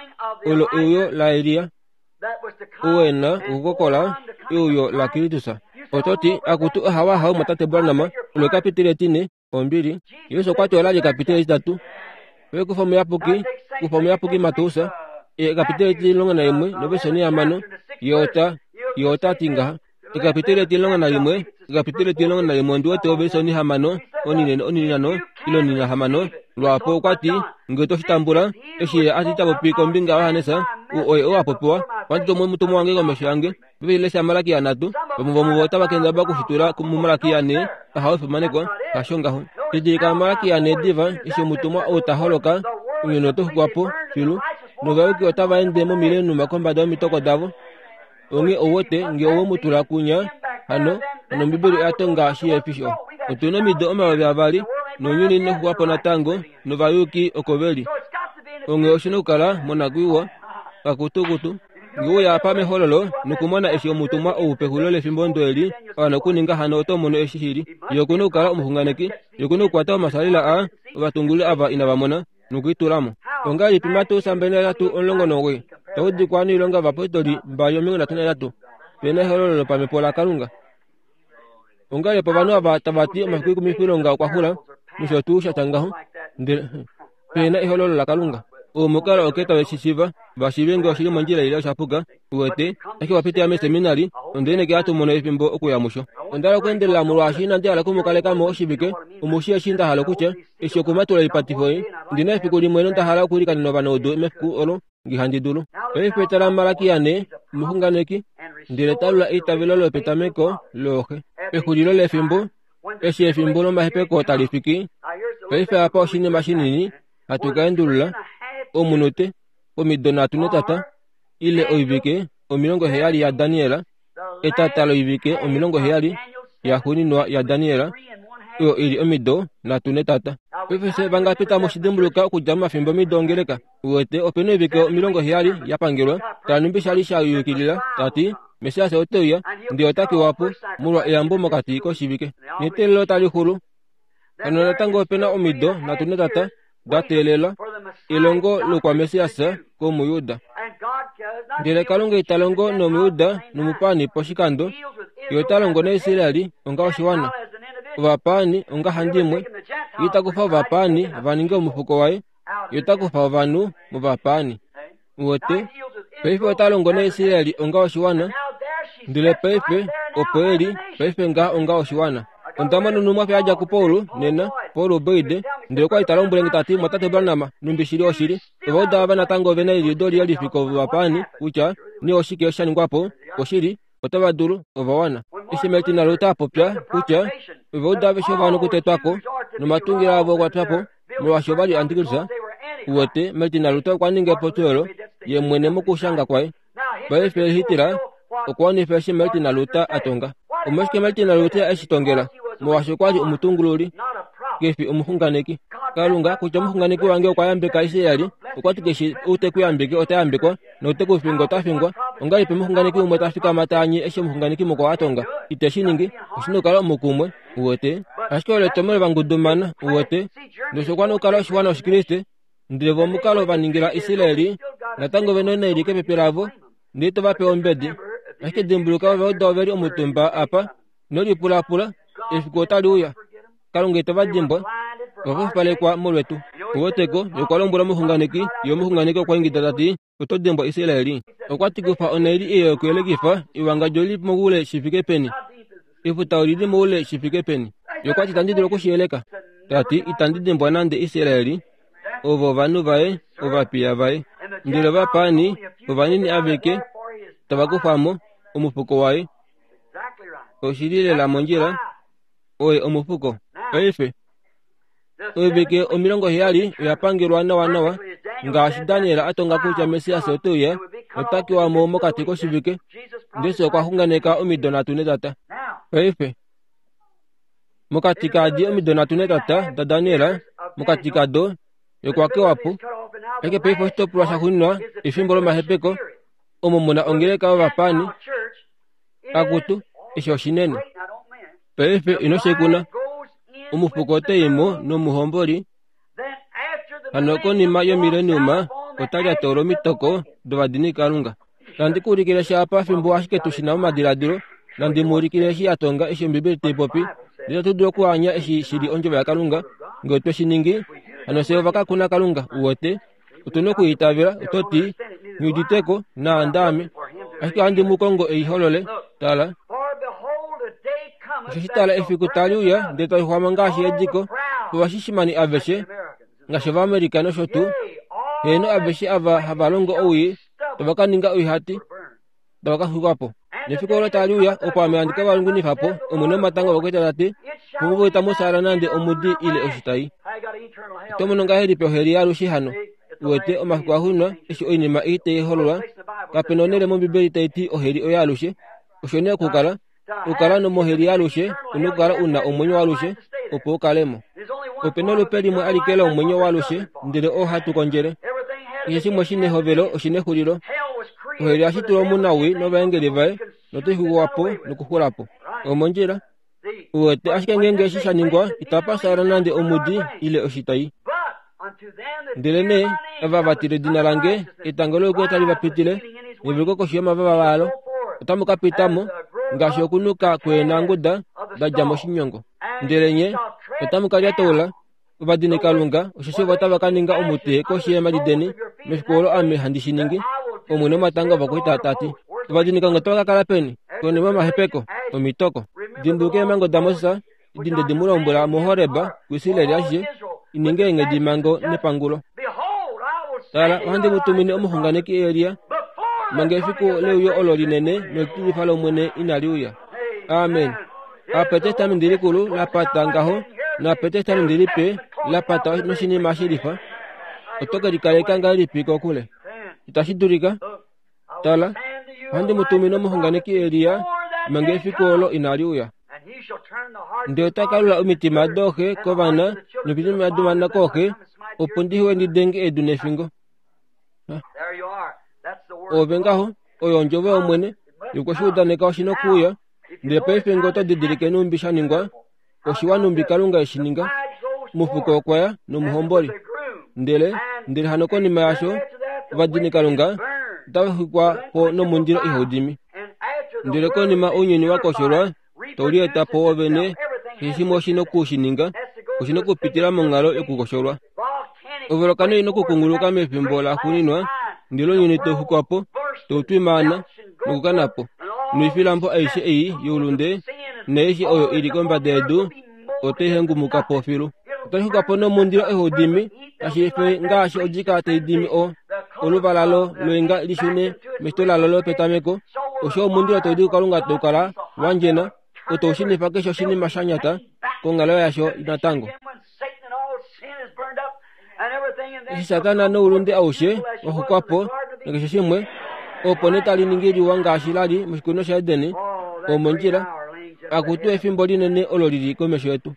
[SPEAKER 2] olo euyo laElia, ou e na okukokola euyo laKristus. Oto ti, akutu ahawa ahau mwatate Branham, olo ekapiteli etine, ombili. Jesus okwa ti ola li ekapiteli etitatu. Oye kufa omuyapuki, kufa omuyapuki Mateus, ekapiteli etimulongo naimwe novesi onihamano, ye ota ye ota ti ngaha. Ekapiteli etimulongo nalimwe, ekapiteli etimulongo nalimwe ondi wete ovesi onihamano, oninene oninano ile oninahamano lwaapo okwa ti nge to shi tambula, eshi ye a ti ta popi kombinga yaJohannes, ou oye ou a popiwa, ohandi tumu omutumwa wange komesho yange. Paife lesha Malakia nhatu, vamwe vomuvo otava kendabala okushitula muMalakia ne, ahawe efimaneko, hasho ngaho. Didilika Malakia ne diva, eshi omutumwa ou ta holoka, omunhu oto xukwa po filu, novayuki otava ende momilenuma kombada yomitoko davo. Onghee ou wete nge owe mu tula kunya, hano hano Ombibeli oya tonga shi ye fisho. Otuna omido omayovi avali nounyuni inoxuwapo natango novayuki oko veli. Onghee oshina okukala monakwiiwa kakutukutu. Ngee uya apa mehololo nokumona eshi omutumwa ou pexulilo lefimbo ndo eli a wana okuninga hano oto mono eshi shili. Ye okuna okukala omuxunganeki. Ye okuna okukwata omasalila a ovatungululi ava inava mona nokuitulamo. Ongahelipi Mateus mbali nahetatu omulongo nomugoyi taudikwa noilonga yovayapostoli mbali omilongo nhatu nahetatu pena ehololo lopamhepo laKalunga. Ongahelipi ovanhu ava tavati omafiku oikumwifilonga okwa xula nosho tuu shatya ngaho ndele pena ehololo laKalunga. Omukalo oke tave shi shiiva vashiive ngee oshili mondjila ile oshapuka uwete ashike wapitila meseminari onde hatu mono efimbo okuya musho. Onda hala okuendelela molwaashi inandi hala okumukaleka mo oshivike omushi eshi nda hala okutya eshi okumatula oipatifo ei ndina efiku limwe nonda hala okuilikanena ovanaudu mefiku olo ngee handi dulu. Paife tala Malakia ne omuxunganeki ndele talula eitavelo lopetameko looxe. Pexulilo lefimbo eshi efimbo lomahepeko tali fiki paife apa oshinima shinini hatu ka endulula omunute omido nhatu netata ile oivike omilongo heyali yaDaniel etata loivike omilongo heyali yaxuuninwa yaDaniel oyo ili omido nhatu netata. Paife fye vangapi tamu shi dimbuluka okudja momafimbo omido ongeleka uwete opena oivike omilongo heyali yapangelwa tala shali sha yukilila tati Messias ote uya ndele ota kewa po molwa eyambo mokati koshivike neteelelo tali xulu. Hano natango opena omido nhatu netata da teelela elongo lokwaMessias komujuda. Ndele Kalunga ita longo nomujuda nomupaani poshikando, ye ota longo naIsraeli onga oshiwana, ovapaani onga handimwe. Ye ita kufa ovapaani va ninge omufuko waye, ye ota kufa ovanhu movapaani. Uwete paife ota longo naIsraeli onga oshiwana, ndele paife opo eli paife ngaha onga oshiwana. Onda mona onhumwafo yadja kuPaul nena, Paul Boyd, ndele okwa li ta lombwele nge tati mwatate Branham numbi shili oshili. Ovauda ava natango ovena eliudo liyelifi kovapaani kutya nee oshike sha ningwa po oshili otava dulu ova wana. Eshi Martin Luther a popya kutya ovauda aveshe ova wana okutetwa ko nomatungilo avo okwa pya po molwaashi ova li antikristo. Uwete Martin Luther okwa ninga epopyo olo ye mwene mokushanga kwaye. Paife Hitler okwa wanifa eshi Martin Luther a tonga. Omolwashike Martin Luther eshi tongela? Molwaashi okwa li omutungululi kefi omuxunganeki. Kalunga kutya omuxunganeki wange okwa yambeka Israeli, okwa ti keshe ou te ku yambeke ota yambekwa note ku finga ota fingwa. Ongahelipi omuxunganeki umwe ta fikama ta anye eshi omuxunganeki mukwao a tonga? Ite shi ningi, oshina okukala omukumwe, uwete. Ashike olo etomhelo vangudumana, uwete. Nosho okwa okukala oshiwana Oshikriste, ndele vo omukalo va ningila Israeli natango vena onaili kepepe lavo, ndele tova pe ombedi. Ashike dimbuluka ovauda oveli omutumba apa nolipulapula efiku otali uya. Kalunga itava dimbwa ova fupalekwa molwetu. Uweteko okwa lombwela omuxunganeki, ye omuxunganeki okwa ingida tati oto dimbwa Israeli. Okwa ti kufa onaili eyo yokuyelekifa ewangadjo lili moule shi fike peni, efuta olili moule shi fike peni. Ye okwa ti itandi dulu okushiyeleka. Tati itandi dimbwa nande Israeli, ovo ovanhu vaye, ovapiya vaye. Ndele ovapaani ovanini aveke tava kufamo omufuko waye. Oshili lela mondjila oye omufuko. Paife oivike omilongo heyali oya pangelwa nawa nawa ngaashi Daniel a tonga kutya Messias ote uya ota kewa mo mokati koshivike, ndele okwa xunganeka omido nhatu netata. Paife mokati kadi omido nhatu netata daDaniel, mokati kado okwa kewa po. Ashike paife oshitopolwa shaxuuninwa efimbo lomahepeko omo muna ongeleka yovapaani akutu eshi oshinene. Paife ino shekuna omufuko oteimo nomuhomboli. Hano konima yomileniuma ota lyatola omitoko dovadini Kalunga. Nandi ku ulikile sha apa fimbo ashike tushina momadiladilo, nandi mu ulikile eshi ya tonga eshi Ombibeli tai popi, ndele tu dulu okuanya eshi shili ondjovo yaKalunga. Ngee otwe shi ningi, hano fye ovakakuna Kalunga, uwete. Otuna okuitavela, oto ti, Nghi uditeko, naandaame. Ashike ohandi mu kongo ei holole. Tala. Osheshi tala efiku tali uya, ndele tali xwama ngaashi ediko, ovashishimani aveshe, ngaashi Ovaamerica nosho tuu, heeno aveshe ava hava longo owii, tava ka ninga oihati, tava ka xwikwa po. Nefiku olo tali uya, opo ame handi ka va lungunifa po, Omwene womatanga ovakwaita ta ti, puvo itamu fyaala nande omudi ile oshitai. Oto mono ngahelipi oheli yaalushe hano? Uwete omafiku axuuninwa eshi oinima ei tai hololwa, kapena onhele mOmbibeli tai ti oheli oyaalushe. Osho nee okukala Okukala nomoheli alushe, una okukala una omwenyo walushe, opo ukalemo. Ope nolupe limwe alike lomwenyo walushe, ndele oo hatu kondjele. Keshe shimwe shina ehovelo oshina exulilo. Oheli yashitulwa omunawii novaengeli vaye, notai xuwa po nokuxula po. Omondjila. Uwete ashike ngeenge eshi sha ningwa, itapa fyaala nande omudi ile oshitai. Ndele nee, ava va tila edina lange, etango louyuki otali va pitile, neveluko koshi yomavava alo. Otamu ka pita mo, ngaashi okunuka kweenanguda da dja moshinyongo. Ndele nye, otamu ka lyataula, ovadinikalunga, osheshi vo otava ka ninga omute koshi yeemhadi deni, mefiku olo ame handi shi ningi, Omwene womatanga ovakwaita ta ti. Ovadinikalunga otava ka kala peni? Konima yomahepeko, omitoko. Dimbuluka eemhango daMoses, edi nde di mu lombwela muHoreb kuIsrael ashishe, i ninge eenghedimhango nepangulo. Tala, ohandi mu tumine omuxunganeki Elia, manga efiku leuyo olo linene nolitilifa lOmwene inali uya. Amen. Apa etestamenti likulu la pata ngaho, napa etestamenti lipe la pata noshinima shilifa. Oto ke likaleka ngahelipi kokule? Itashi dulika. Tala, ohandi mu tumine omuxunganeki Elia, manga efiku olo inali uya. Ndele ota ka lula omitima dooxe kovana nomitima dovana kooxe, opo ndihe ndi denge edu nefingo. Ove ngaho, oyo ondjovo yOmwene, yokwe shi udaneka oshi nokuuya. Ndele paife ngee oto didilike nhumbi sha ningwa, oshiwa nhumbi Kalunga eshi ninga. Omufuko okwa ya nomuhomboli. Ndele, ndele hano konima yasho, ovadinikalunga otava xwikwa po nomundilo ihau dimi. Ndele konima ounyuni wa kosholwa, tau lieta po wovene, keshe shimwe oshi noku shi ninga, oshi nokupitila monghalo yokukosholwa. Ovolokano ina okukunguluka mefimbo laxuuninwa, ndele ounyuni tau xwikwa po, tau twimaana nokukana po. Noifilambo aishe ei youlunde naaishe oyo ili kombada yedu otai hengumuka po filu. Otai xwikwa po nomundilo ihau dimi, tashi fe ngaashi odjika tai dimi o oluvala lo loinga lishune meshito lalo lopetameko. Osho omundilo tau di kuKalunga tau kala wa ndjena, otau shunifa keshe oshinima sha nyata konghalo yasho natango. Eshi Satana noulunde aushe wa xwikwa po nakeshe shimwe, opo nee tali ningi liwa ngaashi lali moshikunino shaEden, omondjila. Akutu efimbo linene olo lili komesho yetu.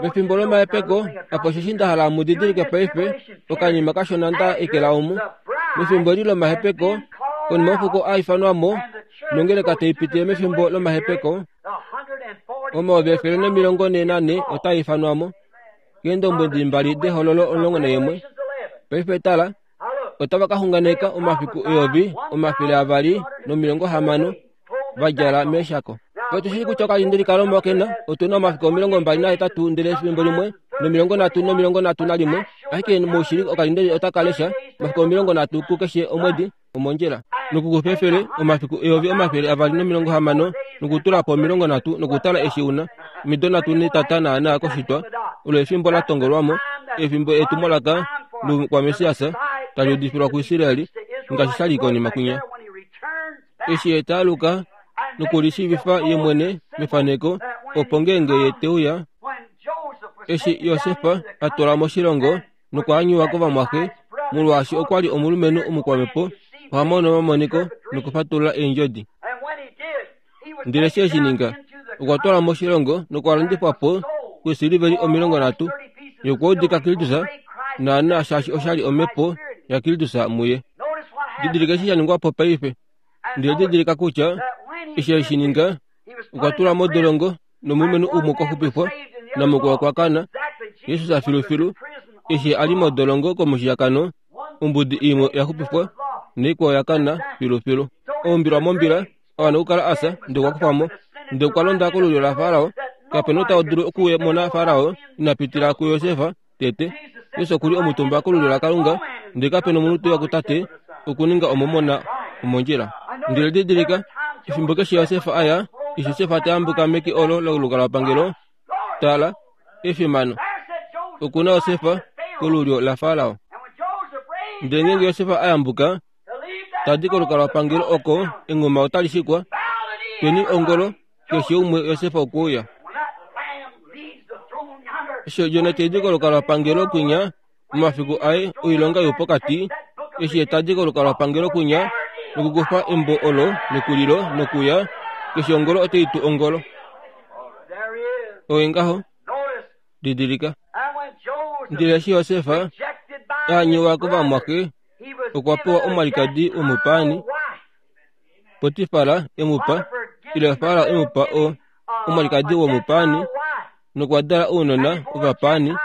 [SPEAKER 2] Mefimbo lomahepeko, apa osheshi nda hala mu didilike paife, okanima kashona nda ekela omu. Mefimbo eli lomahepeko, konima omufuko a ifanwa mo, nongeleka tai pitile mefimbo lomahepeko, omayovi efele nomilongo nhee nane otaa ifanwa mo, keendombwedi mbali dehololo omulongo naimwe. Paife tala, otava ka xunganeka omafiku eyovi omafele avali nomilongo hamano va djala meeshako. Otu shii kutya okalindeli kaRoma okena otuna omafiku omilongo mbali nahetatu ndele efimbo limwe nomilongo nhatu nomilongo nhatu nalimwe, ashike moushili okalindeli otaka lesha omafiku omilongo nhatu kukeshe omwedi omondjila. Nokukufa efele omafiku eyovi omafele avali nomilongo hamano nokutula po omilongo nhatu nokutala eshi una omido nhatu netata naana koshitwa, olo efimbo la tongolwamo, efimbo etumwalaka loukwaMessias tali udifilwa kuIsraeli ngaashi sha li konima kwinya. Eshi ye ta aluka nokulishiivifa ye mwene mefaneko, opo ngeenge ye te uya, eshi Josef a twalwa moshilongo nokwaanyiwa kovamwaxe, molwaashi okwa li omulumenhu omukwamhepo, oha mono omamoniko nokufatulula eendjodi. Ndele eshi eshi ninga, okwa twalwa moshilongo nokwa landifwa po kweesiliveli omilongo nhatu, ye okwa udika Kristus naana shaashi osha li omhepo yaKristus muye. Didilika eshi sha ningwa po paife. Ndele didilika kutya eshi eshi ninga, okwa tulwa modolongo nomulumenhu umwe okwa xupifwa namukwao okwa kana. Jesus filufilu eshi a li modolongo komushiyakano, ombudi imwe oya xupifwa naikwao oya kana filufilu. Oumbilwa mombila, a wana okukala a fya, ndele okwa kufwa mo, ndele okwa londa kolulyo laFarao. Kape na ou ta dulu okumona Farao ina pitila kuJosef tete. Jesus oku li omutumba kolulyo laKalunga, ndele kape na omunhu te uya kuTate okuninga omomona omondjila. Ndele didilika, efimbo keshe Josef a ya, eshi Josef ta yambuka meke olo lolukalwapangelo, tala, efimano, oku na Josef kolulyo laFarao. Ndele ngeenge Josef a yambuka, ta di kolukalwapangelo oko, enghuma otali shikwa, tweni ongolo, keshe umwe Josef okwe uya. Eshi Odjona tai di kolukalwapangelo kwinya, momafiku aye oilonga youpokati, eshi ye ta di kolukalwapangelo kwinya, Nokukufa embo olo lekulilo nokuya keshe ongolo otai tu ongolo. Oye ngaho didilika. Ndele eshi Josef a nyewa kovamwaxe, okwa pewa omwalikadi womupaani, Potifar e mu pa, ile Farao e mu pa o omwalikadi womupaani, nokwa dala ounona ovapaani,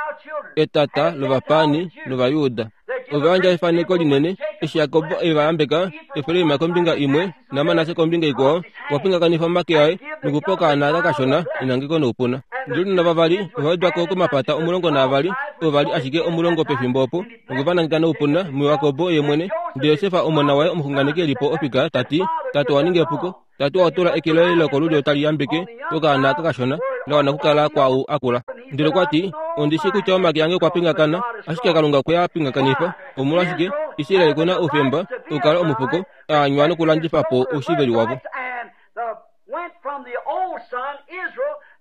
[SPEAKER 2] etata lovapaani nOvajuda. Ova yandja efaneko linene eshi Jakob e va yambeka, Efraim kombinga imwe naManasse kombinga ikwao. Okwa pingakanifa omake aye nokupa okaana aka kashona enangeko noupuna. Ndele ounona vavali ova wedwa ko komapata omulongo naavali, ovo va li ashike omulongo pefimbo opo, nokwe va nangeka noupuna muJakob ye mwene. Ndele Josef omona waye omuxunganeki e li po ofika ta ti, Tate owa ninga epuko, tate owa tula eke loye lokolulyo tali yambeke okaana aka kashona, la wana okukala kwaau akula. Ndele okwa ti, Ondi shii kutya omake ange okwa pingakana, ashike Kalunga okwe a pingakanifa. Omolwashike Israel ku na oufemba okukala omufuko, a anywa nokulandifa po oushiveli wavo.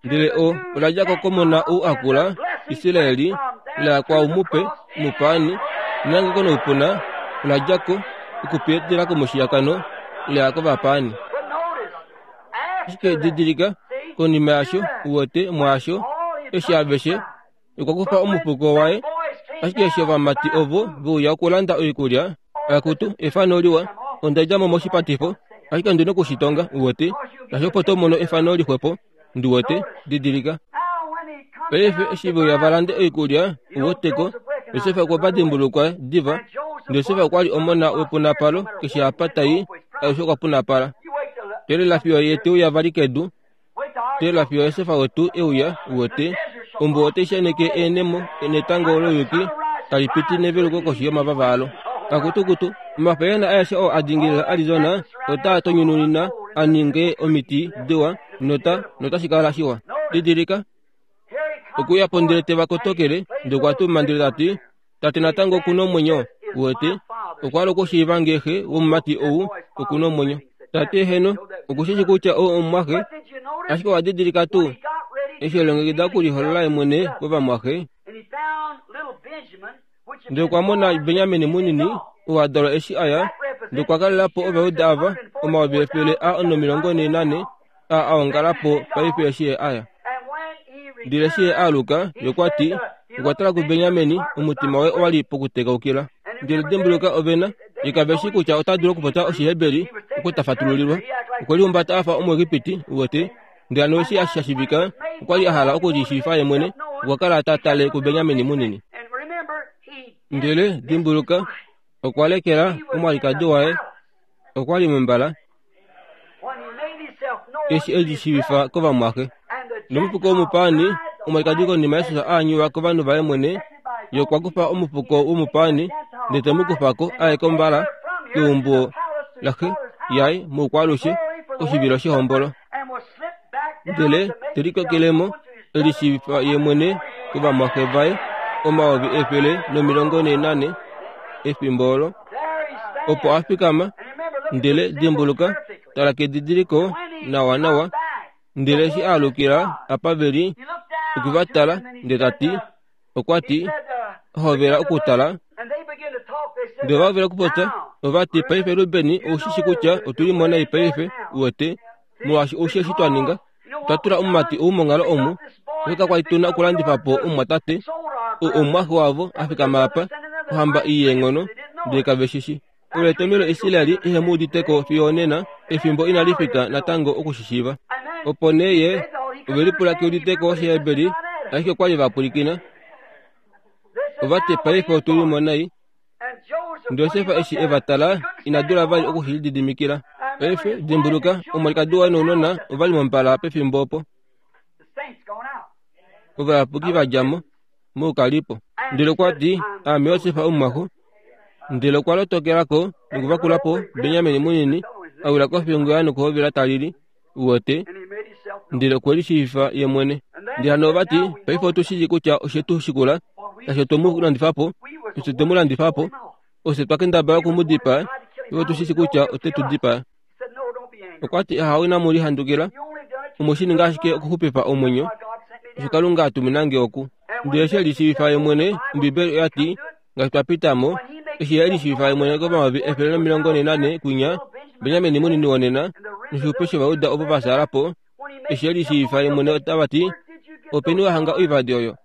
[SPEAKER 2] Ndele o ola dja ko komona ou akula, Israeli, la kwaau mupe, mupaani, nenangeko noupuna ola dja ko okupitila komushiyakano la kovapaani. Ashike didilika, konima yasho, uwete, mwaasho, eshi aveshe, okwa kufa omufuko waye. Ashike eshi ovamati ovo ve uya okulanda oikulya, akutu, efano liwa, onda dja mo moshipatifo, ashike ondi nokushitonga, uwete, nasho opo to mono efano lixwepo, ndi wete, didilika. Paife eshi ve uya va lande oikulya, uweteko, Josef okwe va dimbulukwa diva. Josef okwa li omona wepunapalo, keshe apa tai, alushe okwa punapala. Teelela fiyo ye te uya vali kedu, teelela fiyo Josef wetu e uya, uwete, ombuwa otai shaneke eenemo netango louyuki tali piti neveluko koshi yomavava alo. Kakutukutu, omafayena aeshe oo a dingilila Arizona otaa tonyununina a ninge omiti diwa, nota notashi kala shiwa. Didilika, okuya po ndele te va kotokele, ndele okwa tuma ndele ta ti, Tate natango oku na omwenyo, uwete, okwa hala okushiiva ngee xe womumati ou oku na omwenyo. Tate heno, okushishi kutya ou omumwaxe, ashike owa didilika tuu eshi elongekida okuliholola ye mwene kovamwaxe. Ndele okwa mona Benjamin munini, oo a dalwa eshi a ya, ndele okwa kalela po Ovajuda ava omayovi efele a nomilongo nhee nane a a ongala po paife eshi ye a ya. Ndele eshi ye a aluka, ye okwa ti, okwa tala kuBenjamin, omutima waye owa li pokutekaukila. Ndele dimbuluka ovena, ye kave shii kutya ota dulu okupopya Oshiheberi oko ta fatululilwa. Okwe lihumbata a fa Omuegipiti, uwete. Ndele hano eshi sha shivika, okwa li a hala okulishiifa ye mwene, okwa kala ta tale kuBenjamin munini. Ndele dimbuluka, okwa lekela omwalikadi waye, okwa li mombala, eshi e lishiivifa kovamwaxe. Nomufuko womupaani, omwalikadi konima Jesus a anywa kovanhu vaye mwene, ye okwa kufa omufuko womupaani ndele te mu kufa ko a ye kombala keumbo laxe yaye moukwaalushe koshivilo shehombolo. Ndele te likokelemo e lishiivifa ye mwene kovamwaxe vaye omayovi efele nomilongo nhee nane efimbo olo opo a fikama. Ndele dimbuluka, tala kedidiliko nawanawa. Ndele eshi a alukila apa ve li, okwe va tala ndele ta ti, okwa ti, hovela okutala. Ndele ova hovela okupopya, ova ti, paife Ruben, ou shi shi kutya otu li mo nai paife, uwete, molwaashi ou shi eshi twa ninga, otwa tula omumati ou monghalo omu, ihe kakwa li tu na okulandifa po omumwatate, ou omumwaxe wavo a fikama apa, ohamba ii yeenghono, ndele kave shi shi. Olo etomhelo Israel ihe mu uditeko fiyo onena, efimbo inali fika natango okushishiiva. Opo nee ye ove lipula keuditeko Oshiheberi, ashike okwa li va pwilikina. Ova ti, paife otu li mo nai. Josef eshi e va tala, ina dula vali oku shi lididimikila. Paife dimbuluka, omwalikadi waye nounona ova li mombala pefimbo opo. Ovayapuki va dja mo moukalipo. Ndele okwa ti, Aame Josef omumwaxo. Ndele okwa lotokela ko nokuvakula po Benjamin munini, a wila kofingo yaye nokuhovela ta lili, uwete, ndele okwe lishiivifa ye mwene. Ndele hano ova ti, paife otu shii kutya oshe tu shikula, shaashi otwe mu landifa po, ofye twe mu landifa po, ofye twa kendabala oku mu dipaa, paife otu shii kutya ote tu dipaa. Okwa ti, ahawe, inamu lihandukila, omwe shi ninga ashike okuxupifa omwenyo, osho Kalunga a tumina nge oku. Ndele eshi e lishiivifa ye mwene, Ombibeli oya ti, ngaashi twa pita mo, eshi e lishiivifa ye mwene komayovi efele nomilongo nhee nane kwinya, Benjamin munini wonena noshupe shovauda ovo vasala po eshi e lishiivifa ye mwene otava ti openi wahanga oivadi oyo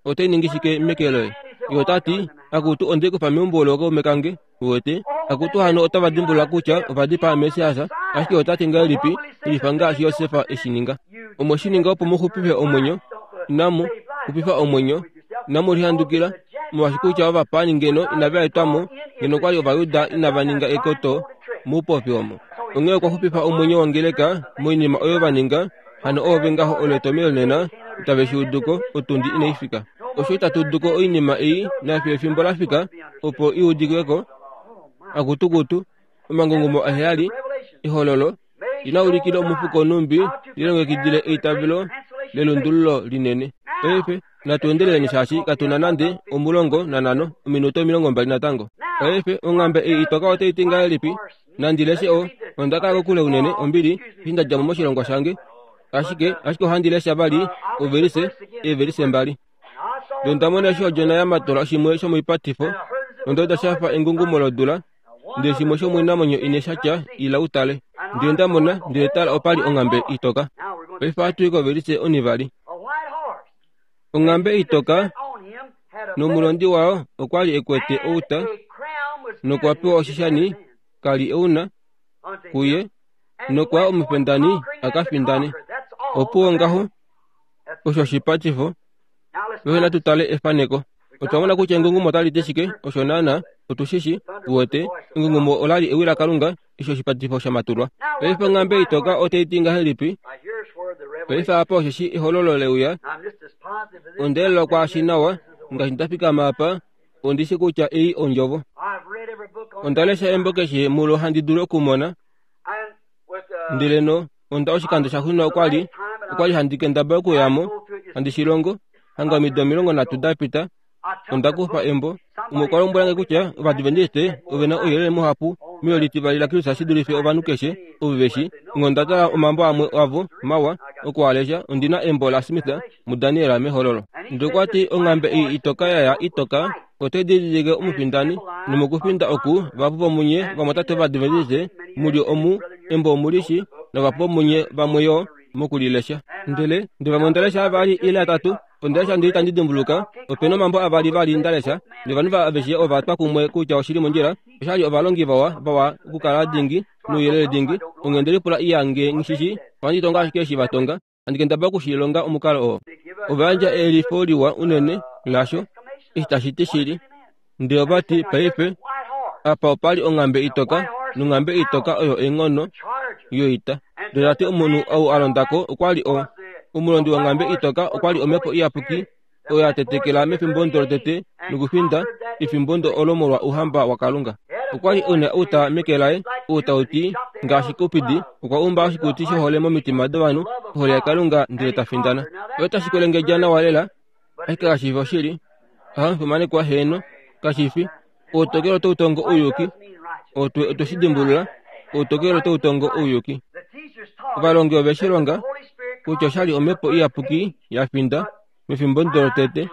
[SPEAKER 2] otai ningi shike meke loye ye ota ti akutu onde kufa meumbo lookaume kange uwete akutu hano otava dimbulula kutya ovadipaa Messias ashike ota ti ngahelipi lifa ngaashi Josefa eshi ninga omwe shi ninga opo muxupife omwenyo inamu xupifa omwenyo inamu lihandukila molwaashi kutya ovapaani ngeno inava etwamo ngeno kwali Ovayuda inava ninga ekoto moupofi omo onghee okwa xupifa omwenyo wongeleka moinima oyo va ninga hano oove ngaho oletomelo nena itave shi uduko otundi inai fika osho itatu uduko oinima ei nafiyo efimbo la fika opo i udikeko akutukutu omangungumo aheyali ehololo ina ulikile omufuko numbi lilongekidile eitavelo lelundululo linene paife natuendeleleni shaashi katuna nande omulongo nanano ominuto omilongo mbali natango paife onghambe ei itoka otai ti ngahelipi nandileshe o onda kala kokule unene ombili eshi nda dja mo moshilongo shange ashike ashike ohandi lesha vali ovelise eevelise mbali ndele onda eshi odjona ya matola shimwe shomoipatifo nonda shafa engungumo lodula ndele shimwe shomoinamwenyo ine shatya ila utale ndele ndamona ndele tala opali onghambe itoka paife ohatu i kovelise onivali onghambe itoka nomulondi wayo okwali ekwete outa nokwa pewa oshishani kali euna kuye nokwa omufendani akafindane opuwo ngaho osho oshipatifo paife natutale efaneko otwa mona kutya engungumo otali ti shike osho naana otushishi uwete engungumo olali ewi lakalunga eshi oshipatifo shamatulwa paife onghambe itoka otai ti ngahelipi paife apa osheshi ehololo leuya ondeelelwa kwaashi nawa ngaashi ndafikama apa ondishi kutya ei ondjovo onda lesha embo keshe mulo handi dulu okumona ndele no onda oshikando shaxuuninwa okwali okwali handi kendabala okuyamo handi shilongo hanga omido omilongo nhatu dapita onda kufa embo umwe okwa lombwelange kutya Ovadventiste ovena ouyelele muhapu meyolitivali laKristus shi dulife ovanhu keshe ovo veshi onghee onda tala omambo amwe avo mawa okualesha ondina embo laSmith muDaniel mehololo ndele okwa ti onghambe ei itoka yaya itoka otai didilike omufindani nomokufinda oku vahapu vomunye vamwatate Ovadventiste muli omu embo omulishi novahapu vomunye vamwe yo mokulilesha ndele ndele vamwe ondalesha avali ile atatu ondalesha ndele itandi dimbuluka opena omambo avali vali ndalesha novanhu aveshe ova twa kumwe kutya oshili mondjila oshali ovalongi vawa vawa okukala dingi nouyelele dingi onghee ndelipula iyange ngishishi ohandi tonga ashike eshi vatonga handi kendabala okushilonga omukalo oo ova yandja elifo liwa unene lasho eshi tashi ti shili ndele ovati paife apa opali onghambe itoka nonghambe itoka oyo eenghono yoita ndele tati omunhu ou a londako okwali o omulondi wonghambe itoka okwali omhepo iyapuki oyo ya tetekela mefimbo ndo lotete nokufinda efimbo ndo olo molwa ouhamba waKalunga okwali una outa meke laye outa uti ngaashi Kupidi okwa umba oshikuti shohole momitima dovanhu ohole yaKalunga ndele ta findana oyo tashi kwelengedja nawa lela ashike kashifi oshili ohamufimanekwa heeno kashifi outokelo otau tongo ouyuki otwe otwe shi dimbulula outokelo otau tongo ouyuki ovalongi ove shi longa kutya oshali omhepo iyapuki ya finda mefimbo ndo lotete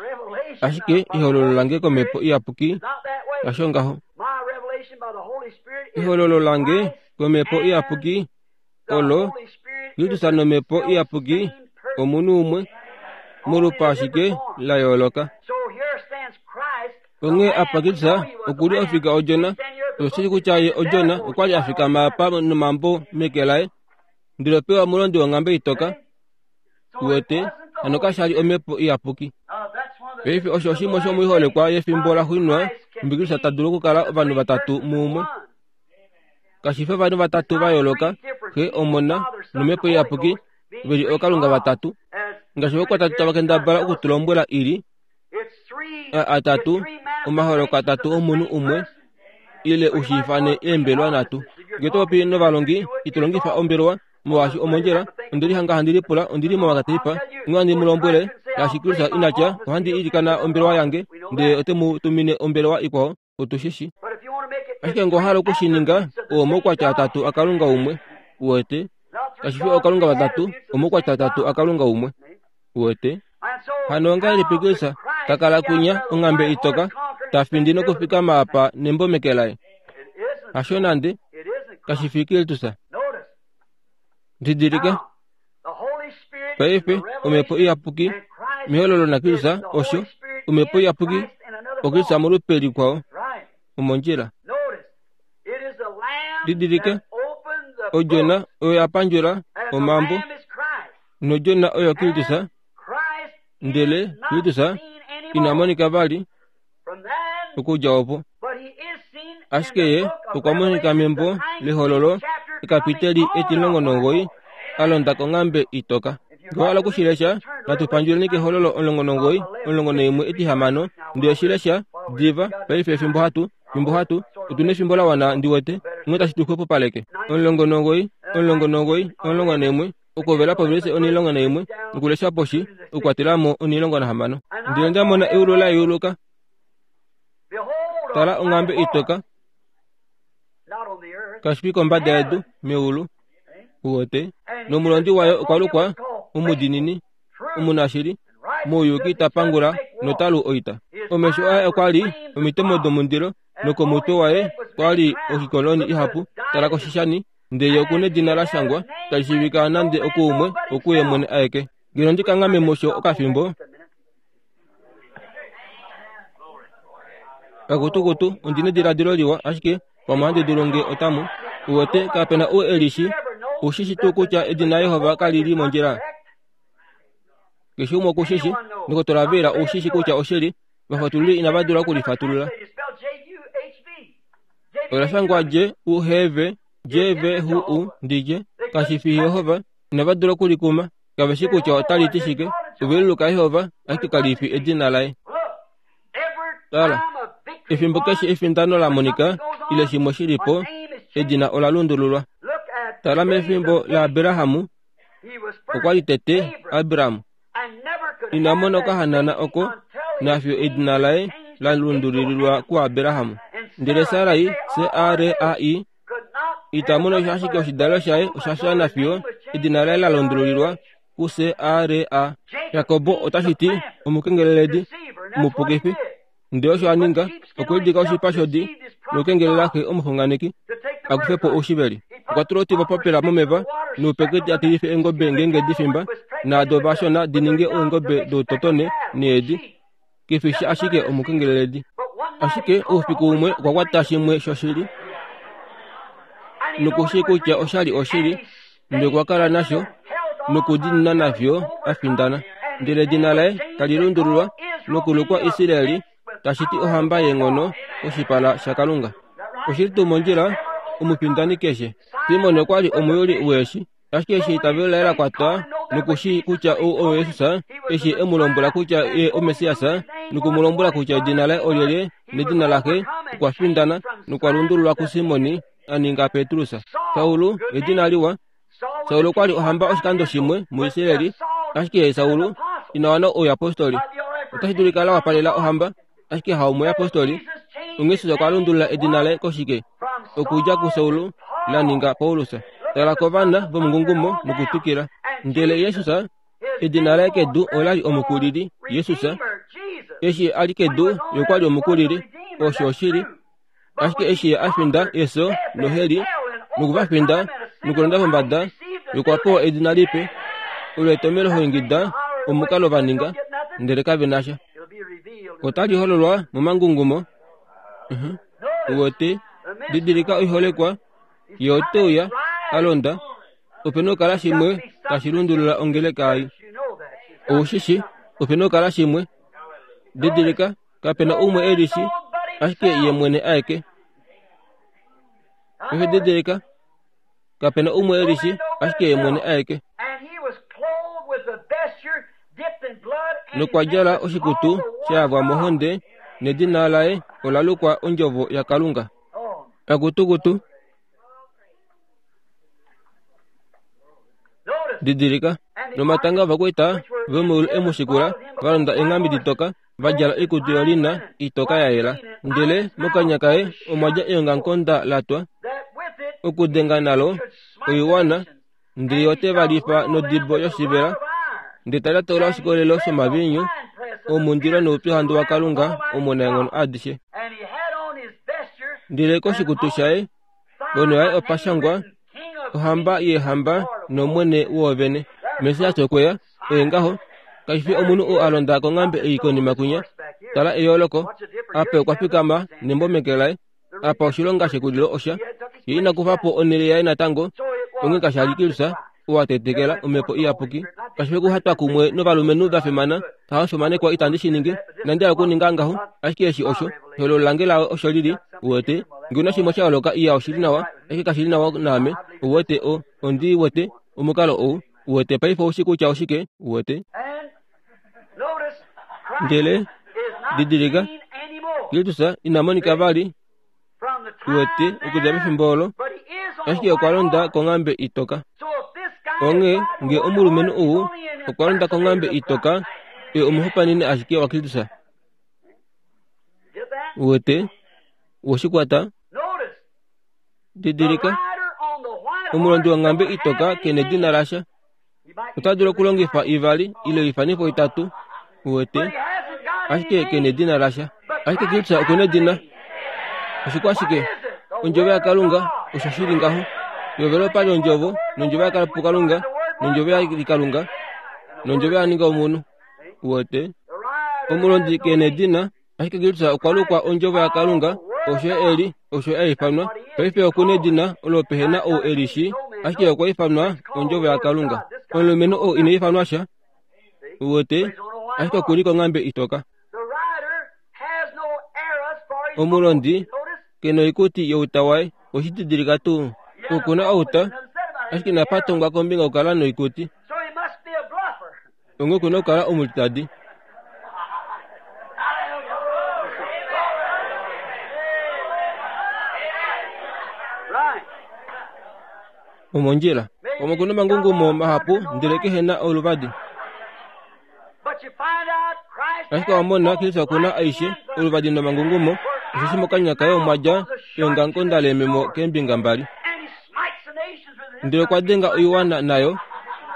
[SPEAKER 2] ashike ehololo lange komhepo iyapuki kasho ngaho ehololo lange komhepo iyapuki olo Kristus nomhepo iyapuki omunhu umwe molupa ashike la yooloka onghee apa Kristus okuli ofika odjona oshishi kutya ye odjona okwali afikama apa nomambo meke laye ndele opewa omulondi wonghambe itoka uwete hano kashali omhepo iyapuki paife osho oshimwe shomoiholekwa yefimbo laxuuninwa nhumbi Kristus ta dulu okukala ovanhu vatatu muumwe kashifi ovanhu vatatu va yooloka Xe Omona nomhepo iyapuki veli ookalunga vatatu ngaashi vokwatatu tava kendabala okutulombwela ili atatu omaholoko atatu omunhu umwe ile ushiifane eembelwa nhatu ngee topopi novalongi itolongifa ombelwa molwaashi omondjila ondili hanga handi lipula ondili momakateipa onghee handi mu lombwele ngaashi Kristus inatya ohandi ilikana ombelewa yange ndele ote mu tumine ombelewa ikwao otushishi ashike ngee owahala okushininga oo omaukwatya atatu akalunga umwe uwete kashifi ookalunga vatatu omaukwatya atatu akalunga umwe uwete hano ongahelipi Kristus takala kwinya onghambe itoka tafindi nokufikama apa nembo meke laye hasho nande Kashi fi Kristus. Didilika paife omhepo iyapuki mehololo naKristus osho omhepo iyapuki oKristus molupe likwao omondjila. Didilika odjona oyo yapandjula omambo nodjona oyo Kristus, ndele Kristus ina monika vali okudja opo. Ashike ye okwa monika membo lehololo ekapiteli etilongo nomugoyi alonda konghambe itoka. Ngee owahala okushilesha, natupandjuleni kehololo omulongo nomugoyi omulongo naimwe etihamano ndele shilesha diva paife efimbo hatu fimbo hatu otuna efimbo lawana ndiwete onghee tashi tu xwepopaleke. Omulongo nomugoyi omulongo nomugoyi omulongo naimwe okuhovela povelise onhilongo naimwe nokulesha poshi okukwatelamo onhilongo nahamano. Ndele onda mona eulu la yeuluka, tala onghambe itoka kashi fi kombada yedu meulu uwete nomulondi wayo okwa lukwa omudinini omunashili mouyuki ta pangula notalu oita. Omesho aye okwa li omitemo domundilo nokomutwe waye kwa li oikoloni ihapu. Tala koshishani ndele okuna edina la shangwa tali shiivika nande okuumwe okuye mwene aeke. Ngeno ndi kanghame musho okafimbo kakutukutu ondina ediladilo liwa ashike pamwe ohandi dulu nge otamu uwete kapena ou elishi ushishi tuu kutya edina Jehova kali li mondjila. Keshe umwe okushishi ndokotola Vera oushishi kutya oshili vafatululi inava dula okulifatulula. Ola shangwa J U H V J V H U ndije kashi fi Jehova inava dula okulikuma kave shi kutya otali ti shike. Oveliluka Jehova ashike kali fi edina laye. Tala, efimbo keshe efindano la monika ile shimwe shilipo edina ola lundululwa. Tala mefimbo laAbrahamu okwa li tete Abraham ina mona okahanana oko nafiyo edina laye la lundululilwa kuAbraham. Ndele Sarai S A R A I ita mono ashike oshidalelo shaye osha fya nafiyo edina laye la lundululilwa ku S A R A. Jakobo otashi ti omukengeleledi omupukifi. Ndele osho a ninga okulidika oshipa shodi nokukengelela xe omuxunganeki akufe po oushiveli. Okwa tula otibo papela momeva noupekete atilife eengobe ngeenge difimba naado vashona di ninge eengobe doutotone needi. Kefishi ashike omukengeleledi. Ashike oufiku umwe okwa kwata shimwe shoshili nokushi kutya oshali oshili ndele okwa kala nasho nokudinina nafyo afindana. Ndele edina laye tali lundululwa nokulukwa Israeli tashi ti ohamba yeenghono koshipala shaKalunga. Oshili tuu mondjila omufindani keshe. Simon okwa li omuyuli weeshi ashike eshi eitavelo laye la kwatwa nokushi kutya ou oye Jesus eshi e mu lombwela kutya ye oMessias noku mu lombwela kutya edina laye olyelye nedina laxe okwa findana nokwa lundululwa kuSimoni a ninga Petrus. Saulu edina liwa. Saulu okwa li ohamba oshikando shimwe muIsraeli ashike Saulu ina wana ouyapostoli. Otashi dulika la wapalela ohamba ashike haumuyapostoli. Onghee Jesus okwa lundulula edina laye koshike okudja kuSaulu la ninga Paulus. Tala kovana vomungungumo nokutwikila. Ndele Jesus edina laye kedu ola li omukulili Jesus. Eshi a li kedu ye okwa li omukulili osho oshili. Ashike eshi ye a finda efyo noheli nokuvafinda nokulonda pombada ye okwa pewa edina lipe olo etomelo hoingida omukalo va ninga ndele kave na sha. Otali hololwa momangungumo. Uwete didilika oiholekwa ye ote uya alonda opena okukala shimwe tashi lundulula ongeleka ei. Oushishi opena okukala shimwe. Didilika kapena umwe elishi ashike ye mwene aeke. Ehe didilika kapena umwe elishi ashike ye mwene aeke. Nokwa djala oshikutu shayavwa mohonde nedina laye ola lukwa Ondjovo yaKalunga. Akutukutu didilika nomatanga ovakwaita vomeulu e mu shikula va londa eenghambe ditoka va djala oikutu yolina itoka ya yela. Ndele mokanya kaye omwa dja eongamukonda la twa okudenga nalo oiwana ndele ote va lifa nodibo yoshivela ndele tali atola oshikolelo shomaviinyu omundilo noupyuhandu waKalunga omunaenghono adishe. Ndele koshikutu shaye Ponho yaye opa shangwa ohamba yeehamba nomwene woovene. Messias okweya oye ngaho kashi fi omunhu oo a londa konghambe ei konima kwinya. Tala eyooloko, apa okwa fikama nembo meke laye, apa oshilonga shekulilo osha ye ina kufa po onhele yaye natango. Onghee kashi li Kristus oo a tetekela omhepo iyapuki. Kashi fi okuhatwa kumwe novalumenhu va fimana, haofimanekwa itandi shi ningi, inandi hala okuninga ngaho, ashike eshi osho ehololo lange lao osho lili. Uwete ngee una shimwe sha yooloka iya oshili nawa, ashike kashi li nawa naame. Uwete o ondi wete omukalo ou. Uwete paife oushi kutya oshike. Uwete ndele didilika Kristus ina monika vali. Uwete okudja pefimbo olo, ashike okwa londa konghambe itoka. Onghee ngee omulumenhu ou okwa londa konghambe itoka, oye omuhopaeneni ashike waKristus. Uwete woshikwata. Didilika omulondi wonghambe itoka kena edina lasha. Ota dulu okulongifa ivali ile oifanifo itatu. Uwete ashike kena edina lasha, ashike Kristus okuna edina. Oshikwashike? Ondjovo yaKalunga osho shili ngaho. Yovele opali ondjovo, nondjovo yakala puKalunga, nondjovo yali Kalunga, nondjovo ya ninga omunhu. Uwete omulondi kena edina, ashike Kristus okwa lukwa ondjovo yaKalunga. Osho eli osho a ifanwa. Paife okuna edina olo pehena ou elishi, ashike okwa ifanwa ondjovo yaKalunga. Omulumenhu ou ina ifanwa sha. Uwete ashike okuli konghambe itoka. Omulondi kena oikuti youta waye. Oshididilika tuu okuna outa, ashike inapa tongwa kombinga okukala noikuti. Onghee okuna okukala omulitadi. Omondjila omo kuna omangungumo mahapu ndele kehena oluvadi. Ashike wamona Kristus okuna aishe oluvadi nomangungumo. Osheshi mokanya kaye omwa dja eongamukonda leememo keembinga mbali. Ndele okwa denga oiwana nayo.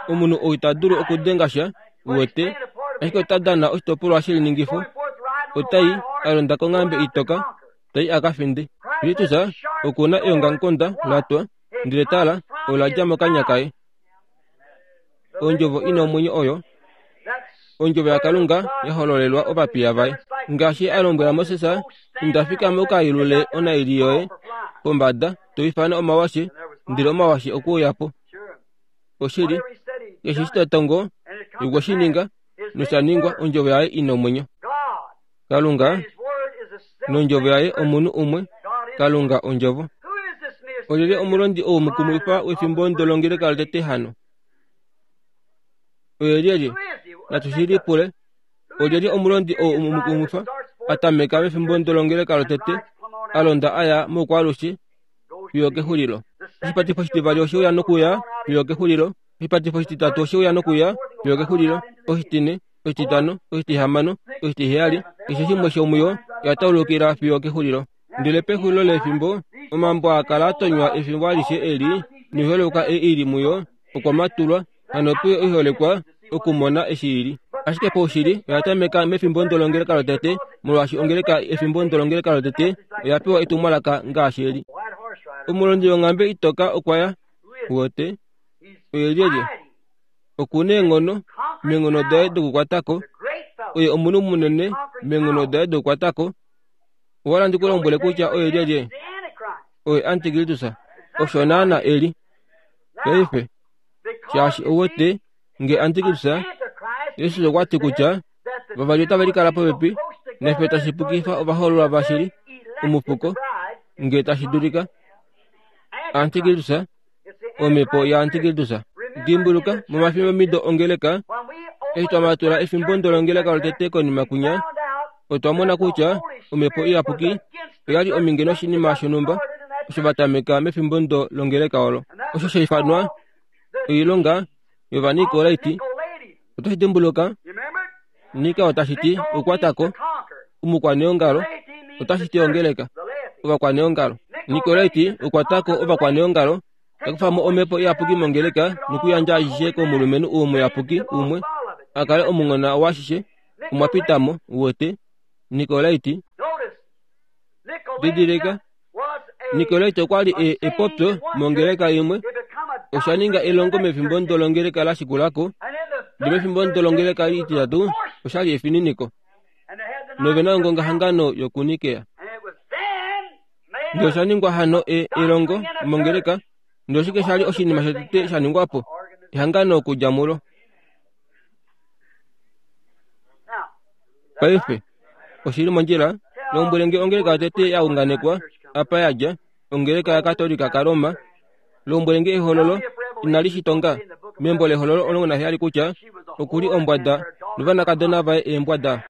[SPEAKER 2] Omunhu ou ita dulu okudenga sha. Uwete ashike ota dana oshitopolwa sheliningifo. Otai a londa konghambe itoka, tai a ka finde. Kristus okuna eongamukonda la twa, ndele tala ola dja mokanya kaye. Ondjovo ina omwenyo oyo ondjovo yaKalunga ya hololelwa ovapiya vaye. Ngaashi a lombwela Moses, inda fikama uka yelule onaili yoye pombada, to ifana omawashe, ndele omawashe okuuya po. Oshili keshe eshi ta tongo okwe shi ninga, nosha ningwa. Ondjovo yaye ina omwenyo. Kalunga nondjovo yaye omunhu umwe. Kalunga ondjovo. Olyelye omulondi ou mukumwifa wefimbo ndolongeleka lotete hano? Oye lyelye? Natu shi lipule. Olyelye omulondi ou mukumwifa a tameka mefimbo ndolongeleka lotete, a londa aya moukwaalushe fiyo kexulilo? Oshipatifo oshitivali oshe uya nokuya fiyo kexulilo. Oshipatifo oshititatu oshe uya nokuya fiyo kexulilo. Oshitine, oshititano, oshitihamano, oshitiheyali, keshe shimwe shomuyo ya taulukila fiyo kexulilo. Ndele pexulilo lefimbo omambo a kala a tonywa efimbo alishe eli noiholekwa ei ili muyo okwa matulwa, hano puyo oiholekwa okumona eshi ili. Ashike paushili oya tameka mefimbo ndolongeleka lotete, molwaashi ongeleka efimbo ndolongeleka lotete oya pewa etumwalaka ngaashi eli. Omulondi wonghambe itoka okwa ya. Uwete oye lyelye? Okuna eenghono meenghono daye dokukwatako. Oye omunhu munene meenghono daye dokukwatako. Owa ndi kulombwele kutya oye lyelye? Oye Antikristus. Osho naana eli. Paife shaashi ouwete nge Antikristus, Jesus okwa ti kutya vavali otava likala popepi nafye tashi pukifa ovahoololwa vashili omufuko nge tashi dulika. Antikristus, omhepo yaAntikristus. Dimbuluka momafimbo mido ongeleka, eshi twa matula efimbo ndolongeleka lotete konima kwinya, otwa mona kutya omhepo iyapuki oyali ominge noshinima shonhumba osho va tameka mefimbo ndo longeleka olo, osho sha ifanwa oilonga yOvanikolaiti. Otashi dimbuluka Nika otashi ti okukwatako, omukwaneongalo otashi ti ongeleka, ovakwaneongalo. Nikolaiti okukwatako ovakwaneongalo, takufa mo omhepo iyapuki mongeleka nokuyandja ashishe komulumenhu ou muyapuki umwe a kale omunghona washishe. Omwa pita mo. Uwete Nikolaiti. Didilika Nikolaiti okwa li e epopyo mongeleka imwe, osha ninga elongo mefimbo ndolongeleka la shikulako, ndele mefimbo ndolongeleka ititatu osha li efininiko. Novena ongongahangano yokunikea. Ndele osha ningwa hano e elongo mongeleka, ndele oshike sha li oshinima shotete sha ningwa po? Ehangano okudja mulo. Paife, oshili mondjila, lombwele nge ongeleka yotete ya unganekwa, apa ya dja, ongeleka yaKatolika kaRoma. Lombwele nge ehololo inali shitonga membo lehololo omulongo naheyali kutya okuli ombwada novanakadona vaye eembwada.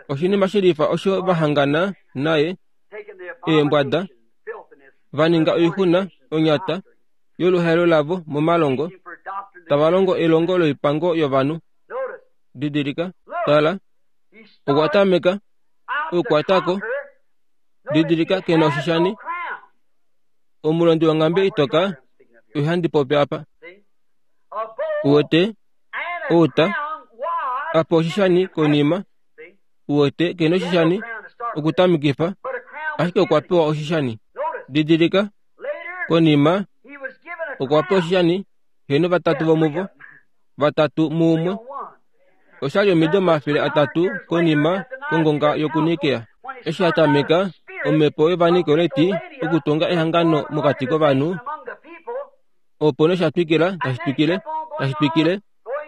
[SPEAKER 2] Oshinima shilifa osho vahangana naye eembwada, va ninga oixuna onyata yoluhaelo lavo momalongo, tava longo elongo loipango yovanhu. Didilika, tala, okwa tameka okukwatako. Didilika, kena oshishani. Omulondi wonghambe itoka ohandi popi apa. Uwete outa apa oshishani konima. Uwete kena oshishani okutamikifa, ashike okwa pewa oshishani. Didilika, konima okwa pewa oshishani, heno vatatu vomuvo, vatatu muumwe. Oshali omido omafele atatu konima kongonga yokunikea. Eshi atameka omhepo yOvanikoleti okutunga ehangano mokati kovanhu, opo nosha twikila tashi twikile tashi twikile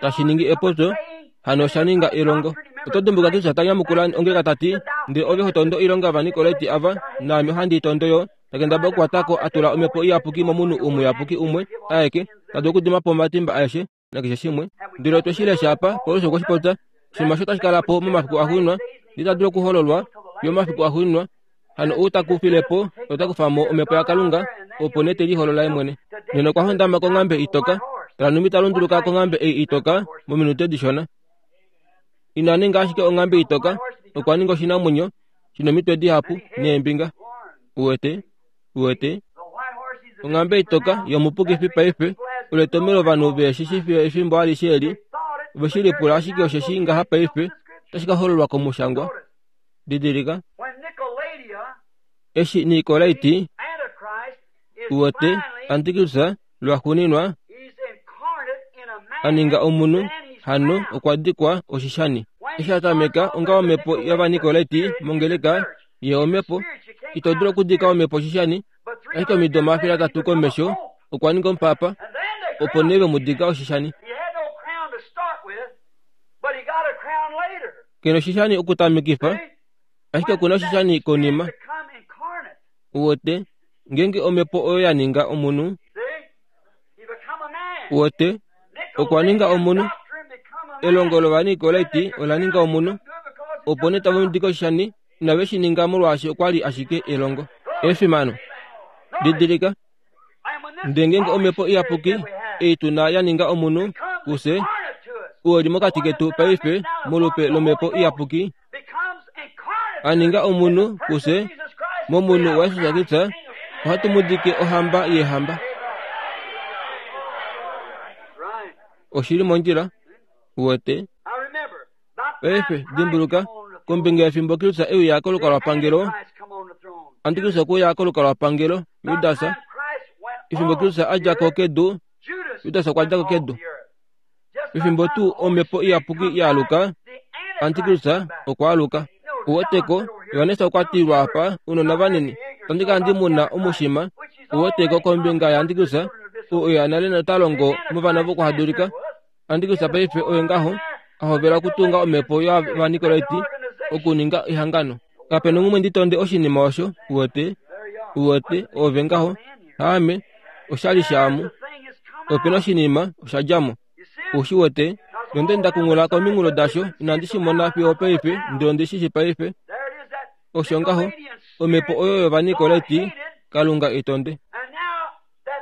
[SPEAKER 2] tashi ningi epopyo, hano osha ninga elongo. Oto dimbuka Kristus ta nyamukula ongeleka ta ti, ndele ove ho tondo oilonga yOvanikoleti ava, naame ohandi i tondo yo. Takendaba okukwatako a tula omhepo iyapuki momunhu umuyapuki umwe aeke, ta dulu okudima po omatimba aeshe nakeshe shimwe. Ndele otwe shi lesha apa, Paulus okwe shi popya, oshinima osho tashi kala po momafiku axuuninwa, ndele ita dulu okuhololwa fiyo omafiku axuuninwa. Hano ou ta kufile po ota kufa mo omhepo yaKalunga, opo nee te liholola ye mwene. Nena okwa hondama konghambe itoka, tala nhumbi ta lunduluka konghambe ei itoka mominute dishona. Ina ninga ashike onghambe itoka, okwa ninga oshinamwenyo shina omitwe dihapu neembinga. Uwete, uwete, onghambe itoka yomupukifi paife oletomelo ovanhu veshi fiyo efimbo alishe eli, ove shi lipula ashike osheshi ngaha paife otashi ka hololwa komushangwa. Didilika, eshi Nikolaiti uwete Antikristus lwaxuuninwa a ninga omunhu, hano okwa dikwa oshishani. Eshi a tameka onga omhepo yOvanikoleti mongeleka, ye omhepo ito dulu okudika omhepo oshishani, ashike omido omafele atatu komesho okwa ninga omupapa, opo nee ve mu dika oshishani. Kena oshishani okutamikifa, ashike okuna oshishani konima. Uwete, ngeenge omhepo oyo ya ninga omunhu, uwete, okwa ninga omunhu. Elongo lOvanikoleti ola ninga omunhu, opo nee tave mu dika oshishani, inave shi ninga molwaashi okwa li ashike elongo. Efimano. Didilika, ndele ngeenge omhepo iyapuki ei tuna ya ninga omunhu, kufye, oo li mokati ketu paife molupe lomhepo iyapuki, a ninga omunhu kufye momunhu waJesus Kristus, ohatu mu dike ohamba yeehamba. Oshili mondjila, uwete. Paife dimbuluka, kombinga yefimbo Kristus e uya kolukalwapangelo, Antikristus okwe uya kolukalwapangelo, Judas. Efimbo Kristus a dja ko kedu, Judas okwa dja ko kedu. Efimbo tuu omhepo iyapuki ya aluka, Antikristus okwa aluka. Uweteko, Johannes okwa tilwa apa, ounona vanini, otandi kala ndi muna omushima. Uweteko kombinga yaAntikristus, oo oye nale nota longo movana vokuhadulika. Antikristus paife oye ngaho a hovela okutunga omhepo yOvanikoleti okuninga ehangano. Kape na umwe ndi tonde oshinima osho, uwete, uwete, ove ngaho, haame, oshali shaamu. Ope na oshinima osha dja mo. Ushi wete, nonde nda kungula kominghulo dasho, inandi shi mona fiyo paife, ndele ondi shi shi paife. Osho ngaho, omhepo oyo yOvanikoleti, Kalunga i tonde.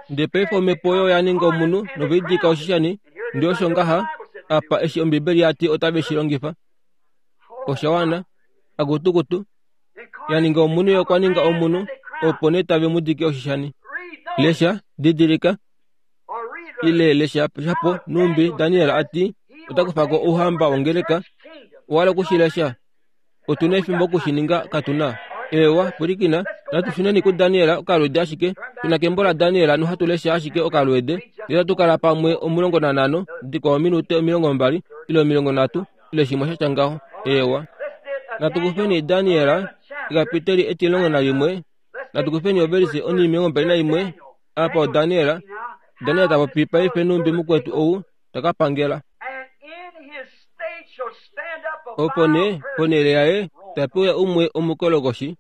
[SPEAKER 2] Ndele paife omhepo oyo ya ninga omunhu noveidika oshishani, ndele osho ngaha, apa eshi Ombibeli ya ti otave shi longifa. Osha wana, akutukutu, ya ninga omunhu ye okwa ninga omunhu, opo nee tave mu dike oshishani. Lesha, didilika, ile lesha shapo numbi Daniel a ti ota kufa ko ouhamba wongeleka. Owa hala okushi lesha? Otu na efimbo okushininga, katu na. Ewa, pwilikina, natu shuneni kuDaniel okalweede ashike. Tuna kembo laDaniel nohatu lesha ashike okalweede. Ndele hatu kala pamwe omulongo nanhano, dikwao ominute omilongo mbali, ile omilongo nhatu, ile shimwe sha tya ngaho. Ewa. Natu kufeni Daniel, ekapiteli etilongo nalimwe. Natu kufeni ovelise onimilongo mbali naimwe. Apa oDaniel. Daniel ta popi paife numbi mukwetu ou taka pangela. Opo nee ponhele yaye tapewa umwe omukolokoshi,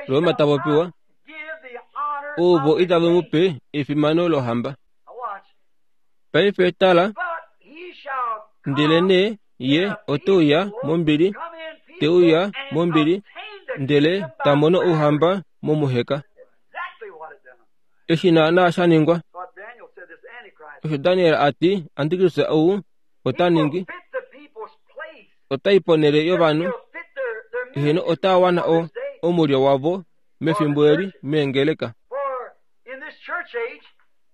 [SPEAKER 2] Roma ta popiwa, ovo itave mu pe efimano lohamba. Paife tala, ndelenee ye ote uya mombili, te uya mombili, ndele ta mono ouhamba momuheka. Eshi naana sha ningwa. Osho Daniel a ti, Antikristus ou ota ningi, otai ponhele yovanhu, eheno ota wana o omulyo wavo mefimbo eli meengeleka.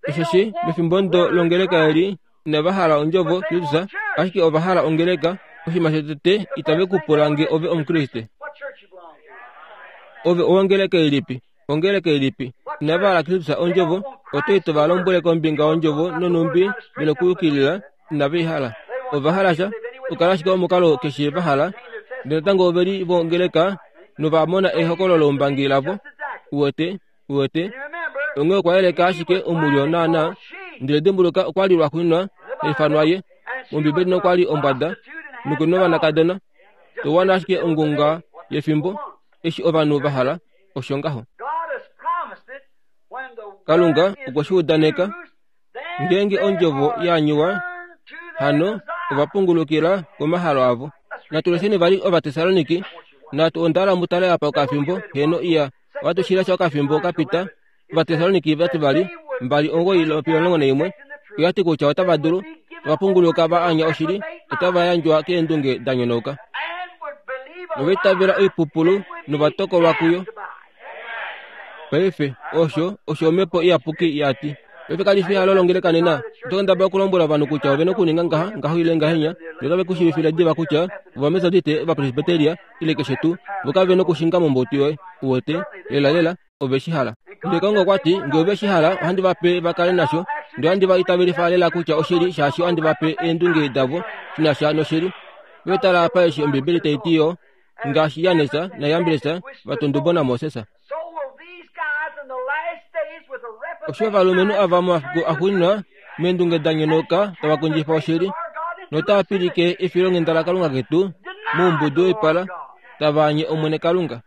[SPEAKER 2] Osheshi mefimbo ndo longeleka eli inava hala ondjovo Kristus, ashike ova hala ongeleka. Oshinima shotete itave ku pula nge ove Omukriste. Ove owongeleka ilipi? Ongeleka ilipi? Inava hala Kristus ondjovo, oto ito va lombwele kombinga yondjovo nonumbi venokuyukilila, inave i hala. Ova hala sha, okala ashike omukalo keshe va hala. Ndele natango ove li vongeleka nova mona ehokololo loumbangi lavo. Uwete, uwete. Onghee okwa yeleka ashike omulyo naana. Ndele dimbuluka okwa li lwaxuuninwa haifanwa ye. Mombibeli nokwa li ombwada, nokuna ovanakadona. Towana ashike ongunga yefimbo, eshi ovanhu va hala, osho ngaho. Kalunga okwe shi udaneka, ngeenge ondjovo ya nyuwa, hano ova pungulukila komahalo avo. Natu lesheni vali Ovatessaloniki, natu ondala mutale apa okafimbo, heno iya, ohatu shi lesha okafimbo kapita. Ovatessaloniki vati vali, mbali omugoi lwomulongo naimwe, oyati kutya otava dulu, tava punguluka va anya oshili, otava yandjwa keendunge da nyonauka. Nova itavela oipupulu novatokolwa kuyo. Paife, osho, osho omhepo iyapuki ya ti. Paife kali fi ehalo longeleka nena. Oto kendabala okulombwela ovanhu kutya ove na okuninga ngaha, ngaho ile ngahenya, ndele otave ku shiivifile diva kutya Ovametodiste, Ovapresbyteria, ile keshe tuu, vo kave nokushinga mombutu yoye. Uwete, lela lela, ove shi hala. Ndele Kalunga okwa ti, nge ove shi hala, ohandi va pe va kale nasho, ndele ohandi va itavelifa lela kutya oshili, shaashi ohandi va pe eendunge davo shi na sha noshili. Ve tala apa eshi Ombibeli tai ti yo, ngaashi Jannes naJambres va tundubo naMoses. Osho ovalumenhu ava momafiku axuuninwa meendunge da nyonauka tava kondjifa oshili, notava pilike efilonghenda laKalunga ketu moumbudu woipala, tava anye Omwene Kalunga.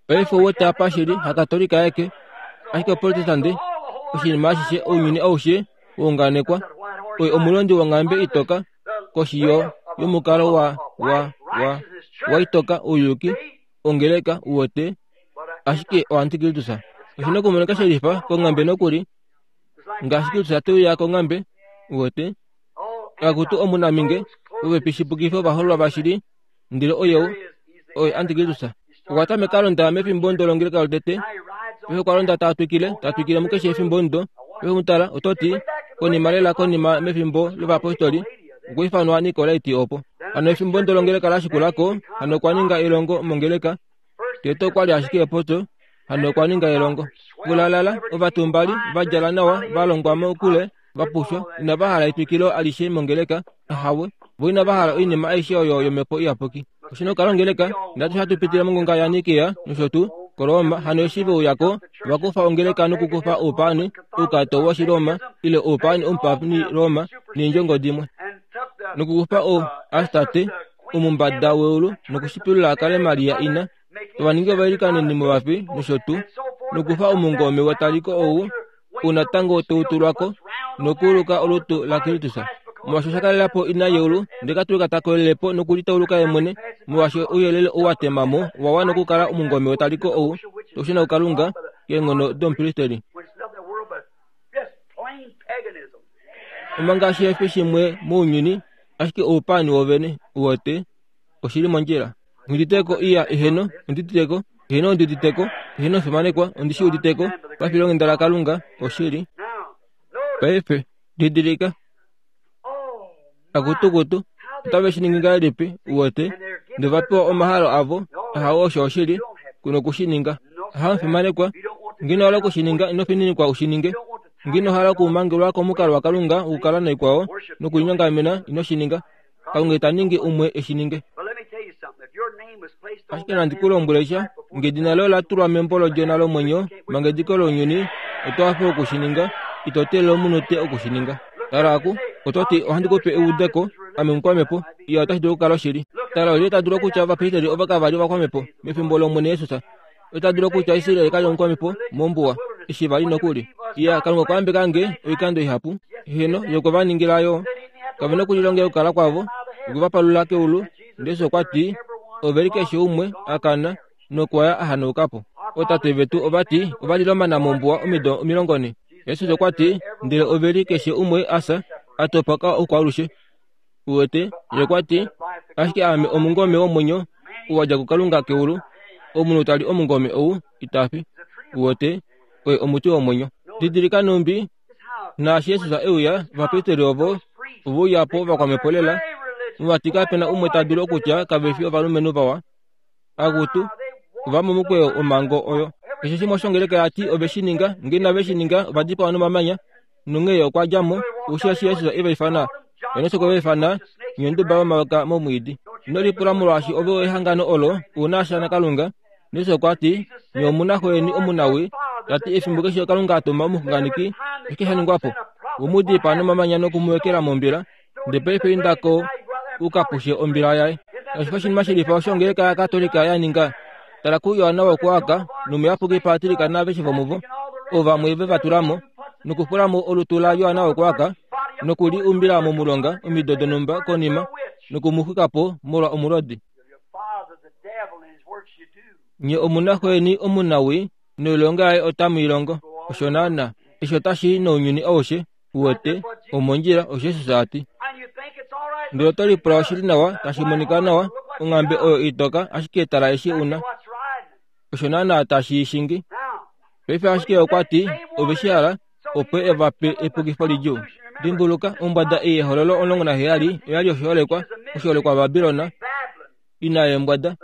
[SPEAKER 2] Paife ouwete apa shili haKatolika aeke, ashike Oprotestante, oshinima ashishe ounyuni aushe waunganekwa. Oye omulondi wonghambe itoka, koshi yo yomukalo wa wa wa waitoka ouyuki, ongeleka uwete, ashike oantikristus. Oshina okumonika shelifa konghambe nokuli, ngaashi Kristus te uya konghambe, uwete. Akutu omunaminge, ove pishipukifo ovahololwa vashili, ndele oye oye antikristus. Okwa tameka londa mefimbo ndo longeleka lotete, paife okwa londa ta twikile, ta twikile mukeshe efimbo ndo. Paife mutala, oto ti, konima lela konima mefimbo lovapostoli, okwa ifanwa Nikolaiti opo. Hano efimbo ndo longeleka la shikulako, hano okwa ninga elongo mongeleka. Tete okwa li ashike epoto, hano okwa ninga elongo. Kulalala, ovatumbali, va djala nawa, va longwa mokule, va pushwa, inava hala etwikilo alishe mongeleka, ahawe, vo inava hala oinima aishe oyo yomhepo iyapuki. Oshina okukala ongeleka, ndatu hatu pitile mongonga yaNikea nosho tuu, koRoma, hano eshi ve uyako, va kufa ongeleka nokukufa oupaani, oukato wOshiroma, ile oupaani omupani Roma, neendjongo dimwe. Nokukufa o Astarte, omumbada weulu, nokushipilula akale Maria ina, tova ningi ovailikaneni movafi nosho tuu, nokufa omungome wetaliko ou, unatango toutulwako, nokuuluka olutu laKristus. Molwaashi osha kalela po ina yeulu, ndele Katolika ta kolelepo nokulitauluka ye mwene, molwaashi ouyelele ou wa tema mo owa wana okukala omungome wetaliko ou, toushuna kuKalunga, keenghono domupristeli. Omanga shihefi shimwe mounyuni, ashike oupaani wovene, uwete, oshili mondjila. Ngiditeko iya eheno, ondiditeko, eheno ondiditeko, eheno fimanekwa, ondishi uditeko, pafilonghenda laKalunga, oshili. Paife, didilika. Akutukutu, otave shi ningi ngahelipi, uwete, Nova pewa omahalo avo, ahawe osho oshili, kuno okushininga. Ahamufimanekwa, ngeno hala okushininga ino fininikwa ushininge. Ngeno hala okumangelwa komukalo waKalunga wokukala naikwao nokulinyongamena ino shininga. Kalunga ita ningi umwe eshininge. Ashike nandi ku lombwele sha, ngedina loye ola tulwa membo lOdjona lomwenyo manga ediko lounyuni, oto hafe okushininga, ito teelele omunute okushininga. Tala aku, oto ti ohandi kupe eudeko, ame omukwamhepo, iya otashi dulu okukala oshili. Tala olyelye ta dulu okutya ovapristeli ovo kava li ovakwamhepo mefimbo lOmwene Jesus? Ota dulu okutya Israel kali omukwamhepo mombuwa eshi va li nokuli. Iya, Kalunga okwa yambeka nge oikando ihapu. Heno, ye okwe va ningila yo. Kave na okulilongela okukala kwavo, okwe va palula keulu, ndele Jesus okwa ti, ove li keshe umwe a kana nokwa ya a hanauka po. Ootate vetu ova ti ova lila omana mombuwa omido omilongo ne. Jesus okwa ti, ndele ove li keshe umwe a fya, a topoka okwaalushe. Uwete, ye okwa ti, ashike aame omungome womwenyo, ou wa dja kuKalunga keulu. Omunhu ta li omungome ou, ita fi. Uwete, oye omuti womwenyo. Didilika numbi, naashi Jesus e uya, ovapristeli ovo ove uya po vakwamhepo lela, muvati kapena umwe ta dulu okutya kave fi ovalumenhu vawa. Akutu, ova momukweyo womhango oyo. Keshe shimwe oshongeleka ya ti ove shi ninga, ngee inave shi ninga ova dipawa nomamanya. Nonghee okwa dja mo, osheshi Jesus e va ifana. Johannes okwe va ifana nyonduba yomayoka momwiidi. Ino lipula molwaashi ove ehangano olo una sha naKalunga. Jesus okwa ti, nye omuna xo yeni omunawi, ta ti efimbo keshe Kalunga a tuma omuxunganeki, oshike sha ningwa po? Ve mu dipaa nomamanya noku mu ekela mombila, ndele paife inda ko u ka pushe ombila yaye. Kashi fi oshinima shilifa osho ongeleka yaKatolika ya ninga. Tala kuJohanna wokuAka nomuyapuki Patrick naaveshe vomuvo, ovamwe ve va tula mo, nokufula mo olutu laJohanna wokuAka nokuli umbila momulonga omido donhumba konima noku mu xwika po molwa omulodi. Nye omuna xo yeni omunawi noilonga yaye otamu i longo. Osho naana, eshi otashi i nounyuni aushe, uwete, omondjila, osho Jesus a ti. Ndele oto lipula oshili nawa, tashi monika nawa, onghambe oyo itoka, ashike tala eshi una. Osho naana tashi i shingi. Paife ashike okwa ti, ove shi hala, opo e va pe epukifo lidjuu. Dimbuluka, ombwada ei yehololo omulongo naheyali oya li oshiholekwa, oshiholekwa Babilon, ina yeembwada.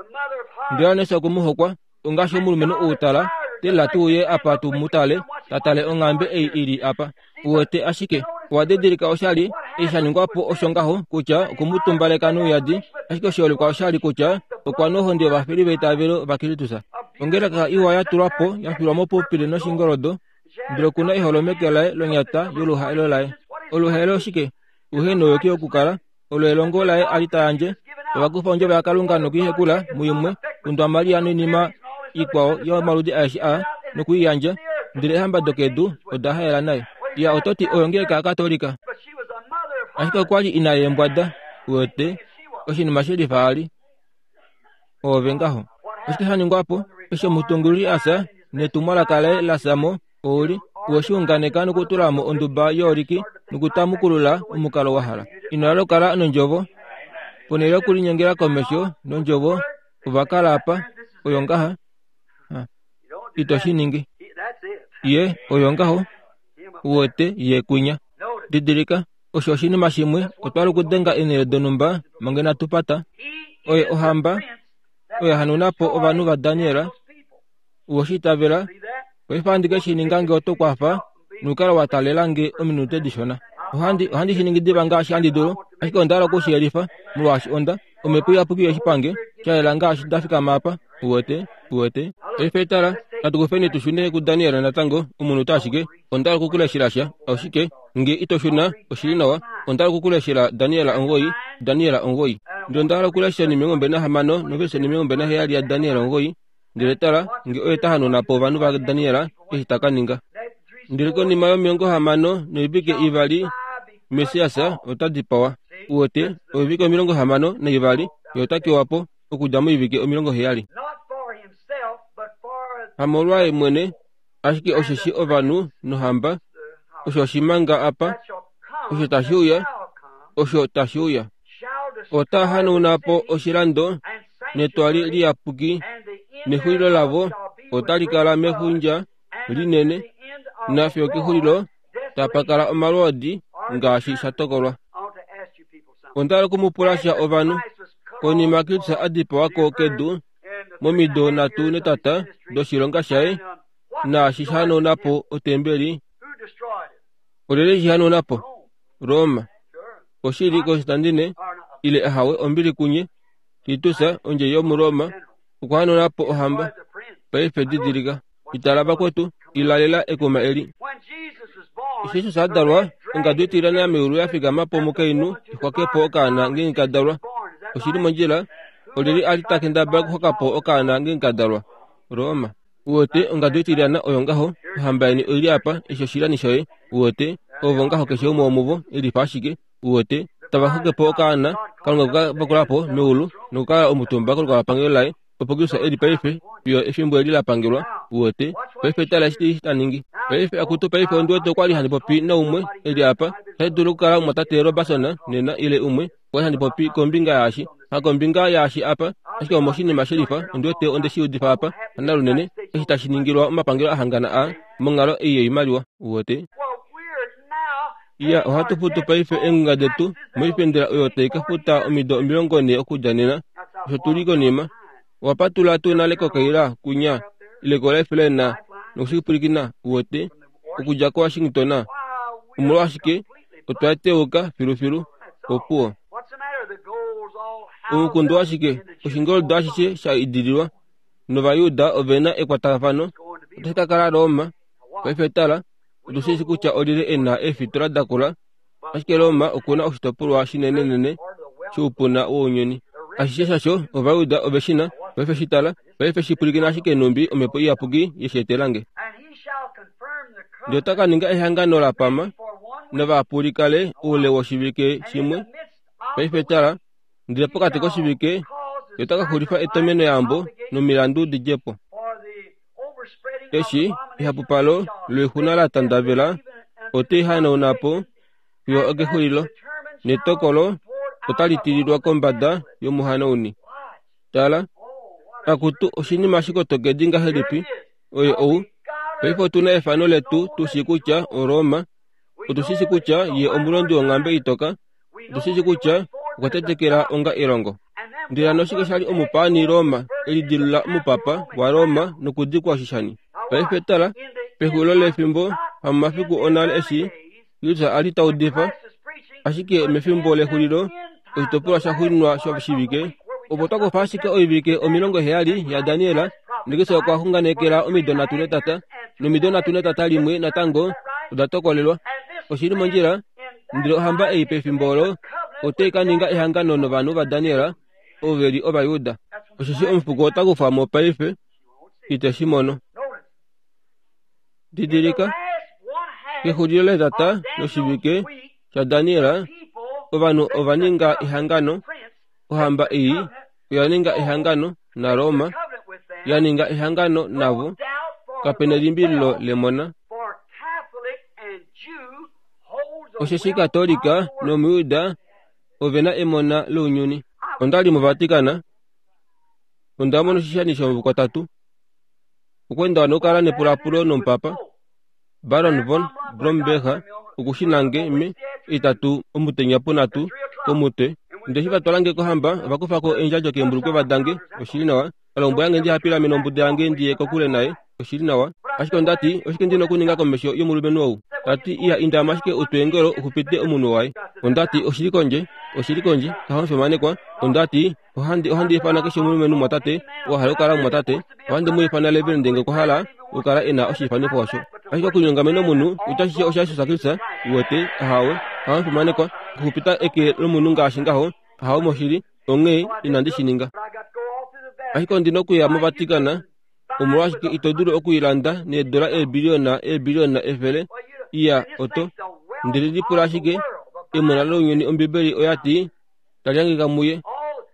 [SPEAKER 2] Ndele Johannes okwe mu hokwa, ongaashi omulumenhu ou tala, teelela tu uye apa tu mu tale, ta tale onghambe ei i li apa. Uwete ashike, owa didilika oshali, eshi sha ningwa po osho ngaho kutya okwe mu tumbaleka nouyadi, ashike oshiholekwa oshali kutya okwa nohonde yovafeli veitavelo vaKristus. Ongeleka iwa ya tulwa po, ya filwa mopupile noshingoldo, ndele okuna eholo meke laye lonyata yoluhaelo laye. Oluhaelo oshike? Uhe nouyuki wokukala, olo elongo laye a li ta yandje. Ova kufa ondjovo yaKalunga nokuihekula muimwe, kundwa Maria noinima ikwao yomaludi aeshe a nokuiyandja, ndele eehamba dokedu oda haela naye. Ya oto ti oyo ongeleka yaKatolika. Ashike okwa li ina yeembwada, uwete, oshinima shelifa a li. Oove ngaho. Oshike sha ningwa po? Eshi omutungululi a fya, netumwalaka laye la fya mo, ouli, owe shi unganeka nokutula mo onduba yooliki nokutamukulula omukalo wa hala. Ino hala okukala nondjovo. Ponhele yokulinyengela komesho nondjovo, ova kala apa, oyo ngaha. Ito shi ningi. Ye, oyo ngaho, uwete, ye kwinya. Didilika, osho oshinima shimwe, otwa li okudenga eenhele donhumba manga inatu pata. Oye ohamba, oyo hanuna po ovanhu vaDaniel. Uwe shi itavela, paife ohandi ke shi ninga nge oto kwafa nokukala wa taalela nge ominute dishona. Ohandi, ohandi shi ningi diva ngaashi handi dulu, ashike onda hala oku shi yelifa, molwaashi onda, Omhepo Iyapuki yoshipange, sha yela ngaashi nda fikama apa. Uwete, uwete. Paife tala, natu kufeni tu shune kuDaniel natango, omunute ashike. Onda hala okukuleshela sha, oshike, nge ito shuna, oshili nawa. Onda hala okukuleshela Daniel omugoyi, Daniel omugoyi. Ndele onda hala okulesha omilongo mbali nahamano noverse omilongo mbali naheyali yaDaniel omugoyi. Ndele tala, nge oye ta hanuna po ovanhu vaDaniel, eshi ta ka ninga. Ndele konima yomilongo hamano noivike ivali, Messias ota dipawa. Uwete, oivike omilongo hamano naivali, ye ota kewa po, okudja moivike omilongo heyali. Hamolwaye mwene, ashike osheshi ovanhu nohamba, osho oshimanga apa, osho tashi uya, osho tashi uya. Ota hanauna po oshilando netwali liyapuki, nexulilo lavo otali kala mefundja linene, nafiyo kexulilo tapa kala omalwoodi ngaashi sha tokolwa. Onda hala oku mu pula sha ovanhu. Konima Kristus a dipawa ko kedu momido nhatu netata doshilonga shaye, naashi sha hanauna po otembeli. Olyelye shi hanauna po? Roma. Oshili Constantine ile ahawe ombili kunye Titus ondje yomuRoma okwa hanauna po ohamba. Paife didilika, itala vakwetu, ilalela ekuma eli. Eshi Jesus a dalwa, ongadu itilyana meulu ya fikama po omukainhu ixwake po okaana ngeenge ka dalwa. Oshili mondjila, olyelye a li ta kendabala okuxwaka po okaana ngeenge ka dalwa? Roma. Uwete ongadu itilyana oyo ngaho, ohamba yeni oili apa, eshi oshilani shoye. Uwete, ovo ngaho keshe umwe womuvo, elifa ashike. Uwete, tava xwake po okaana, Kalunga okwe ka vakula po meulu nokukala omutumba kolukalwapangelo laye, opo Kristus eli paife fiyo efimbo eli la pangelwa. Uwete, paife tala eshi ta ningi. Paife akutu, paife ondi wete okwali handi popi naumwe eli apa, otashi dulu okukala omumwatate Robertson nena ile umwe, okwali handi popi kombinga yaashi, ha kombinga yaashi apa, ashike omoshinima shelifa, ondi wete onde shi udifa apa, hanalunene, eshi tashi ningilwa omapangelo ahangana a monghalo ei yoimaliwa. Uwete, iya, ohatu futu paife eengunga detu moifendela oyo tai ka futa omido omilongo nhee okudja nena, osho tuli konima. Owapatula tuu nale kokaila kunya ile koLifeline nokushipwilikina? Uwete, okudja koWashington, omolwashike otwa teuka filufilu. Opuwo. Omukundu washike? Oshingoldo ashishe sha idililwa nOvajuda ove na ekwatafano. Otashi ka kala Roma. Paife tala, otu shi kutya olyelye e na eefitola dakula, ashike Roma oku na oshitopolwa shinenenene shoupuna wounyuni. Ashishe shasho Ovajuda ove shi na. Paife shi tala, paife shi pwilikina ashike nhumbi Omhepo Iyapuki ye shi etelange. Ndele ota ka ninga ehangano la pama novapulikale oule woshivike shimwe. Paife tala, ndele pokati koshivike ota ka xulifa etomenoyambo nomilandu di dje po. Eshi ehapupalo loixuna la tandavela, ote i hanauna po fiyo okexulilo, netokolo otali tililwa kombada yomuhanauni. Tala, akutu oshinima shikotokedi ngahelipi, oye ou. Paife otu na efano letu tu shii kutya oRoma, otu shi shii kutya ye omulondi wonghambe itoka, otu shi shii kutya okwa tetekela onga elongo. Ndele hano oshike sha li omupaani Roma elidilula omupapa waRoma nokudikwa oshishani? Paife tala, pexulilo lefimbo, hamomafiku onale eshi Kristus a li ta udifa, ashike mefimbo lexulilo, oshitopolwa sha xuuninwa shoshivike, opo twa kufa ashike oivike omilongo heyali yaDaniel, naKristus okwa xunganekela omido nhatu netata, nomido nhatu netata limwe natango oda tokolelwa. Oshili mondjila, ndele ohamba ei pefimbo olo otai ka ninga ehangano novanhu vaDaniel, ovo ve li Ovajuda. Osheshi omufuko ota kufwa mo paife, ite shi mono. Didilika, kexulilo letata loshivike shaDaniel, ovanhu ova ninga ehangano, ohamba ei oya ninga ehangano naRoma, ya ninga ehangano navo, kape nelimbililo lemona. Osheshi Katolika nOmujuda ove na emona lounyuni. Onda li moVatican, onda mona oshishani shomukwatatu. Okwa enda nokukala nepulapulo nomupapa Baron von Blomberg okushinange me itatu omutenya punhatu komutwe. Ndele eshi va twala nge kohamba, ova kufa ko eendjadjo keembulukwe dange. Oshili nawa. Alombwela nge ndihapilamene ombuda yange ndiye kokule naye. Oshili nawa. Ashike onda ti, oshike ndi na okuninga komesho yomulumenhu ou? Ta ti, iya indama ashike utweengelo uxupite omunhu waye. Onda ti, oshili kondje, oshili kondje, kaho fimanekwa. Onda ti, ohandi ohandi ifana keshe omulumenhu mwatate, oo a hala okukala mumwatate, ohandi mu ifana Reverend ngee okwa hala okukala e na oshiifanifo osho. Ashike okulinyongamena omunhu, otashi osha Jesus Kristus, uwete, ahawe, kaho fimanekwa, okuxupita eke lomunhu ngaashi ngaho, ahawe moshili, onghee inandi shi ninga. Ashike ondi na okuya moVatican, omolwashike ito dulu okuilanda needola eebiliyona eebiliyona efele? Iya, oto. Ndele lipula ashike, emona lounyuni Ombibeli oya ti, tali hangika muye.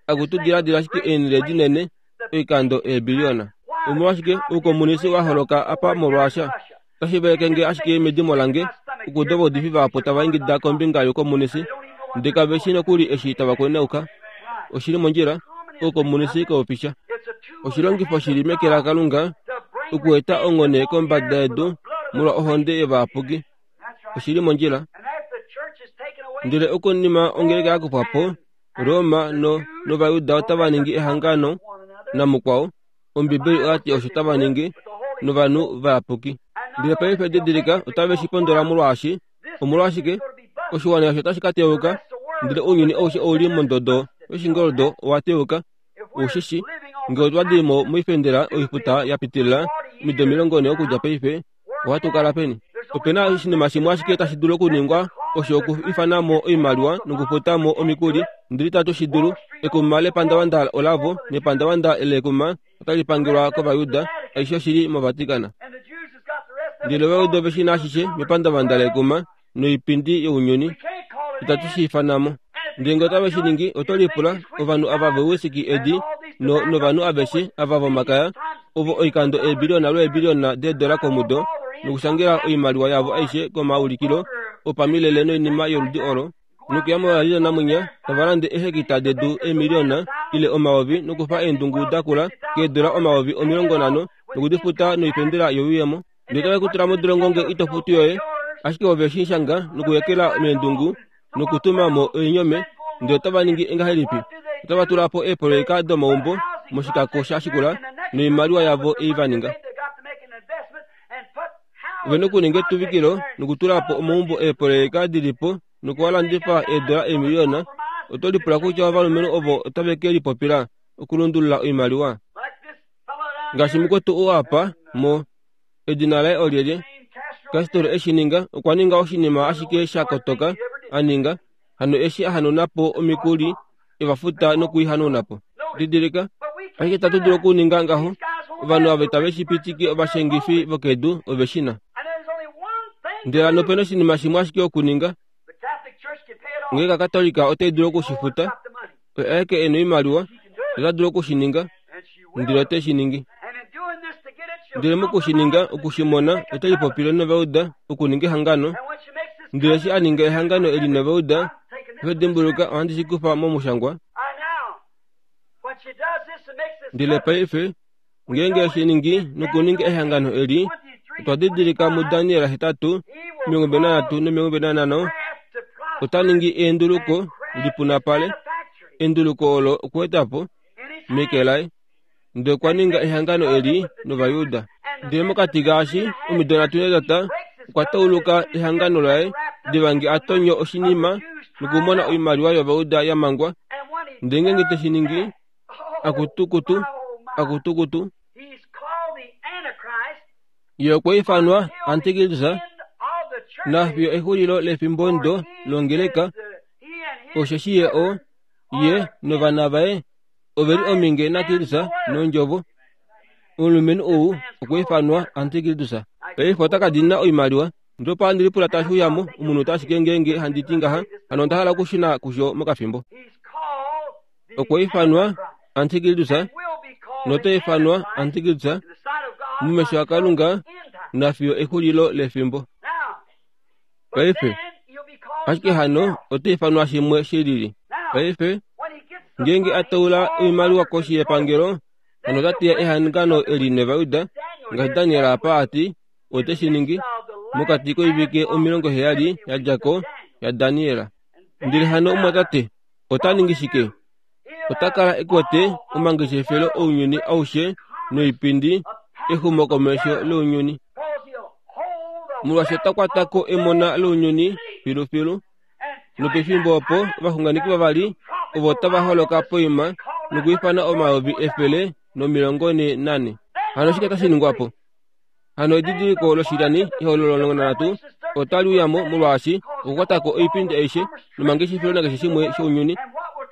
[SPEAKER 2] Akutu diladila ashike eenhele dinene, oikando eebiliyona. Omolwashike oukomunisi wa holoka apa molwaasha? Otashi veleke nge ashike medimo lange, okuuda ovaudifi vahapu tava ingida kombinga youkomunisi, ndele kave shii nokuli eshi tava kwenauka. Oshili mondjila, oukomunisi kaufisha. Oshilongifo shili meke laKalunga okueta onghone kombada yedu molwa ohonde yovayapuki. Oshili mondjila. Ndele okonima ongeleka ya kufwa po, Roma no nOvayuda otava ningi ehangano namukwao. Ombibeli oyati osho tava ningi novanhu vayapuki. Ndele paife didilika otave shi pondola molwaashi omolwashike oshiwana osho tashi ka teuka, ndele ounyuni aushe ouli mondodo yoshingoldo owa teuka. Ushishi ngee otwa di mo moifendela oifuta ya pitilila omido omilongo ne okudja paife, ohatu kala peni? Opena oshinima shimwe ashike tashi dulu okuningwa osho okuifana mo oimaliwa nokufuta mo omikuli, ndele itatu shi dulu. Ekuma lepandavanda olavo nepandavanda lekuma otali pangelwa kOvayuda, aishe oshili moVatican. Ndele Ovayuda ove shina ashishe mepandavanda lekuma noipindi younyuni, itatu shi ifana mo. Ndele ngee otave shi ningi, oto lipula ovanhu ava vowisiki edi no novanhu aveshe ava vomakaya ovo oikando eebiliona lweebiliona deedola komudo nokushangela oimaliwa yavo aishe komaulikilo opamilele noinima yoludi olo, nokuya molalilo namwinya tava lande eehekita dedu eemiliona ile omayovi nokufa eendungu dakula keedola omayovi omilongo nhano nokudifuta noifendela youyemo. Ndele otave ku tula modolongo ngee ito futu yoye, ashike ove shi shanga nokuyekela meendungu nokutuma mo oinyome. Ndele otava ningi ngahelipi? Otava tula po eepoloyeka domaumbo moshikako sha shikula noimaliwa yavo ei va ninga. Ove nokuninga etuvikilo nokutula po omaumbo eepoloyeka dilipo nokuwalandifa eedola eemiliona. Oto lipula kutya ovalumenhu ovo otave ke lipopila okulundulula oimaliwa? Ngaashi mukwetu oo apa mo edina laye olyelye, Castro eshi ninga, okwa ninga oshinima ashike sha kotoka a ninga, hano eshi a hanuna po omikuli evafuta nokuihanuna po. Didilika, ashike itatu dulu okuninga ngaho. Ovanhu ava itave shi pitike, ovashengifi vokedu ove shi na. Ndele hano opena oshinima shimwe ashike okuninga. Ngeenge Katolika otai dulu okushifuta, oye aeke e na oimaliwa, ota dulu okushininga, ndele ote shi ningi. Ndele mokushininga, okushimona, ote lipopile nOvayuda okuninga ehangano. Ndele eshi a ninga ehangano eli nOvayuda, ihe dimbuluka, ohandi shi kufa momushangwa. Ndele paife, ngeenge eshi ningi nokuninga ehangano eli, otwa didilika muDaniel hetatu, omilongo mbali nanhatu nomilongo mbali nanhano, ota ningi eenduluko lipunapale, enduluko olo okueta po meke laye. Ndele okwa ninga ehangano eli nOvayuda. Ndele mokati kaashi omido nhatu netata okwa tauluka ehangano laye diva nge a tonyo oshinima nokumona oimaliwa yOvayuda ya mangwa. Ndele ngeenge te shi ningi, akutukutu, akutukutu, ye okwa ifanwa Antikristus nafiyo exulilo lefimbo ndo longeleka, osheshi ye o ye novana vaye oveli ominge naKristus nondjovo. Omulumenhu ou okwa ifanwa Antikristus. Paife ota ka dina oimaliwa. Ndele opo handi lipula tashi uyamo omunhu ashike ngeenge handi ti ngaha, hano onda hala okushuna kusho mokafimbo. Okwa ifanwa Antikristus nota ifanwa Antikristus mumesho aKalunga nafiyo exulilo lefimbo. Paife ashike hano ota ifanwa shimwe shilili. Paife ngeenge a taula oimaliwa koshi yepangelo, hano ota teya ehangano eli nOvayuda, ngaashi Daniel apa a ti ote shi ningi mokati koivike omilongo heyali ya dja ko yaDaniel. Ndele hano omwatate ota ningi shike? Ota kala e kwete omangeshefelo ounyuni aushe noipindi exumokomesho lounyuni. Molwaashi ota kwata ko emona lounyuni filufilu. Nopefimbo opo ovaxunganeki vavali ovo tava holoka poima nokuifana omayovi efele nomilongo ne nane. Hano oshike tashi ningwa po? Hano edidiliko loshilyani ehololo omulongo nanhatu otali uyamo molwaashi okukwata ko oipindi aishe nomangeshefelo nakeshe shimwe shounyuni.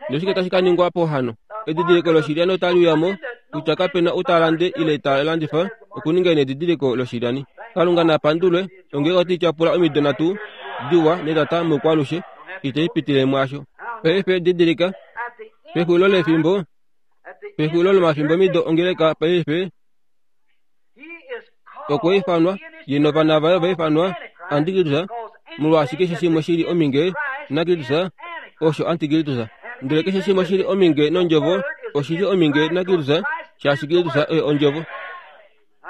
[SPEAKER 2] Noshike tashi ka ningwa po hano? Edidiliko loshilyani otali uyamo kutya kapena ou ta lande ile ta landifa okuninga nedidiliko loshilyani. Kalunga na pandulwe, ongeenge otali tyapula omido nhatu diwa netata moukwalushe, itai pitile mwaasho. Paife didilika, pexulilo lefimbo, pexulilo lomafimbomido ongeleka paife okwa ifanwa ye novana vaye ova ifanwa Antikristus, molwaashi keshe shimwe shili ominge naKristus osho Antikristus. Ndele keshe shimwe shili ominge nondjovo oshili ominge naKristus, shaashi Kristus oye ondjovo.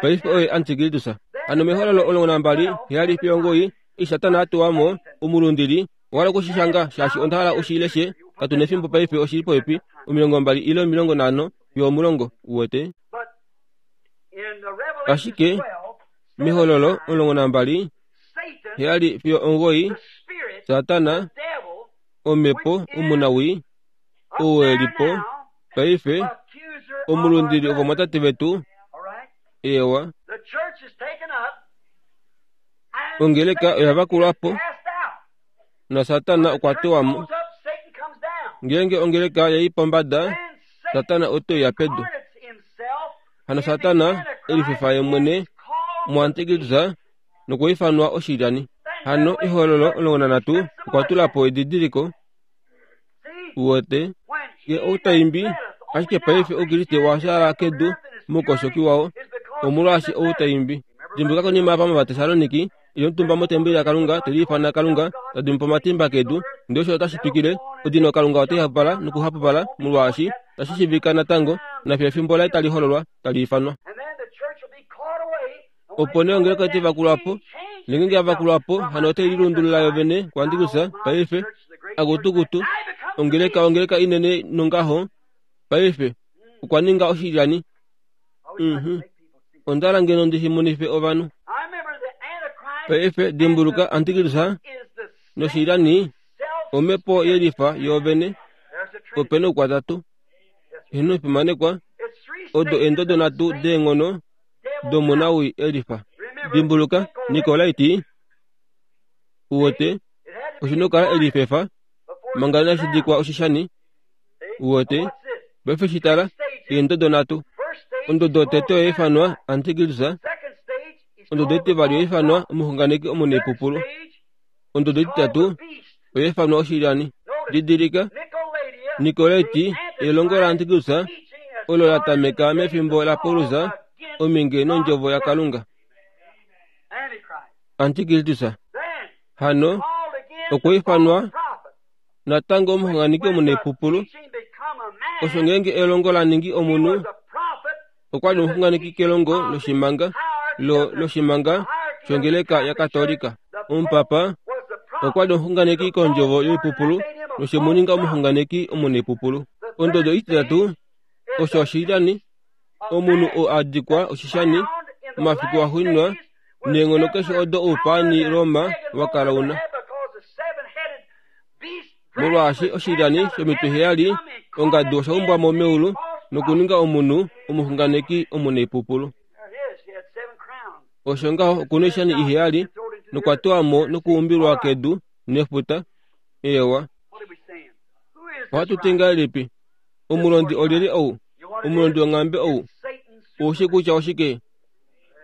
[SPEAKER 2] Paife oye Antikristus. Hano mehololo omulongo nambali heyali fiyo omugoyi, eshi Satana a tuwa mo omulundili, owa hala okushishanga shaashi onda hala ushi leshe Katu nefimbo paife oshili popepi omilongo mbali ile omilongo nhano fiyo omulongo uwete. Ashike mehololo omulongo nambali heyali fiyo omugoyi Satana omhepo omunawii ou elipo paife omulundili ovamwatate vetu ewa. Ongeleka oya vakulwapo na Satana okwa tewa mo. Ngeenge ongeleka yai pombada, Satana ote ya pedu. Hano Satana elifefa ye mwene muantikristo nokwiifanwa oshilyani. Hano ehololo omulongo nanhatu okwa tula po edidiliko uwete nge outaimbi ashike paife oukriste washaala kedu moukoshoki wao omolwaashi outaimbi. Dimbuluka konima apa mOvatessaloniki ili omutumba motembeli yaKalunga teliifana Kalunga tadimipo omatimba kedu ndele osho otashi twikile odino Kalunga otai hapupala nokuhapupala molwaashi tashi shiivika natango nafiyo efimbo laye tali hololwa tali ifanwa. Opo nee ongeleka otai vakulwapo ngeenge yavakulwapo hano otai lilundulula yovene kuantikrista paife akutukutu ongeleka ongeleka inene nongaho paife okwa ninga oshilyani. Mhm. Onda ngeno ndishimonife ovanhu. Paife dimbuluka antikrista noshilyani omhepo yelifa yoovene opena oukwatatu ino fimanekwa odo eendodo nhatu deenghono domunawii elifa. Dimbuluka Nikolaiti uwete oshina okukala elifefa manga inashi dikwa oshishani uwete. Paife shitala eendodo nhatu. Ondodo yotete oyaifanwa antikrista, ondodo itivali oyaifanwa omuxunganeki omunaipupulu, ondodo ititatu oyaifanwa oshilyani. Didilika Nikolaiti elongo laantikrista olo la tameka mefimbo laPaulus ominge nondjovo yaKalunga. Antikristus hano okwa ifanwa natango omuxunganeki omunaipupulu. Osho ngeenge elongo la ningi omunhu okwa li omuxunganeki kelongo loshimanga lo loshimanga shongeleka yaKatolika. Omupapa okwa li omuxunganeki kondjovo yoipupulu noshemuninga omuxunganeki omunaipupulu. Ondodo ititatu osho oshilyani omunhu oo a dikwa oshishani momafiku axuuninwa neenghono keshe odo oupaani Roma wa kala una. Molwaashi oshilyani shomitwe heyali ongadu osha umbwa mo meulu nokuninga omunhu omuxunganeki omunaipupulu. Osho ngaho okuna oishani iheyali nokwa tewa mo nokuumbilwa kedu nefuta. Ewa. Ohatu ti ngahelipi? Omulondi olyelye ou? Omulondi wonghambe ou? Oushi kutya oshike?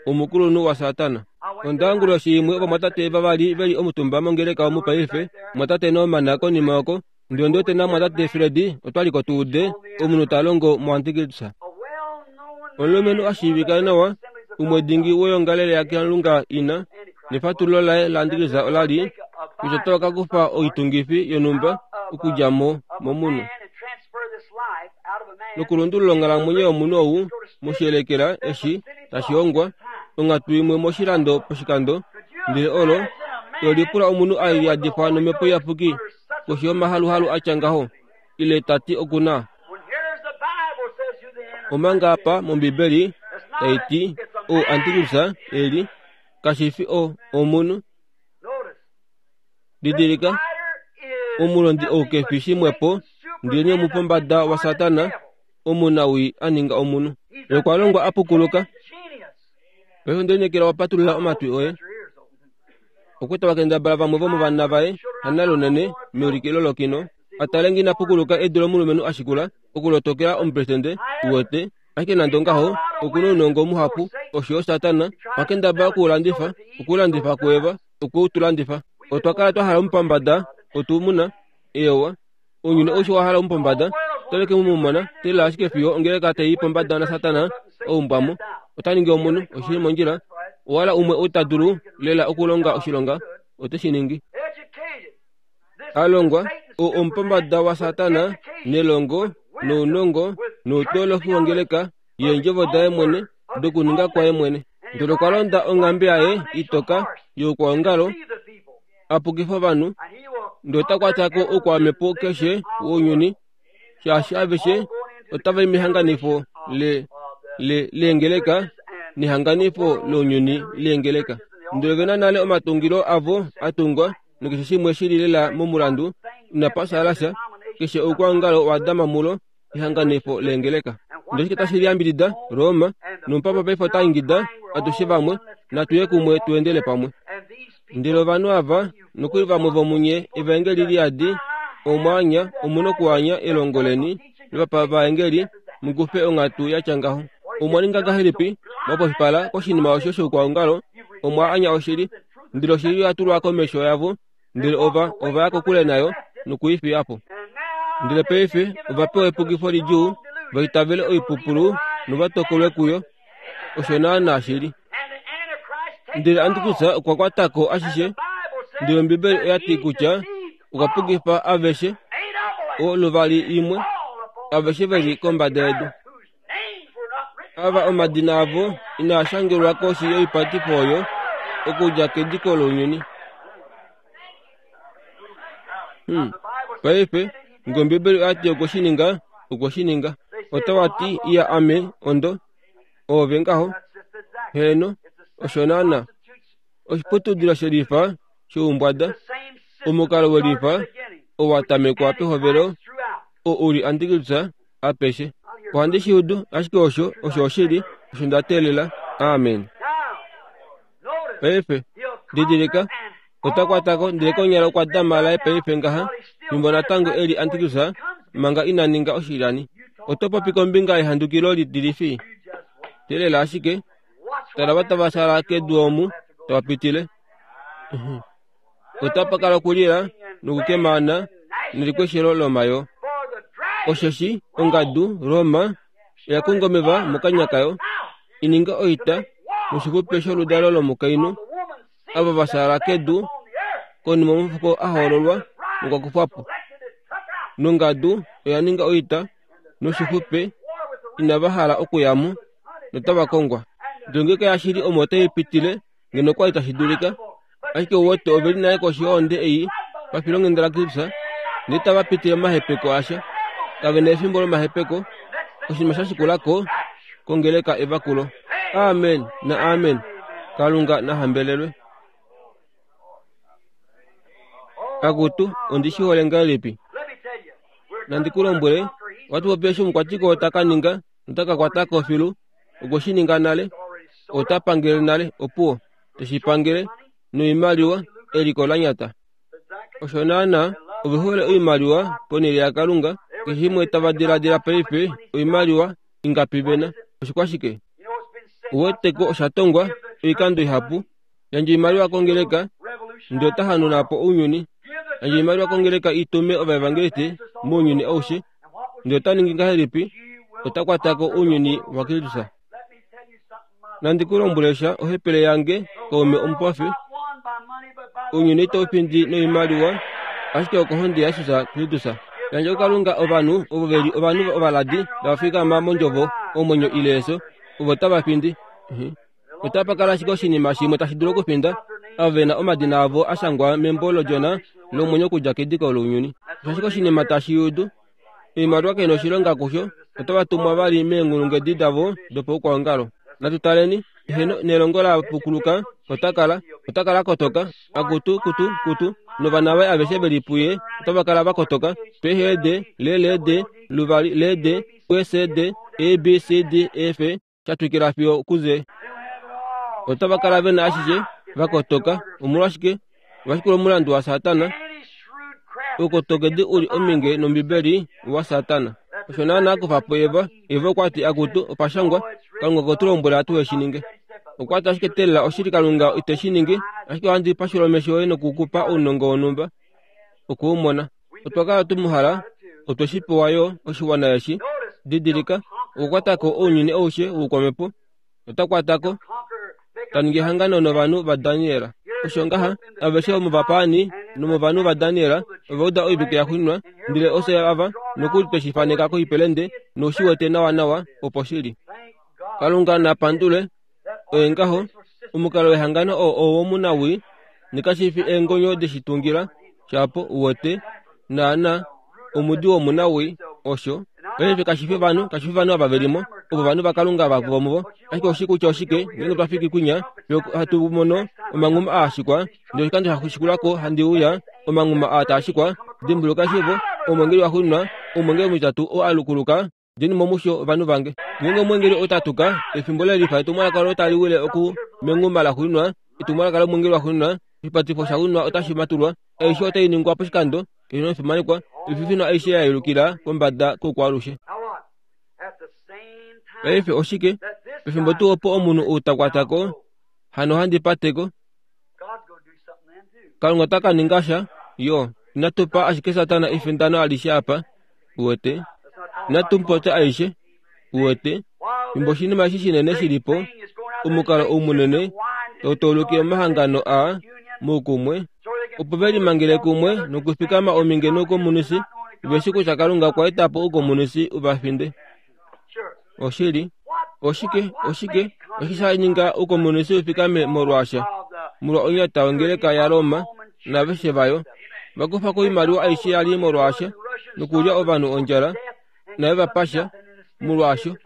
[SPEAKER 2] Omukulunhu waSatana. Onda onguloshi imwe ovamwatate vavali veli omutumba mongeleka omu paife, mwatate Norman konima oko, ndele ondi wete namwatate Fred otwaliko tu ude omunhu ta longo muantikristo. Omulumenhu a shiivika nawa, umwe dingi woyongalele yaKalunga ina, nefatululo laye laantikristo ola li kutya otava ka kufa oitungifi yonhumba okudja mo momunhu nokulundulula onghalamwenyo yomunhu ou moshiyelekela eshi tashi hongwa onghatu imwe moshilando poshikando ndele olo olipula omunhu a yadifwa nomhepo iyapuki koshi yomahaluhalu atya ngaho ile tati okuna. Omanga apa mOmbibeli tai ti ou antikristo eli kashi fi o omunhu. Didilika omulondi ou kefi shimwepo ndele nee omupombada waSatana omunawii a ninga omunhu. Okwa longwa a pukuluka. Paife onde lineekela wa patulula omatwi oye. Okwa wakendabala vamwe vomovana vaye hanalunene meulikilo lokino atale ngina pukuluka edu lomulumenhu ashikula okulotokela omupresidente uwete. Ashike nande ongaho okuna ounongo muhapu osho yo Satana wakendabala okuulandifa okuulandifa kuEva okuutulandifa. Otwa kala twa hala omupombada otumuna ewa ounyuni aushe wa hala omupombada otave ke mu mona teelela ashike fiyo ongeleka tai pombada naSatana oumbwamo ota ningi omunhu oshili mondjila. Owala umwe ou ta dulu lela okulonga oshilonga ote shi ningi. Alongwa ou omupombada waSatana nelongo nounongo noutoloki wongeleka yeendjovo daye mwene dokuninga kwaye mwene. Ndele okwa londa onghambe yaye itoka youkwaongalo a pukifa ovanhu Ndele ota kwata ko oukwamhepo keshe wounyuni, shaashi aveshe otava i mehanganifo le le leengeleka nehanganifo lounyuni leengeleka. Ndele ve na nale omatungilo avo a tungwa nokeshe shimwe shili lela momulandu, inapa shaala sha, keshe oukwaongalo wa dama mulo ehanganifo leengeleka. Ndele oshike tashi liyambidida? Roma. Nomupapa paife ota ingida atushe vamwe, natu ye kumwe tu endele pamwe. Ndele ovanhu ava, nokuli vamwe vomunye evaengeli liyadi, omwaanya, omu nokuanya elongo leni lovapavaengeli, mukufe onghatu yatya ngaho. Omwa ninga ngahelipi? Mwapofipala koshinima osho shoukwaongalo, omwa anya oshili, ndele oshili oya tulwa komesho yavo, ndele ova ova ya kokule nayo nokuifiya po. Ndele paife ova pewa epukifo lidjuu, va itavele oipupulu nova tokolwe kuyo. Osho naana shili. Ndele Antikrista okwa kwata ko ashishe, ndele Ombibeli oya ti kutya okwa pukifa aveshe, o luvali imwe, aveshe veli kombada yedu. Ava omadina avo inaa shangelwa koshi yoipatifo oyo okudja kediko lounyuni. Hmm. Paife, nge Ombibeli oya ti okwe shi ninga, okwe shi ninga. Otava ti, iya ame, ondo, oove ngaho. Heeno, osho naana. Oshiputudilo shelifa shoumbwada, omukalo welifa owa tamekwa pehovelo, oo uli Antikrista apeshe. Ohandi shi udu, ashike osho, osho oshili, osho nda teelela. Amen. Paife, didilika, ota kwata ko, ndele konyala okwa dama laye paife ngaha, fimbo natango eli Antikrista, manga ina ninga oshilyani. Oto popi kombinga yehandukilo litilifi. Teelela ashike, tala va tava sala kedu omu, tava pitile. Otapa kala okulila nokukemana nelikweshelo lomayo. Osheshi ongadu Roma oya konga omeva mokanya kayo, i ninge oita noshixupe sholudalo lomukainhu, ava va sala kedu konima omufuko a hoololwa nokwa kufwa po. Nongadu oya ninga oita noshixupe inava hala okuya mo, notava kongwa. Ndele ngeenge yashili omo otai pitile, ngeno okwa li tashi dulika, ashike ouwete ove li nale koshi yohonde ei pafilonghenda laKristus, ndele tava pitile momahepeko asha. Kave na efimbo lomahepeko. Oshinima sha shikula ko kongeleka evakulo. Amen na amen. Kalunga na hambelelwe. Akutu, ondi shi hole ngahelipi? Nandi ku lombwele, ohatu popi eshi omukwatiko ota ka ninga, nota ka kwata ko filu, okwe shi ninga nale, ota pangele nale, opuwo, teshi pangele, noimaliwa, eliko la nyata. Osho naana, ove hole oimaliwa ponhele yaKalunga, keshe shimwe tava diladila paife, oimaliwa ingapi vena, oshikwashike? Uweteko osha tongwa oikando ihapu, yandja oimaliwa kongeleka, ndele ota hanauna po ounyuni. Yandja oimaliwa kongeleka i tume ovaevangelisti mounyuni aushe, ndele ota ningi ngahelipi? Ota kwata ko ounyuni waKristus. Nandi ku lombwele sha, ohepele yange, kaume omupofi, ounyuni itau findi noimaliwa, ashike okohonde yaJesus Kristus. Yandja kuKalunga ovanhu ovo ve li ovanhu ovaladi tava fikama mondjovo omwenyo ile efyo, ovo tava findi. Otapa kala ashike oshinima shimwe tashi dulu okufinda, ava ve na omadina avo a shangwa membo lOdjona lomwenyo okudja kediko lounyuni. Osho ashike oshinima tashi udu. Oimaliwa kai na oshilonga kusho, otava tumwa vali meenghulunghedi davo dopaukwaongalo. Natu taleni, eheno nelongo la pukuluka, ota kala, ota kala kotoka, akutu kutu kutu, novana vaye aveshe veli puye, otava kala va kotoka, P H D, L L D, luvali L D, S D, E B C D E F, sha twikila fiyo kuze. Otava kala ve na ashishe, va kotoka, omolwashike? Ovashikula omulandu waSatana. Oukotokedi uli ominge nOmbibeli waSatana. Osho naana kufa po Eva, Eva okwa ti akutu opashangwa, Kalunga okwe tu lombwela tuhe shi ninge. Okwa ti ashike teelela oshili Kalunga ite shi ningi, ashike ohandi pashula omesho oye nokukupa ounongo wonhumba oku u mona. Otwa kala tu mu hala, otwe shi pewa yo oshiwana eshi. Didilika, okukwata ko ounyuni aushe woukwamhepo, ota kwata ko, ta ningi ehangano novanhu vaDaniel. Osho ngaha, aveshe vomovapaani nomovanhu vaDaniel ova uda oivike ya xwinwa, ndele ofye ava nokuli twe shi faneka koipelende noushi wete nawanawa opo shili. Kalunga na pandule, oye ngaho, omukalo wehangano oo owomunawii, nekashi fi eengonyo deshi tungila, Shapo uwete naana omudi womunawii osho. Paife kashifi ovanhu, kashifi ovanhu ava velimo, ovo ovanhu vaKalunga vomuvo. Ashike oshi kutya oshike, ngeenge twa fiki kwinya, hatu mono omanghuma aa shikwa, ndele oshikando sha shikulako handi uya, omanghuma aa taa shikwa. Dimbuluka shivo, omwengeli waxuuninwa, omwengeli omutitatu oo a lukuluka, djeni mo musho ovanhu vange. Ngeenge omwengeli otatuka, efimbo lelifa etumwalaka olo tali wile oku menghuma laxuuninwa, etumwalaka lomwengeli waxuuninwa, oshipatifo shaxuuninwa otashi matulwa, aishe otai ningwa poshikando, keshe nofimanekwa, oififinwa aishe ya yelukila pombada koukwalushe. Paife oshike? Pefimbo tuu opo omunhu ou ta kwatako, hano handi pateko, Kalunga ota ka ninga sha, yo. Inatu pa ashike Satana efindano alishe apa, uwete. Inatu mupopya aishe, uwete. Fimbo oshinima eshi shinene shilipo, omukalo ou munene, tau omahangano aa moukumwe, opo ve limangele kumwe nokufikama ominge noukomunisi, veshi kutya Kalunga okwa eta po oukomunisi uvafinde. Oshili, oshike, oshike, oshike sha ninga oukomunisi ufikame molwaasha, molwa onyata yongeleka yaRoma naveshe vayo, vakufa ko oimaliwa aishe yali molwaasha, nokulya ovanhu ondjala, nave vapasha molwaasho,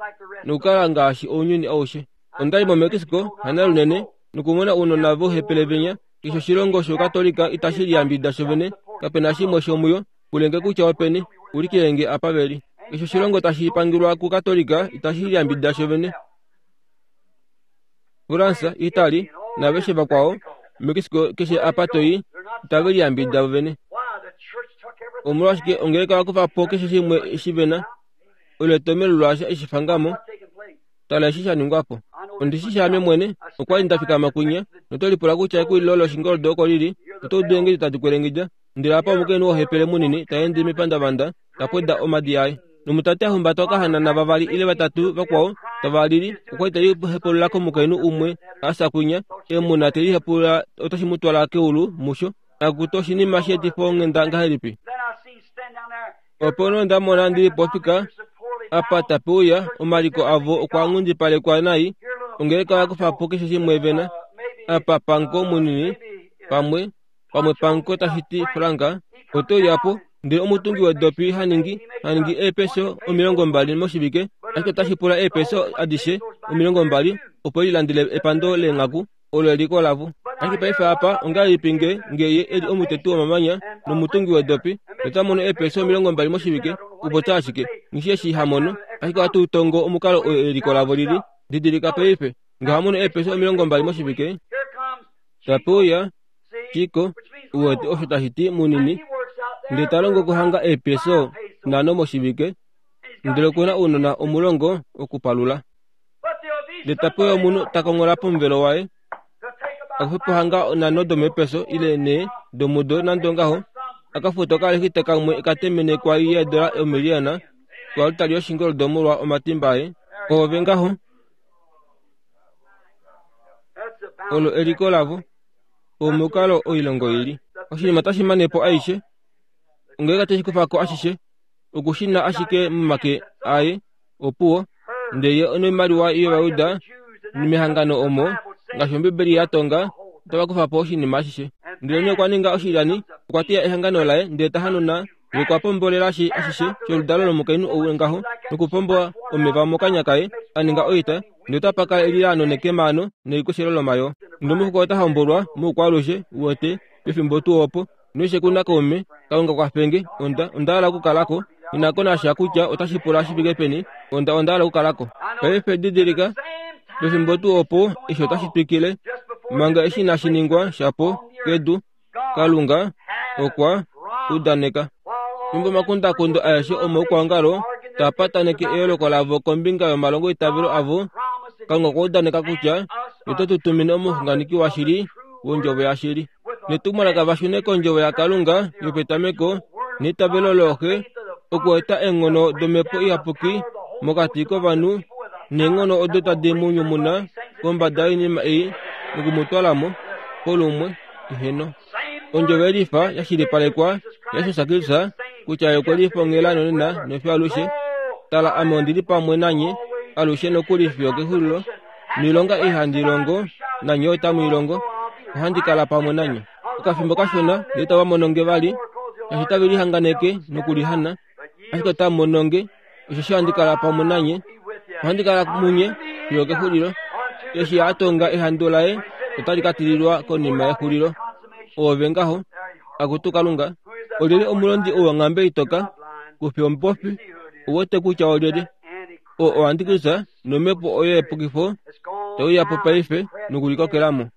[SPEAKER 2] nokukala ngaashi ounyuni aushe. Ondali moMexico hana lunene, nokumona ounona vohepele venya, keshe oshilongo shOukatolika itashi liyambidida shovene, kapena shimwe shomuyo, pulenge kutya openi, ulikilenge apa veli. Keshe oshilongo tashi pangilwa kuKatolika itashi liyambidida shovene. Fransa, Itali, naveshe vakwao, Mexico keshe apa toi, itave liyambidida vovene. Omolwashike ongeleka vakufa po keshe shimwe shivena, olo etomelo lwaasho eshi fangamo, tala eshi sha ningwa po. Ondishi shaame mwene, okwa li nda fikama kwinya, noto lipula kutya ekulilo loshingoldo oko lili, oto udu eengedi tadi kwelengedja, ndele apa omukainhu wohepele munini ta ende mepandavanda, ta pweda omadi aye. Nomutate a humbata okahanana vavali ile vatatu vakwao tava lili, okwa li te lihepulula komukainhu umwe a fya kwinya, emuna te lihepulula otashi mu twala keulu musho. Akutu oshinima sheetifa onghenda ngahelipi? Opo nee onda mona ndili pofika apa tape uya, omaliko avo okwa nghundipalekwa nai, ongeleka oya kufa po keshe shimwe vena. Apa panko munini, pamwe, pamwe panko tashi ti franka, oto uya po, ndele omutungi wedopi haningi, haningi eepeso omilongo mbali moshivike, ashike otashi pula eepeso adishe omilongo mbali, opo lilandele epando leenghaku, olo eliko lavo. Ashike paife apa ongahelipi nge nge ye eli omuteti womamanya nomutungi wedopi, nota mono eepeso omilongo mbali moshivike, kupopya ashike, ngishi eshi hamono, ashike ohatu tongo omukalo oo eliko lavo lili. Didilika paife, nge hamono eepeso omilongo mbali moshivike, tape uya Chiko, uwete osho tashi ti munini, ndele ta longo kuhanga eepeso nhano moshivike, ndele okuna ounona omulongo okupalula. Ndele tape uya omunhu ta konghola pomuvelo waye, akufe po hanga nhano domeepeso ile nhee domudo nande ongaho, akafuta okalexita kamwe ekatemene kwali yeedola omiliyona koaltari yoshingoldo molwa omatimba aye. Oove ngaho, olo eliko lavo, omukalo oilongo ili. Oshinima tashi mane po aishe, ongeleka tashi kufa ko ashishe, okushina ashike momake aye, opuwo, ndele ye onoimaliwa yOvayuda mehangano omo, ngaashi Ombibeli ya tonga, otava kufa po oshinima ashishe. Ndele nee okwa ninga oshilyani, okwa teya ehangano laye, ndele ta hanuna, ye okwa pombolela ashishe sholudalo lomukainhu ou ngaho, nokupomba omeva mokanya kaye, a ninga oita, ndele otapa kala elilaano nekemaano nelikoshelo lomayoo. Ndele omufuko ota hombolwa moukwalushe, uwete, pefimbo tuu opo, noishe kuna kaume, Kalunga kwafenge, onda, onda hala okukalako, inako nasha kutya otashi pula shi fike peni, onda, onda hala okukalako. Paife didilika, pefimbo tuu opo, eshi otashi twikile, manga eshi inashi ningwa shapo kedu, Kalunga okwa udaneka. Fimbo omakundakundo aeshe omoukwaongalo taa pataneke eyooloko lavo kombinga yomalongo eitavelo avo, Kalunga okwa udaneka kutya ote tu tumine omuxunganeki washili wondjovo yashili. Netumwalaka vashune kondjovo yaKalunga yopetameko neitavelo looxe, okueta eenghono domhepo iyapuki mokati kovanhu, neenghono odo tadi mu nyumuna kombada yoinima ei nokumutwala mo kolumwe eheno. Ondjovo yelifa yashilipalekwa yaJesus Kristus kutya ye okwe lifongela nonena nofiyo alushe. Tala, ame ondili pamwe nanye alushe nokuli fiyo kexulilo, noilonga ei handi longo nanye otamu i longo, ohandi kala pamwe nanye. Okafimbo kashona ndele tava mono nge vali, eshi tave lihanganeke nokulihana, ashike otamu mono nge, osheshi ohandi kala pamwe nanye, ohandi kala munye fiyo kexulilo. Eshi a tonga ehandu laye otali ka tililwa konima yexulilo. Oove ngaho, akutu Kalunga, olyelye omulondi ou wonghambe itoka, kufi omupofi, ouwete kutya olyelye. Oo oantikristus nomhepo oyo yepukifo tauya po paife nokulikokelamo.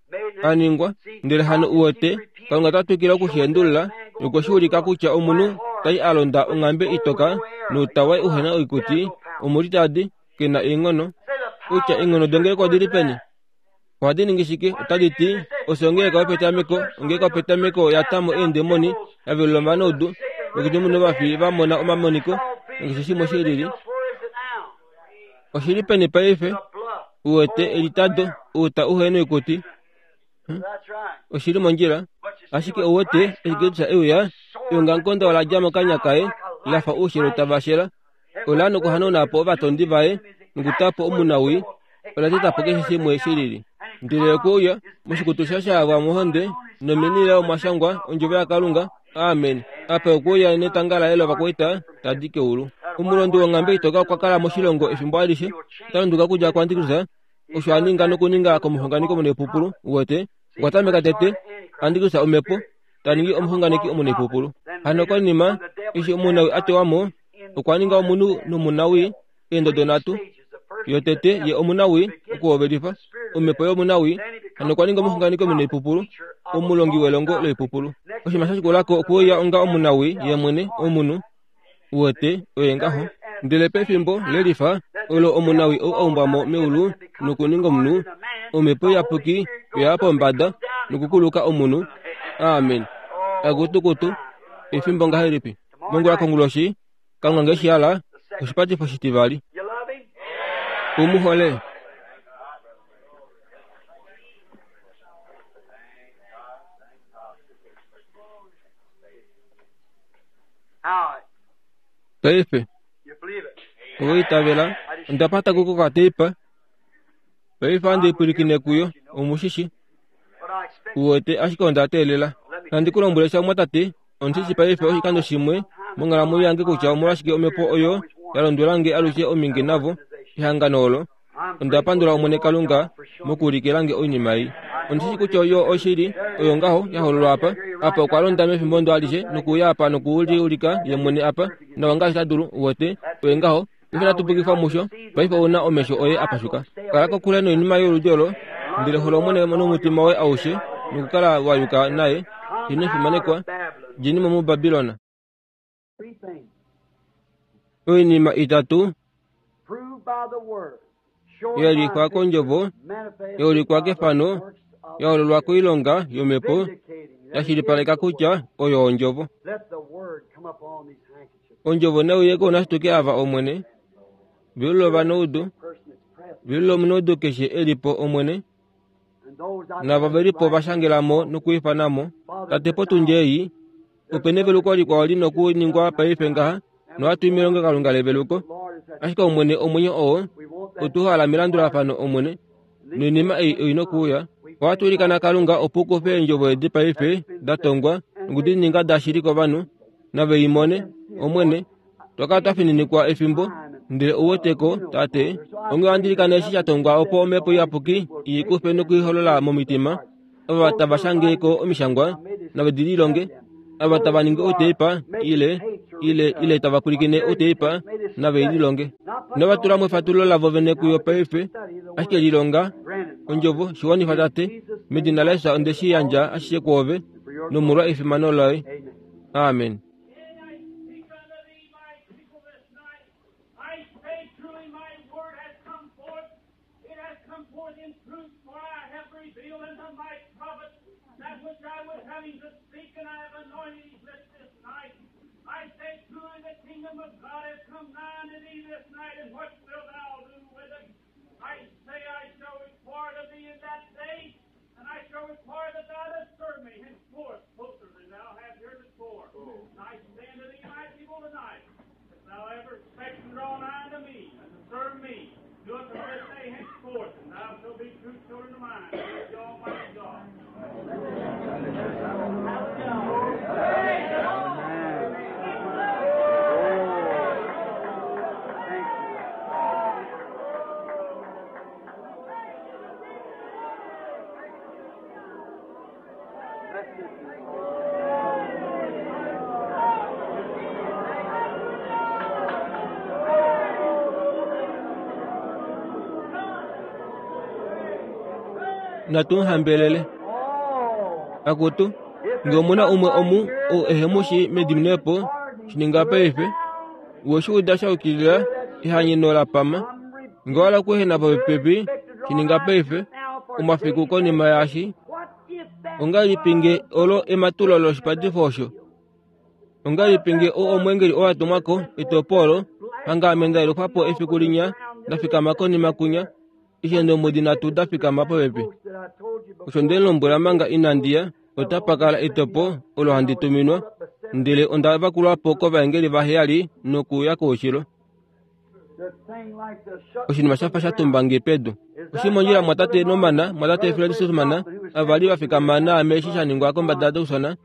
[SPEAKER 2] Aningwa, ndele hano uwete, Kalunga ota twikile okushiendulula nokwe shi ulika kutya omunhu tai a londa onghambe itoka noutawa uhena oikuti, omulitadi, kena eenghono. Kutya eenghono dongeleka odili peni? Ohadi ningi shike? Otadi ti, ofye ongeleka yopetameko, ongeleka yopetameko ya tamo eendemoni, ya velula ovanaudu, nokunyumuna ovafi va mona omamoniko, nokeshe shimwe shi lili. Oshili peni paife? Uwete elitado, outa uhena oikuti. Oshili mondjila. Ashike ouwete eshi Kristus euya, eongamukonda ola dja mokanya kaye, lafa oushilo tava shela. Ola nokuhanauna po ovatondi vaye, nokutapo omunawii, ola teta po keshe shimwe shi lili. Ndele okwe uya moshikutu sha shaavwa mohonde, nomeni layo omwa shangwa ondjovo yaKalunga. Amen. Apa okwe uya netanga laye lovakwaita tadi keulu. Omulondi wonghambe itoka okwa kala moshilongo efimbo alishe, ota lunduka okudja kuAntikristus, osho a ninga nokuninga komuxunganeki omunaipupulu. Uwete, okwa tameka tete Antikristus omhepo, ta ningi omuxunganeki omunaipupulu. Hano konima eshi omunawii a tewa mo, okwa ninga omunhu nomunawii eendodo nhatu. Yotete ye omunawii okuhovelifa omhepo yomunawii, hano okwa ninga omuxunganeki omunaipupulu, omulongi welongo loipupulu. Oshinima sha shikulako okwe uya onga omunawii ye mwene omunhu. Uwete, oye ngaho. Ndele pefimbo lelifa olo omunawii ou a umbwa mo meulu nokuninga omunhu, omhepo iyapuki oya pombada nokukuluka omunhu. Amen. Akutukutu, efimbo ngahelipi? Mongula konguloshi, Kalunga nge shi hala, oshipatifo shitivali. Umuhole. Paife, oitavela, onda pata kuko kateipa. Paife andi pwilikine kuyo, omushishi. Uwete ashike onda teelela. Nandi ku lombwele sha mwatate, ondishi paife oshikando shimwe monghalamwenyo yange kutya omolwashike omhepo oyo ya londwela nge alushe ominge navo ehangano olo. Onda pandula Omwene Kalunga mokuulikila nge oinima ei. Ondishi kutya oyo oshili, oyo ngaho ya hololwa apa. Apa okwa londa mefimbo ndo alishe nokuuya apa nokuliulika ye mwene apa, nawa ngaashi ta dulu. Uwete, oye ngaho. Paife natu pukifwa musho. Paife ouna omesho oye apashuka. Kala kokule noinima yoludi olo, ndele hola Omwene nomutima woye aushe, nokukala wa yuka naye. Ino fimanekwa, djeni mo muBabilona. Oinima itatu yaulikwa kondjovo, yaulikwa kefano, yahololwa koilonga yomhepo, yashilipaleka kutya oyo ondjovo. Ondjovo nauye kounashituke ava Omwene, velula ovanaudu, velula omunaudu keshe elipo Omwene, nava velipo vashangelamo nokuifanamo. Tate potundi ei, ope neveluko likwao li nokuningwa paife ngaha, nohatu i melongelokalunga leveluko. Ashike Omwene omwenyo oo, otuhala melandulafano Omwene, noinima ei oi nokuuya. Ohatu ilikana Kalunga opo u kufe eendjovo edi paife da tongwa nokudi ninga dashili kovanhu, nave i mone, Omwene. Twakala twa fininikwa efimbo, ndele ouweteko, Tate, onghee ohandi ilikana eshi sha tongwa opo omhepo iyapuki i kufe nokuiholola momitima, ava tava shange ko omishangwa, nave di lilonge, ava tava ningi outeipa, ile, ile, ile tava pwilikine outeipa, nave i lilonge. Inava tula mo efatululo lavo vene kuyo paife, ashike lilonga ondjovo, shiwanifa Tate, medina laJesus onde shi yandja ashishe kwoove, nomolwa efimano loye. Amen.
[SPEAKER 3] I say truly my word has come forth. It has come forth in truth, for I have revealed unto my prophet that which I would have him to speak, and I have anointed his lips this night. I say truly the kingdom of God has come nigh unto thee this night, and what wilt thou do with it? I say I shall require of thee in that day, and I shall require that thou dost serve me henceforth closer than thou hast heretofore. And I say unto thee, my people, tonight, if thou ever expect to draw nigh unto me, and to serve me, do it from this day henceforth, and thou shalt be true children of mine, saith the Almighty God.
[SPEAKER 2] Natuhambelele akutu nge omuna umwe omu ou ehe mu shi mediminepo shininga paife weshuuda shaukilila ehanyeno lapama nge wala okuehena popepi shininga paife omafiku konima yaashi ongahelipi nge olo ematulo loshipatifo osho ongahelipi nge ou omweengeli oo atumwako etopolo hanga ame ndayelufapo efiku linya ndafikama konima kunya eshi eendombwedi nhatu dafikama popepi osho ndemulombwela manga inandiya otapakala etopo olo handi tuminwa ndele onda vakulwapo kovaengeli vaheyali nokuya koushilo oshinima shafa shatumbange pedu oshimondjila mwatate nomana mwatate Fred Sothmann avali vafikama naame eshi shaningwa kombada yaTucson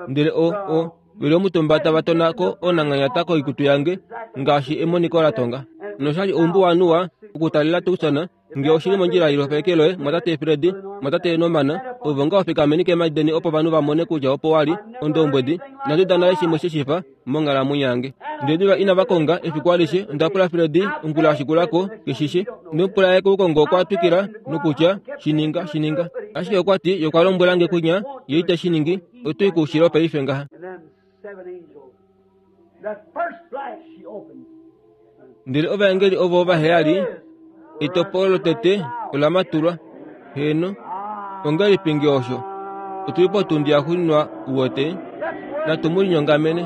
[SPEAKER 2] ndele o o veli omutumba tava tona ko onanghanyata koikutu yange ngaashi emoniko latonga noshali oumbuwanuwa okutalela Tucson nge oshili mondjila yilofeke loye mwatate Fred mwatate nomana ovo nga ofikameni keemhadi opo ovanhu vamone kutya opo wali ondombwedi inandi nale shimwe sheshifa monghalamwenyo yange ndele diva inava konga efiku alishe ondapula Fred ongula yashikulako keshishe ndemupula ye koukongo okwa twikila nokutya shininga shininga ashike okwati ye okwa lombwelange kunya ye iteshiningi otui koushilo paife ngaha ndele ovaengeli ovo vaheyali etopolo lotete ola matulwa heeno ongahelipi nge osho otuli potundi yaxuuninwa uwete natu mu linyongamene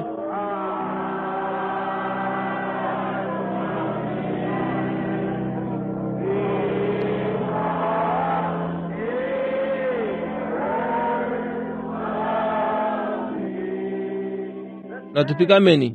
[SPEAKER 2] natufikameni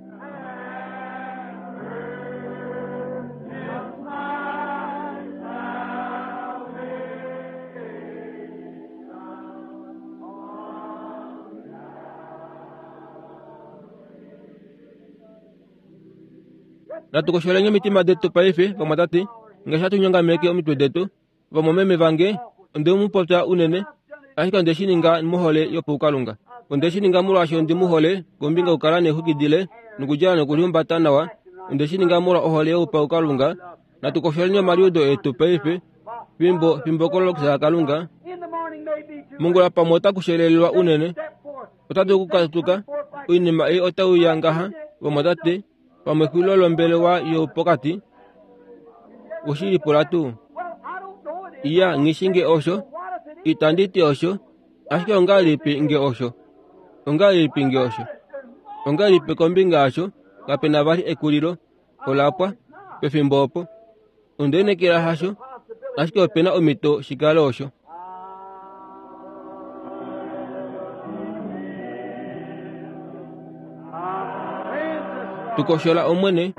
[SPEAKER 2] natukosholeni omitima detu paife vamwatate ngaashi hatunyongameke omitwe detu vamwameme vange onde mupopya unene ashike onde shininga mohole yopaukalunga onde shininga molwaashi ondi muhole kombinga okukala neexwiki nokudjala nokulihumbata nawa onde shininga molwa ohole youpaukalunga natukosholeni omaliudo etu paife fimbo fimbo kololokisa Kalunga mongula pamwe otakushelelelwa unene otatu kukatuka oinima ei otauya ngaha vamwatate pamwe xulilo lombelewa yopokati oshilipula tuu iya nghishi nge osho itanditi osho ashike ongahelipi nge osho ongahelipi nge osho ongahelipi kombinga yasho kapena vali ekulilo olapwa pefimbo opo ondenekela hasho ashike opena omhito shikale osho tukoshola omwene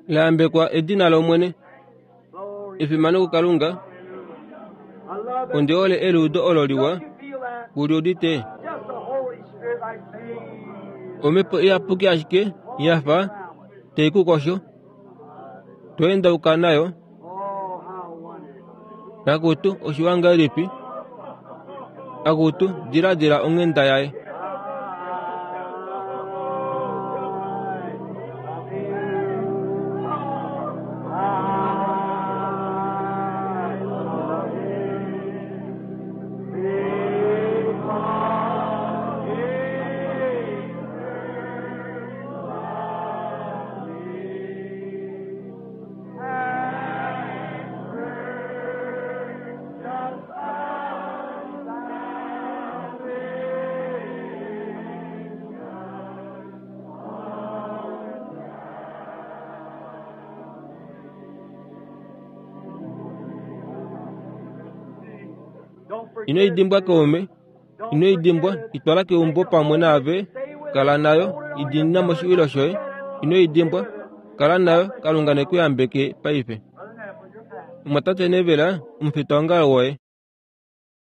[SPEAKER 2] laambekwa edina lomwene efimano kuKalunga onde ole eluudo olo liwa kuliudite omhepo iyapuki ashike yafa teikukosho toendauka nayo akutu oshiwa ngahelipi akutu diladila onghenda yaye Ino i dimbwa kaume, ino i dimbwa, i twala keumbo pamwe naave, kala nayo, i diinina moshiwilo shoye, ino i dimbwa, kala nayo. Kalunga ne ku yambeke paife. Mumwatate Neville, omufitaongalo woye.